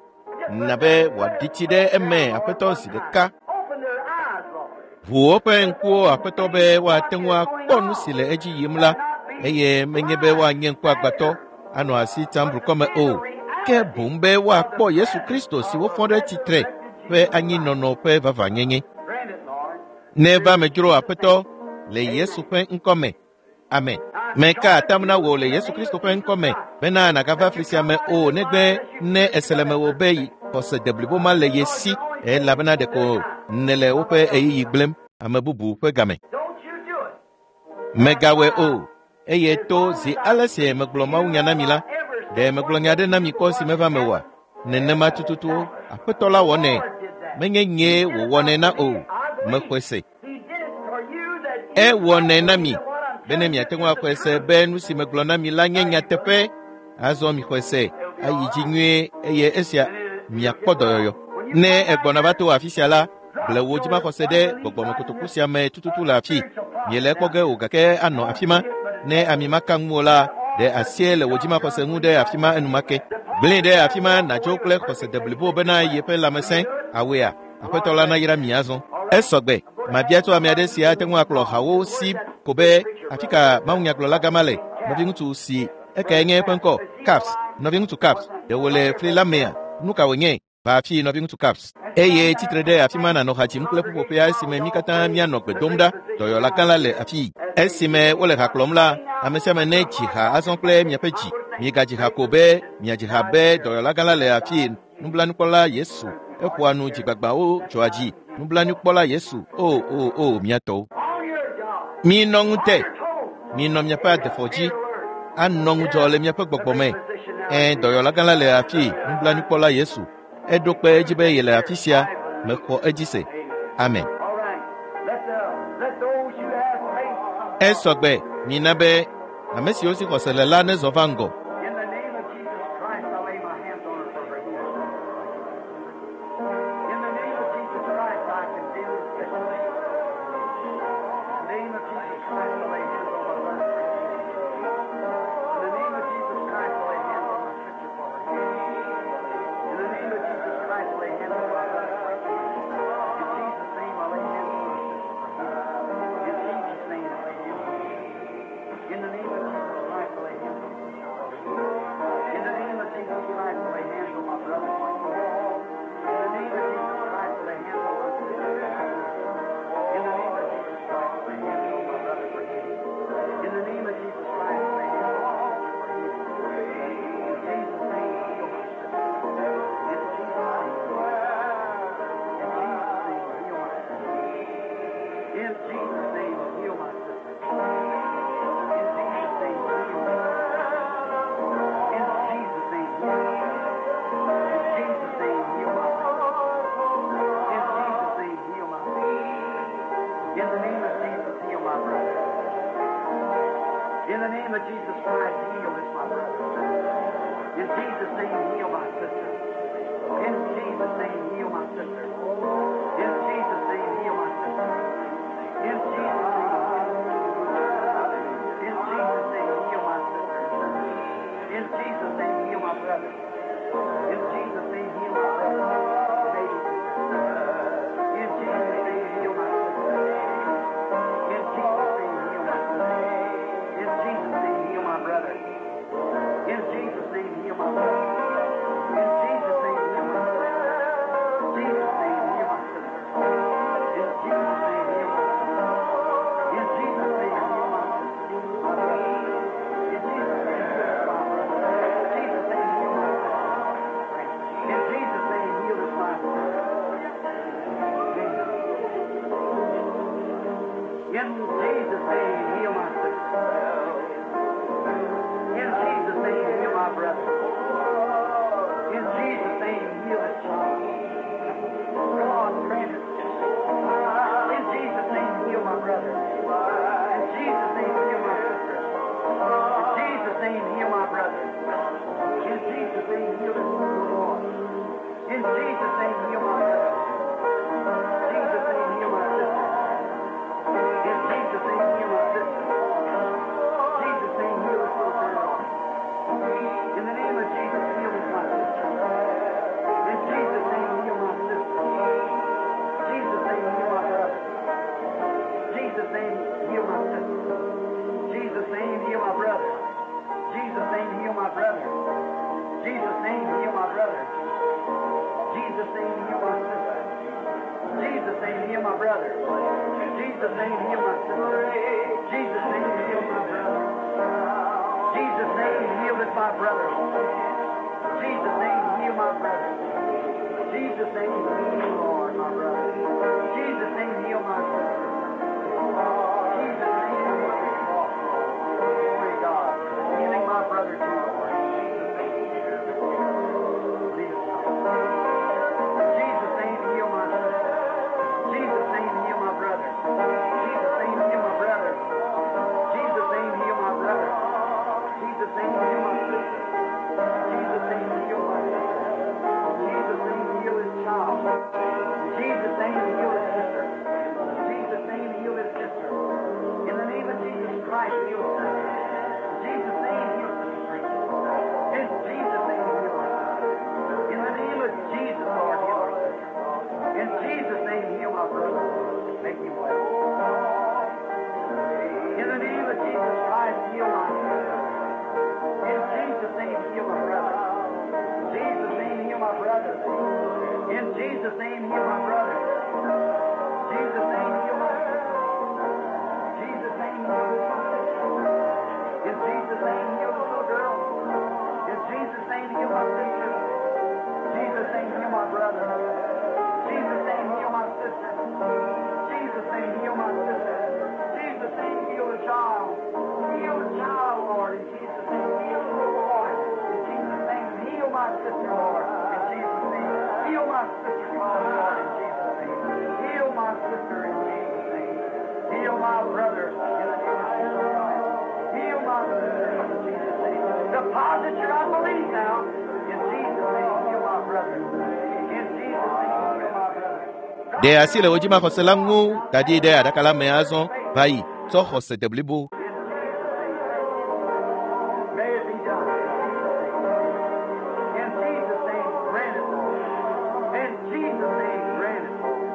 na be wòaɖi tsi ɖe eme aƒetɔ zi ɖeka. Ʋu woƒe ŋkuwo aƒetɔ be woate ŋu akpɔ nu si le edzi yim la eye menye be woanye ŋkuagbãtɔ anɔ asi tam blukɔme o ke boŋ be woakpɔ Yesu Kristo si wofɔ ɖe tsitre ƒe anyinɔnɔ ƒe vavãnyenye. Grant it, Lord. Neva medzro aƒetɔ le Yesu ƒe ŋkɔme. Amen. Meka atam na wò le Yesu Kristo ƒe ŋkɔme bena nàgava fli sia me o negbe ne ese le mewò be xɔse deblibo ma le ye si elabena ɖeko nèle woƒe ɣeyiɣi gblẽm ame bubu ƒe game. Don't you do it. Megawɔe o eye to zi ale si megblɔ mawunya na mi la, ɖe megblɔ nya ɖe na mi kpɔ si meva mewɔa? Nenema tututu aƒetɔ la wɔnɛ. Menye nyee wòwɔnɛ na o. Mexɔe se. He did it for you that you Ewɔnɛ na mi what I'm bene miate ŋu axɔe se be nu si megblɔ na mi la nye nyateƒe. Azɔ mixɔe se ayi dzi nyuie eye esia miakpɔ dɔyɔyɔ. Ne egbɔna va to afi sia la, ble wò dzimaxɔse ɖe gbɔgbɔmekotoku sia me tututu le afi. Miele ekpɔ ge o gake anɔ afi ma. Ne ami ma ka ŋuwò la, ɖe asie le wò dzimaxɔse ŋu ɖe afi ma enumake. Gblẽe ɖe afi ma nàdzo kple xɔse deblibo bena yeƒe lãmesẽ awɔea. Aƒetɔ la nayra mi azɔ. Esɔgbe. Mabia tso ame aɖe si ate ŋu akplɔ hawo si ko be afi ka mawunyagblɔla gama le. Nɔviŋutsu si ekae nye eƒe ŋkɔ Caps. Nɔviŋutsu Caps. Ɖe wòle fli la mea? Nu ka wònye? Va afi nɔviŋutsu Caps. Eye tsitre ɖe afi ma nànɔ ha dzim kple ƒuƒoƒea esime mí katã míanɔ gbe dom ɖa. Dɔyɔla gã la le afii. Esime wole ha kplɔm la, ame sia ame ne dzi ha azɔ kple miaƒe dzi. Migadzi ha ko be miadzi ha be dɔyɔla gã la le afii. Nublanuikpɔla Yesu eƒoa nu dzigbagbawo dzɔa dzi. Nublanuikpɔla Yesu o o o mía tɔwo. On your job. Minɔ ŋute, On your toes. minɔ miaƒe adefɔ dzi, anɔ ŋudzɔ le miaƒe gbɔgbɔ me. Ẽ dɔyɔla gã la le afii, nublanuikpɔla Yesu. Eɖo kpe edzi be yele afi sia. Mexɔ edzi se. Amen. All right. Let the let those who have faith Esɔgbe mina be ame siwo si xɔse le la nezɔ va ŋgɔ. in the name of Jesus Christ, I lay my hands on her for her healing. In the name of Jesus Christ, I condemn this sickness. In the name of Jesus Christ, I lay hands on my brother for healing. In the name of Jesus Christ, I lay hands on my sister for her healing. In the name of Jesus Christ, I lay hands on my brother for healing. In Jesus' name, I lay hands on my sister for healing. In Jesus' name, I lay hands on my sister. In the name of Jesus Christ, I lay hands on my sister for healing. In the name of Jesus Christ, I lay hands on my brother for healing. In the name of Jesus Christ, I lay hands on my sister for healing. In the name of Jesus Christ, I lay hands on my brother for healing. In the name of Jesus Christ, I lay hands on my sister for healing. In Jesus' name, heal my sister. In Jesus' name, heal my sister. In Jesus' name, heal my sister. In Jesus' name, heal my sister. In Jesus' name, heal my sister. In Jesus' name, heal my sister. In Jesus' name, heal my brother. In Jesus' name, heal my sister. In the name of Jesus, heal my brother. In the name of Jesus Christ, heal this my brother. In Jesus' name, heal my sister. In Jesus' name, heal my sister. In Jesus' name, heal my sister. In Jesus' name, in Jesus' name, heal my sister. In Jesus' name, heal my brother. In Jesus' name, heal my brother. Baby sister. In Jesus' name, heal my sister. In Jesus' name, heal my sister. In Jesus' name, heal my brother. In Jesus' name, heal my brother. In Jesus' name, heal my sister. Jesus' name, heal my sister. In Jesus' name, heal my sister. In Jesus' name, heal my sister. My brother. In Jesus' name, heal my brother. In Jesus' name, heal my sister. In Jesus' name, heal this my sister. In Jesus' name, heal my sister. In Jesus' name, heal my brother. In Jesus' name, heal this child. God grant it. In Jesus' name, heal my brother. In Jesus' name, heal my sister. In Jesus' name, heal my brother. In Jesus' name, heal this little boy. In Jesus' name, heal my brother. In Jesus' name, heal my sister. In Jesus' name, heal my sister. brother. Jesus' name, heal my sister. Jesus' name, heal my brother. Jesus' name, heal this my brother. Jesus' name, heal my brother. Jesus' name, heal, Lord, my brother. Jesus' name, heal my sister. Jesus' name, heal my Glory to God. Healing my brother too, Lord. Jesus' name. Lead us. Jesus' name, heal my sister. Jesus' name, heal my brother. Jesus' name, heal my brother. Jesus' name, heal my brother. Jesus' name, heal my sister. Jesus' name, heal my sister. Jesus' name, heal his child. Jesus' name, heal his sister. Jesus' name, heal his sister. In the name of Jesus Christ, heal his sister. Jesus' name, heal sister. In Jesus' name, heal her sister. In the name of Jesus, Lord, heal her sister. In Jesus' name, heal my brother. Make him well. In the name of Jesus Christ, heal my sister. In Jesus' name, heal my brother. Jesus' name, heal my brother. In Jesus' name, heal my brother. Jesus' name, heal my sister. Jesus' name, heal my sister. In Jesus' name, heal the little girl. In Jesus' name, heal my sister. Jesus' name, heal my brother. Jesus' name, heal my sister. Jesus' name, heal my sister. Jesus' name, heal the child. Heal the child, Lord. In Jesus' name, heal the little boy. In Jesus' name, heal my sister, Lord. In Jesus' name, heal my sister, Lord. In Jesus' name, heal my sister. In Jesus' name, heal my brother. In the name of Jesus Christ. Heal my sister. In Jesus' name. Deposit your unbelief now. In Jesus' name, heal my brother. In Jesus' name, heal my brother. Ɖe asi le wò dzimaxɔse la ŋu da ɖi ɖe aɖaka la me azɔ va yi tsɔ xɔse de blibo. May it be done. In Jesus' name, grant it, Lord. In Jesus' name, grant it, Lord.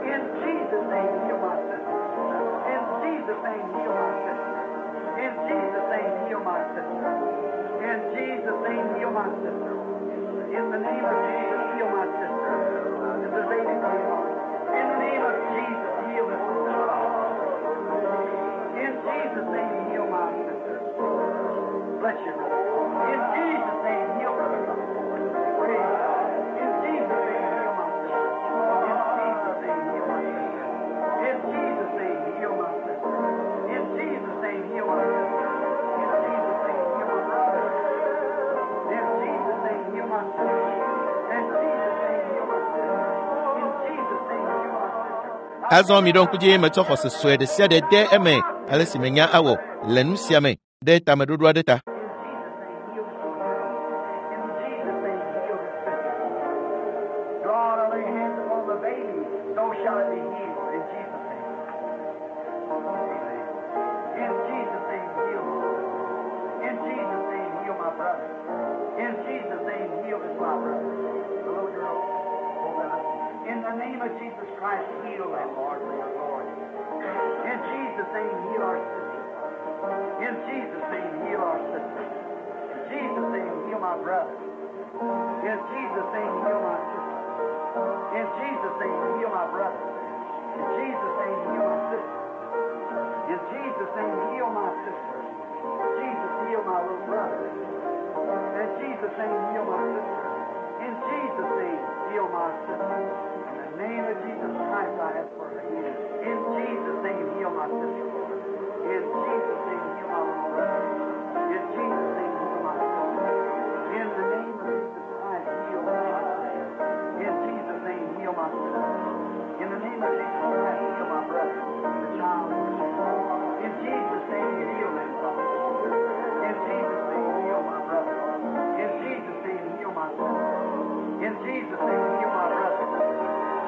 In Jesus' name, heal my sister. In Jesus' name, heal my sister. In Jesus' name, heal my sister. In Jesus' name, heal my sister. In the name of Jesus, heal my sister. This is baby girl. In the name of Jesus, heal this little child. In Jesus' name, heal my sister. Bless you, brother. In Jesus' name, heal brother. Praise God. In Jesus' name, heal my sister. In Jesus' name, heal my sister. In Jesus' name, heal my sister. In Jesus' name, heal my sister. In Jesus' name, heal my brother. In Jesus' name, heal my sister. In Jesus' name, heal my sister. In Jesus' name, heal my sister. Azɔ mi ɖo ŋku dzi metsɔ xɔse sue ɖe sia ɖe de eme ale si menya awɔ le nu sia me ɖe tameɖoɖo aɖe ta. In Jesus' name, heal this little girl. In Jesus' name, heal this sister. God, I lay hands upon the baby, so shall it be healed. In Jesus' name. Amen. In Jesus' name, heal this sister. In Jesus' name, heal my brother. In Jesus' name, heal this my brother. The little girl. Oh God. In the name of Jesus Christ, heal them, Lord, for your glory. In Jesus' name, heal our sister. In Jesus' name, heal our sister. In Jesus' name, heal my brother. In Jesus' name, heal my sister. In Jesus' name, heal my brother. In Jesus' name, heal my sister. In Jesus' name, heal my sister. Jesus, heal my little brother. In Jesus' name, heal my sister. In Jesus' name, heal my sister. In the name of Jesus Christ, I ask for her healing. In Jesus' name, heal my sister, Lord. In Jesus' name, heal my little brother. In Jesus' name, heal my sister. In the name of Jesus Christ, heal my sister. In Jesus' name, heal my sister. In the name of Jesus Christ, heal my brother, the child. In Jesus' name, heal them, Father. In Jesus' name, heal my brother. In Jesus' name, heal my sister. In Jesus' name, heal my brother.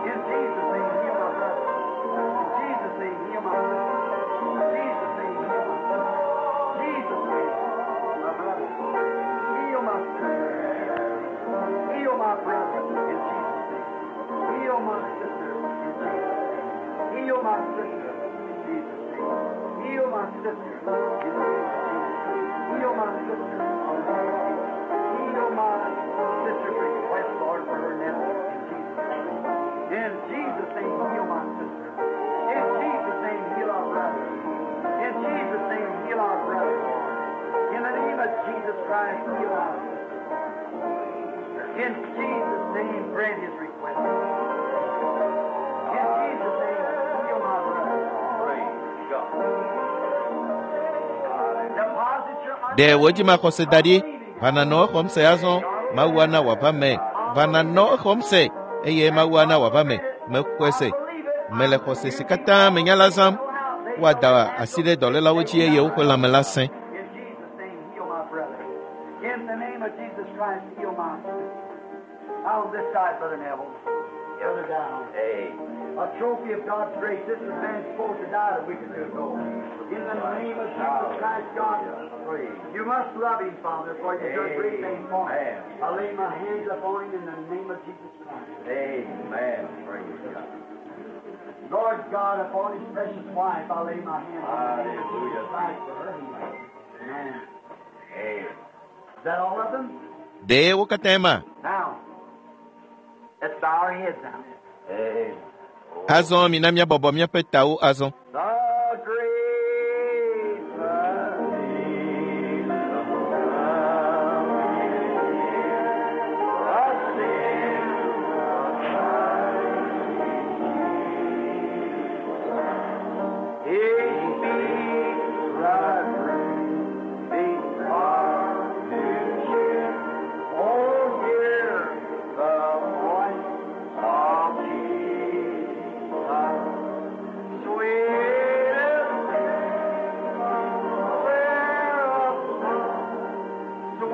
In Jesus' name, heal my brother. In Jesus' name, heal my sister. In Jesus' name, heal my sister. Jesus' name, my brother. Heal my sister. Heal my brother in Jesus' name. Heal my sister in Jesus' name. Heal my sister in Jesus' name. Heal my sister in the name of Jesus. Heal my sister in the name of Jesus. Heal my sister's request, Lord, for her nephew in Jesus' name. In Jesus' name, heal my sister. Jesus Christ, heal our sister. In Jesus' name, grant his request. In Jesus' name, heal my brother. Praise God. Deposit your Ɖe wò dzimaxɔse da ɖi va nanɔ exɔm se azɔ Mawu ana wòava me. Va nanɔ exɔm se eye Mawu ana wòava me. Mexɔe se. Mele xɔse si katã menya la zãm. Woada asi ɖe dɔlélawo dzi eye woƒe lãme la sẽ. In Jesus' name, heal my brother. In the name of Jesus Christ, heal my sister. Out on this side, Brother Neville. Further down. Amen. A trophy of God's grace. This is man supposed to die a week or two ago. In the name of Jesus Christ, God, Praise. you must love him, Father, for you've done great things for him. Amen. I lay my hands upon him in the name of Jesus Christ. Amen. Praise God. Lord God, upon his precious wife, I lay my hands in the name of Jesus Hallelujah. Christ for her healing. Amen. Amen. Is that all of them? Ɖe wo katãe ma? Now, let's bow our heads now. Amen. Azɔ mina míabɔbɔ míaƒe tawo azɔ. The great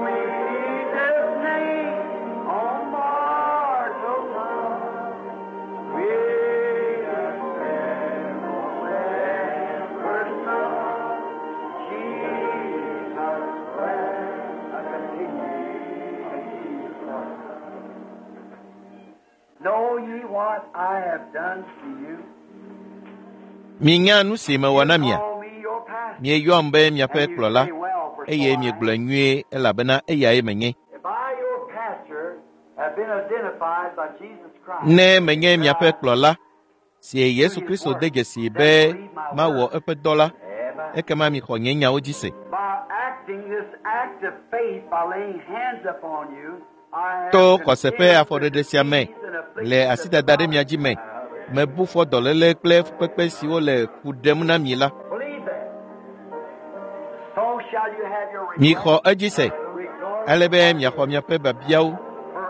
Sweetest name on mortal tongue, sweetest name ever sung, Jesus Christ. I continue, continue, Lord. Know ye what I have done to you? Minya nu si mewɔ na mia. Call me your pastor. Mieyɔam be miaƒe And you kplɔla say, well, for so eye I am. miegblɔe nyuie elabena eyae menye. If I, your pastor, have been identified by Jesus Christ, Ne menye miaƒe kplɔla si Yesu Kristo de dzesi be mawɔ eƒe dɔ la, Amen. ekema mixɔ nye nyawo dzi se. by acting this act of faith by laying hands upon you, I have To xɔse ƒe condemned the afɔɖeɖe sia me disease and afflictions le of asidada ɖe mia dzi me, mebu fɔ dɔléle kple fukpekpe siwo le ku ɖem na mi la. Believe that. So shall you have your request. Mixɔ edzi se Regardless ale be miaxɔ miaƒe biabiawo.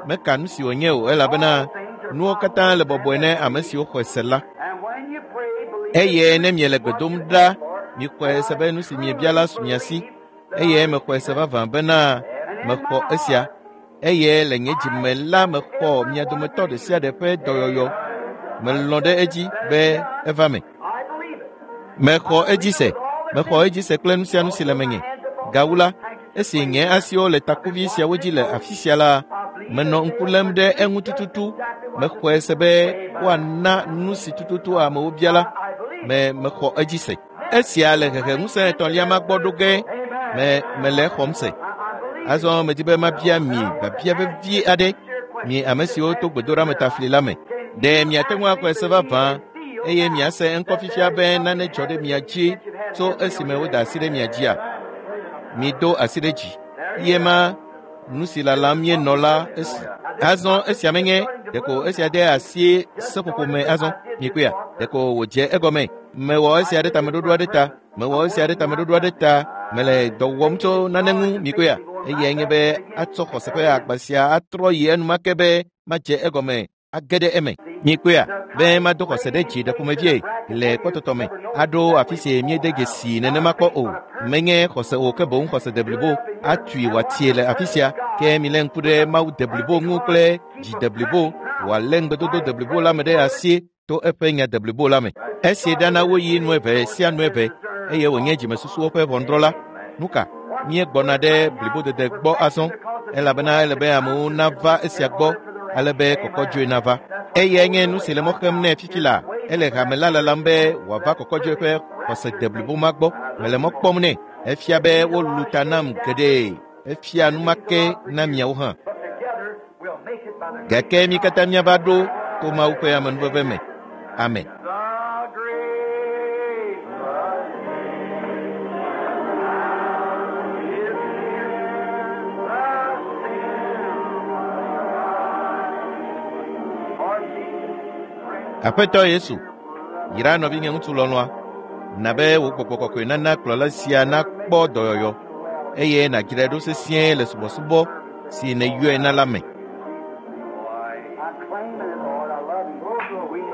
Meka nu si wònye o elabena nuwo katã le bɔbɔe ne ame siwo xɔe se la. And when you pray, believe Eye ne miele gbe dom ɖa, mixɔe se be nu si miebia la su mia si. Eye mexɔe se vavã bena mexɔ esia. Eye le nye dzime la mexɔ mia dometɔ ɖe sia ɖe ƒe dɔyɔyɔ. Melɔ̃ ɖe edzi be eva me. I believe it. Mexɔ edzi se. Mexɔ edzi se kple nu sia nu si le menye. Gawu la, esi nye asiwo le takuvi siawo dzi le afi sia la, menɔ ŋku lém ɖe eŋu tututu. Mexɔe se be woana nu si tututu amewo bia la. I believe it. Me mexɔ edzi se. Esia le hehe ŋusẽ etɔ̃lia ma gbɔ ɖo ge me mele exɔm se. I, I believe it. Azɔ medi be mabia mi biabia vevie aɖe mi ame siwo to gbedoɖa me tafli la me. Ɖe miate ŋu axɔe se vavã eye miase eŋkɔ fifia be nane dzɔ ɖe mia dzi tso esime woda asi ɖe mia dzia? Mido asi ɖe dzi. Ye ma nu si lalam míenɔ la esi. Azɔ esia menye ɖeko esia de asi seƒoƒo me azɔ mikpɔea ɖeko wòdze egɔme. Mewɔ esia ɖe tameɖoɖo aɖe ta. Mewɔ esia ɖe tameɖoɖo aɖe ta. Mele dɔ wɔm tso nane ŋu mikpɔea. Eyae nye be atsɔ xɔse ƒe agba sia atrɔ yi enumake be madze egɔme age ɖe eme. Mikpɔea be mado xɔse ɖe dzi ɖe ƒomevie le kpɔtɔtɔ me aɖo afi si míede dzesi nenema kpɔ o. Menye xɔse o ke boŋ xɔse deblibo atui wòatie le afi sia ke milé ŋku ɖe Mawu deblibo ŋu kple dzi deblibo wòalé ŋugbedodo deblibo la me ɖe asi to eƒe nya deblibo la me. Esi ɖana woyi nu eve sia nu eve eye wònye dzimesusuwo ƒe ʋɔnudrɔ̃la. Nu ka? Míegbɔna ɖe blibodede gbɔ azɔ elabena ele be amewo nava esia gbɔ ale be kɔkɔdzoe nava. Eyae nye nu si le mɔ xem nɛ fifi la. Ele hame la lalam be wòava kɔkɔdzoe ƒe xɔse deblibo ma gbɔ. Mele mɔ kpɔm nɛ. Efia be wolu ta nam geɖe. Efia numake na miawo hã. But together we'll make it by the Gake mi katã míava ɖo to Mawu ƒe amenuveve me. Amen. The great is here. Aƒetɔ Yesu, yra nɔvinye ŋutsu lɔlɔ̃a, na be wò gbɔgbɔ kɔkɔe nana kplɔla sia nakpɔ dɔyɔyɔ eye nàdzrae ɖo sesĩe le subɔsubɔ si nèyɔe na la me. I claim it, Lord. I love you. We need it.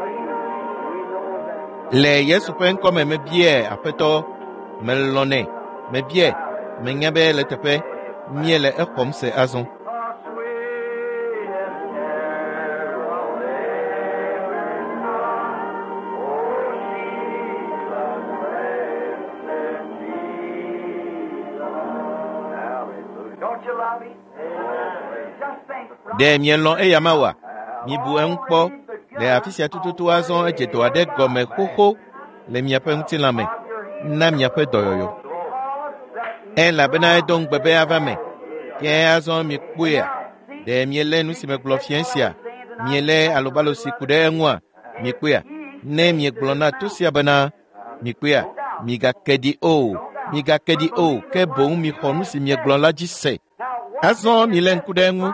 We know that. Le Yesu ƒe ŋkɔme mebiae Aƒetɔ, melɔ̃nɛ, mebiae, menya be le teƒe míele exɔm se azɔ. The sweetest carol ever sung. Oh, Jesus, blessed Jesus. Hallelujah. Don't you love him? Just think. Ɖe mielɔ̃ eya ma oa? Mibu eŋu kpɔ le afi sia tututu azɔ edze dɔ aɖe gɔme xoxo le miaƒe ŋutilã me na miaƒe dɔyɔyɔ. Elabena edo ŋugbe be ava me. Ke azɔ mikpɔea? Ɖe mielé nu si megblɔ fia sia? Mielé alobalo si ku ɖe eŋua? Mikpɔea? Ne miegblɔ na to sia bena, mikpɔea? Migake ɖi o, migake ɖi o, ke boŋ mixɔ nu si miegblɔ la dzi se. Azɔ milé ŋku ɖe eŋu.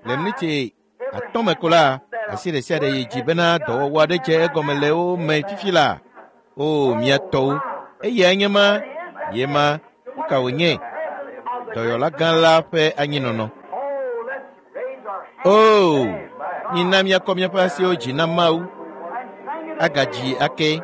Le miniti atɔ̃ me ko la, asi ɖe sia ɖe yi dzi bena dɔwɔwɔ aɖe dze egɔme le wo me fifi la. O, mia tɔwo, eyae nye ma, ye ma, nu ka wònye? Dɔyɔla gã la ƒe anyinɔnɔ. Oh, let's raise our hands O, mina míakɔ míaƒe asiwo dzi na Mawu, and sing it agadzi ake. The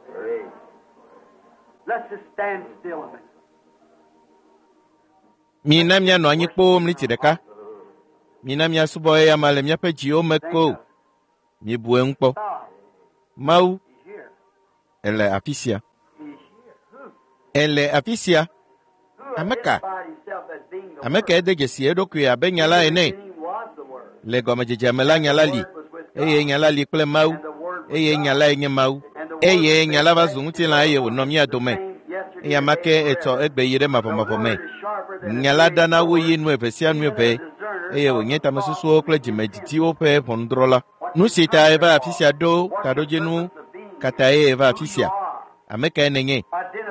great Praise. Let's just stand still a minute. Mina míanɔ anyi kpoo miniti ɖeka. Mina míasubɔ eya ma le míaƒe dziwo me ko. Mibu eŋu kpɔ. God, Mawu, He's here. ele afi sia. He's here. Who? Ele afi sia. Who Ameka. identified himself as being the Ame Word? ka ede dzesi eɖokui abe nya la ene. He was the Word. Le gɔmedzedzea me la nya la li eye nya la li kple Mawu And the Word was eye God. nya lae nye Mawu And the Word eye nya la va was zu ŋutilã eye wònɔ mía dome. same yesterday, Eya ma ke today, and etsɔ forever. egbe yi ɖe The mavɔmavɔ me. Word is sharper than a Nya la two-edged ɖana wu sword, yi nu eve sia nu even eve a discerner eye of wònye the thoughts tamesusuwo and kple intents. dzimedidiwo ƒe ʋɔnudrɔ̃la. Nu si ta eva afi sia ɖo taɖodzinu Purpose of being here, katae eva who afi you sia. are. Ame kae nènye?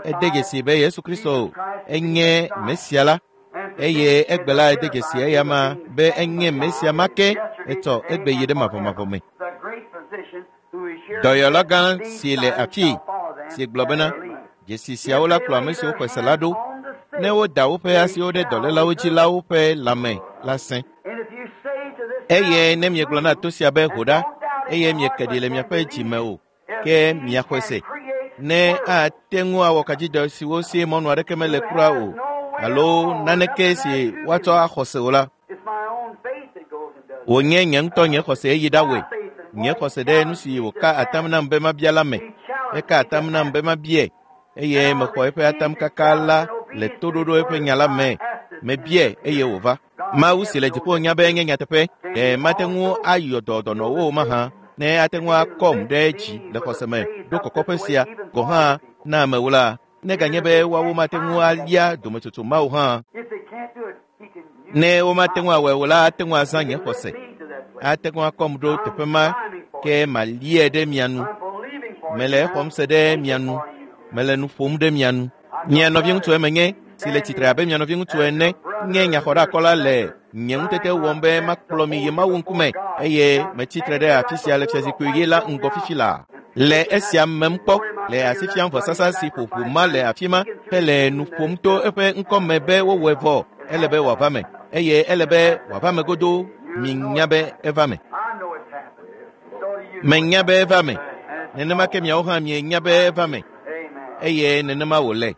Ede Identify dzesi be Yesu Kristo Jesus Christ to be the enye Messiah. Mesia la And eye today is egbe la ede dzesi identified eya him as ma being the be same enye Messiah Mesia ma ke yesterday, etsɔ today, egbe yi and ɖe forever. mavɔmavɔ me. The great physician who is here Dɔyɔla said, gã These si le signs afii shall follow them si gblɔ that bena believe. dzesi If siawo la they kplɔ ame lay siwo their xɔe se la hands ɖo on the ne sick, woda woƒe they asiwo ɖe shall dɔlélawo dzi recover. la woƒe lãme la sẽ. And if you say to this Eye mountain, ne miegblɔ na Move, to sia be and ho ɖa don't doubt in eye your heart, mieke ɖi but le can miaƒe believe dzime o if ke he miaxɔe can se create ne words ate ŋu awɔ kadzidɔ siwo si mɔnu aɖeke mele who kura has o no way at alo all, naneke nothing si that to woatsɔ believe. axɔ se o la It's my own faith that goes and does it. wònye nye ŋutɔ nye xɔse yi ɖawɔe My faith in nye what he xɔse ɖe nu challenged si me to wòka atam ask. nam be mabia la me He challenged eka me to atam nam ask. be mabiae eye And I mexɔ eƒe received the atamkaka challenge la in le obedience to his toɖoɖo eƒe word. nya la I me asked it and mebiae it eye appeared. wòva God in Mawu si heaven le knows dziƒo it's nya be true. enye nyateƒe Can ɖe he mate ŋu also ayɔ dɔ heal dɔnɔwo the o mahã sick? ne ate If ŋu he can akɔm lift ɖe dzi me le with a xɔse me faith ɖo up kɔkɔƒe this way, sia even gɔ̃ for hã other people. na amewo la neganye Even be if they woawo can't mate ŋu find that alia dometsotso mawo hã If they can't do it, he can use ne womate my ŋu awɔe o la ate ŋu azã He nye can lift xɔse me to that place. ate ŋu akɔm ɖo I'm teƒe ma climbing for ke you. maliae ɖe mia nu I'm believing for you. mele And exɔm I'm se ɖe speaking mia nu for you. mele nu ƒom ɖe mia nu I'm mia your nɔviŋutsu brother emenye si le tsitre standing abe mia nɔviŋutsu as ene your nye brother, your nyaxɔɖeakɔla le intercessor, nye ŋutete trying my wɔm be best to makplɔ mi yi hold you Mawu before ŋkume God. eye Now I'm metsitre standing ɖe right afi sia le before the fiazikpui white ɣi la throne ŋgɔ now fifi laa and le speaking that esia mem kpɔ pouring my le finger asi that fiam bloody vɔsasa si ƒoƒo sacrifice ma le down, afi ma speaking through hele his nu name that ƒom is to done. eƒe ŋkɔme be wowɔe vɔ ele be wòava me eye ele be wòava me godoo You know minya it's be happened. eva me I know it's happened. So do you know it's menya be happened. eva me And it's nenema ke so. miawo hã mienya be eva me Amen. Eye nenema wòle.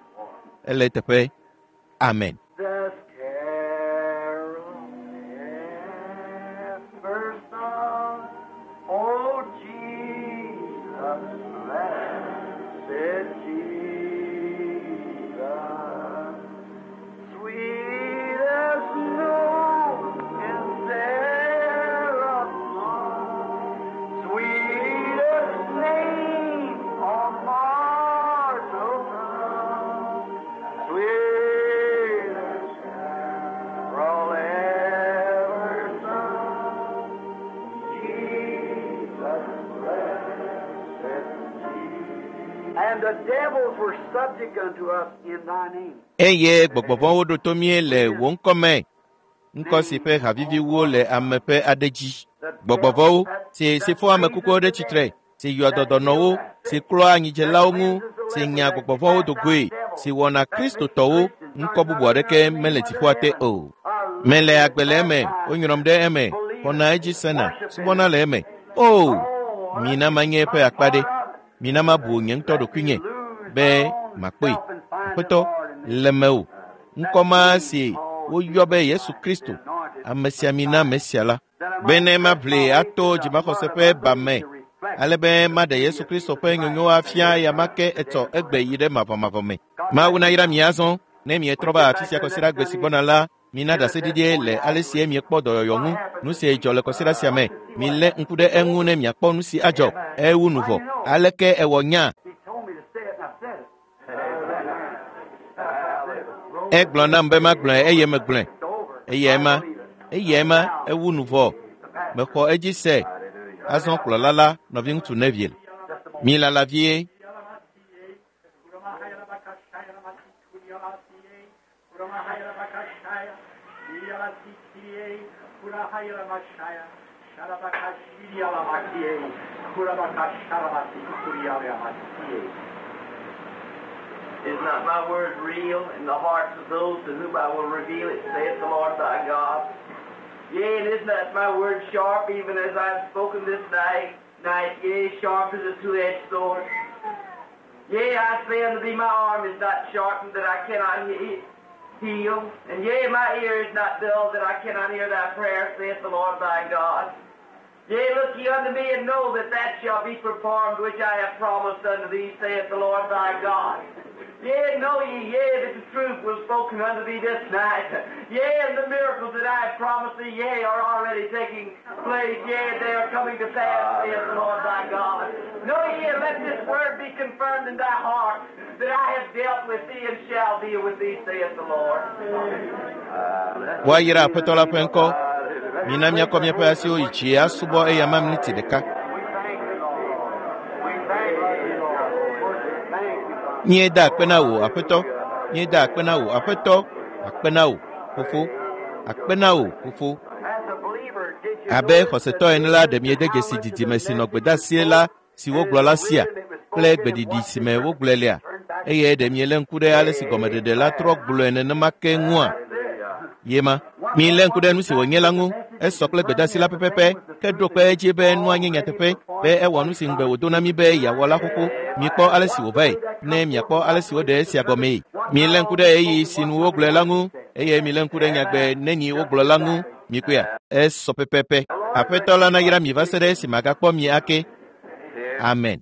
Ele teƒe. Amen. This carol ever sung, O Jesus, blessed Jesus, sweetest note in seraph's song, sweetest name on mortal tongue, sweetest carol ever sung. Jesus, blessed Jesus. And the devils were subject unto us in thy name. Eye gbɔgbɔ vɔ̃wo ɖo to mí le wò ŋkɔ me. Ŋkɔ si ƒe haviviwo le ame ƒe aɖe dzi. Gbɔgbɔ vɔ̃wo si si fɔ ame kukuwo ɖe tsitre, si yɔa dɔdɔnɔwo, si klɔa anyidzelawo ŋu, si nya gbɔgbɔ vɔ̃wo do goe, si wɔna kristotɔwo, ŋkɔ bubu aɖeke mele dziƒoa te o. Mele agbe le eme, wonyrɔm ɖe eme, xɔna edzi sena, subɔna le eme. O, mina manye eƒe akpa ɖe. Mina mabu nye ŋutɔ ɖokuinye be makpɔe. Aƒetɔ, le mewò. Ŋkɔ ma si woyɔ be Yesu Kristo, amesiamina Mesia la, bene maʋli ato dzimaxɔse ƒe ba me, ale be maɖe Yesu Kristo ƒe nyonyo afia ya ma ke etsɔ egbe yi ɖe mavɔmavɔ me. Mawu nayra mi azɔ, ne mietrɔ va afi sia kɔsiɖa gbe si gbɔna la, mina ɖaseɖiɖie le ale si miekpɔ dɔyɔyɔ ŋu, nu si dzɔ le kɔsiɖa sia me. Milé ŋku ɖe eŋu ne miakpɔ nu si adzɔ. Ewu nu vɔ. Aleke ewɔ nya? He told me to say it, and I said it. Egblɔ nam be magblɔe eye megblɔe. It's over. Eyae ma, eyae ma, ewu nu vɔ. Mexɔ edzi se. Azɔ kplɔla la, nɔviŋutsu Neville. Milala vie. Is not my word real in the hearts of those to whom I will reveal it, saith the Lord thy God? Yea, and is not my word sharp, even as I have spoken this night, night, yea, sharp as a two-edged sword? Yea, I say unto thee, my arm is not sharpened that I cannot he- heal, and yea, my ear is not dull that I cannot hear thy prayer, saith the Lord thy God. Yea, look ye unto me and know that that shall be performed which I have promised unto thee, saith the Lord thy God. Yea, know ye, yea, that the truth was spoken unto thee this night. Yea, and the miracles that I have promised thee, yea, are already taking place. Yea, they are coming to pass, saith the Lord thy God. Know ye, and let this word be confirmed in thy heart, that I have dealt with thee and shall deal with thee, saith the Lord. Woayra Aƒetɔ la ƒe ŋkɔ. Mina míakɔ míaƒe asiwo yi dzi asubɔ eya ma miniti ɖeka. We thank you, Lord. We thank you, Lord. Thank you, Father. Míeda akpe na wò, Aƒetɔ. Míeda akpe na wò, Aƒetɔ. Akpe na wò, Fofo. Akpe na wò, Fofo. As a believer, did you Abe notice xɔsetɔ ene la, ɖe miede dzesi didime si nɔ gbedeasie la si wogblɔ la sia kple gbeɖiɖi si me wogblɔe lea? Eye ɖe mielé ŋku ɖe ale si gɔmeɖeɖe la trɔ gblɔe nenema ke ŋua? Ye ma. Milé ŋku ɖe nu si wònye la ŋu. Esɔ kple gbedeasi la pɛpɛpɛ ke ɖo kpe edzi be nua nye nyateƒe be ewɔ nu si ŋugbe wòdo na mí be yeawɔ la xoxo. Mikpɔ ale si wòvae ne miakpɔ ale si woɖe esia gɔmee. Milé ŋku ɖe ɣeyiɣi si nu wogblɔe la ŋu eye milé ŋku ɖe nyagbe neni wogblɔ la ŋu. Mikpɔea? Esɔ pɛpɛpɛ. Aƒetɔ la nayra mi va se ɖe esi magakpɔ mi ake. Amen.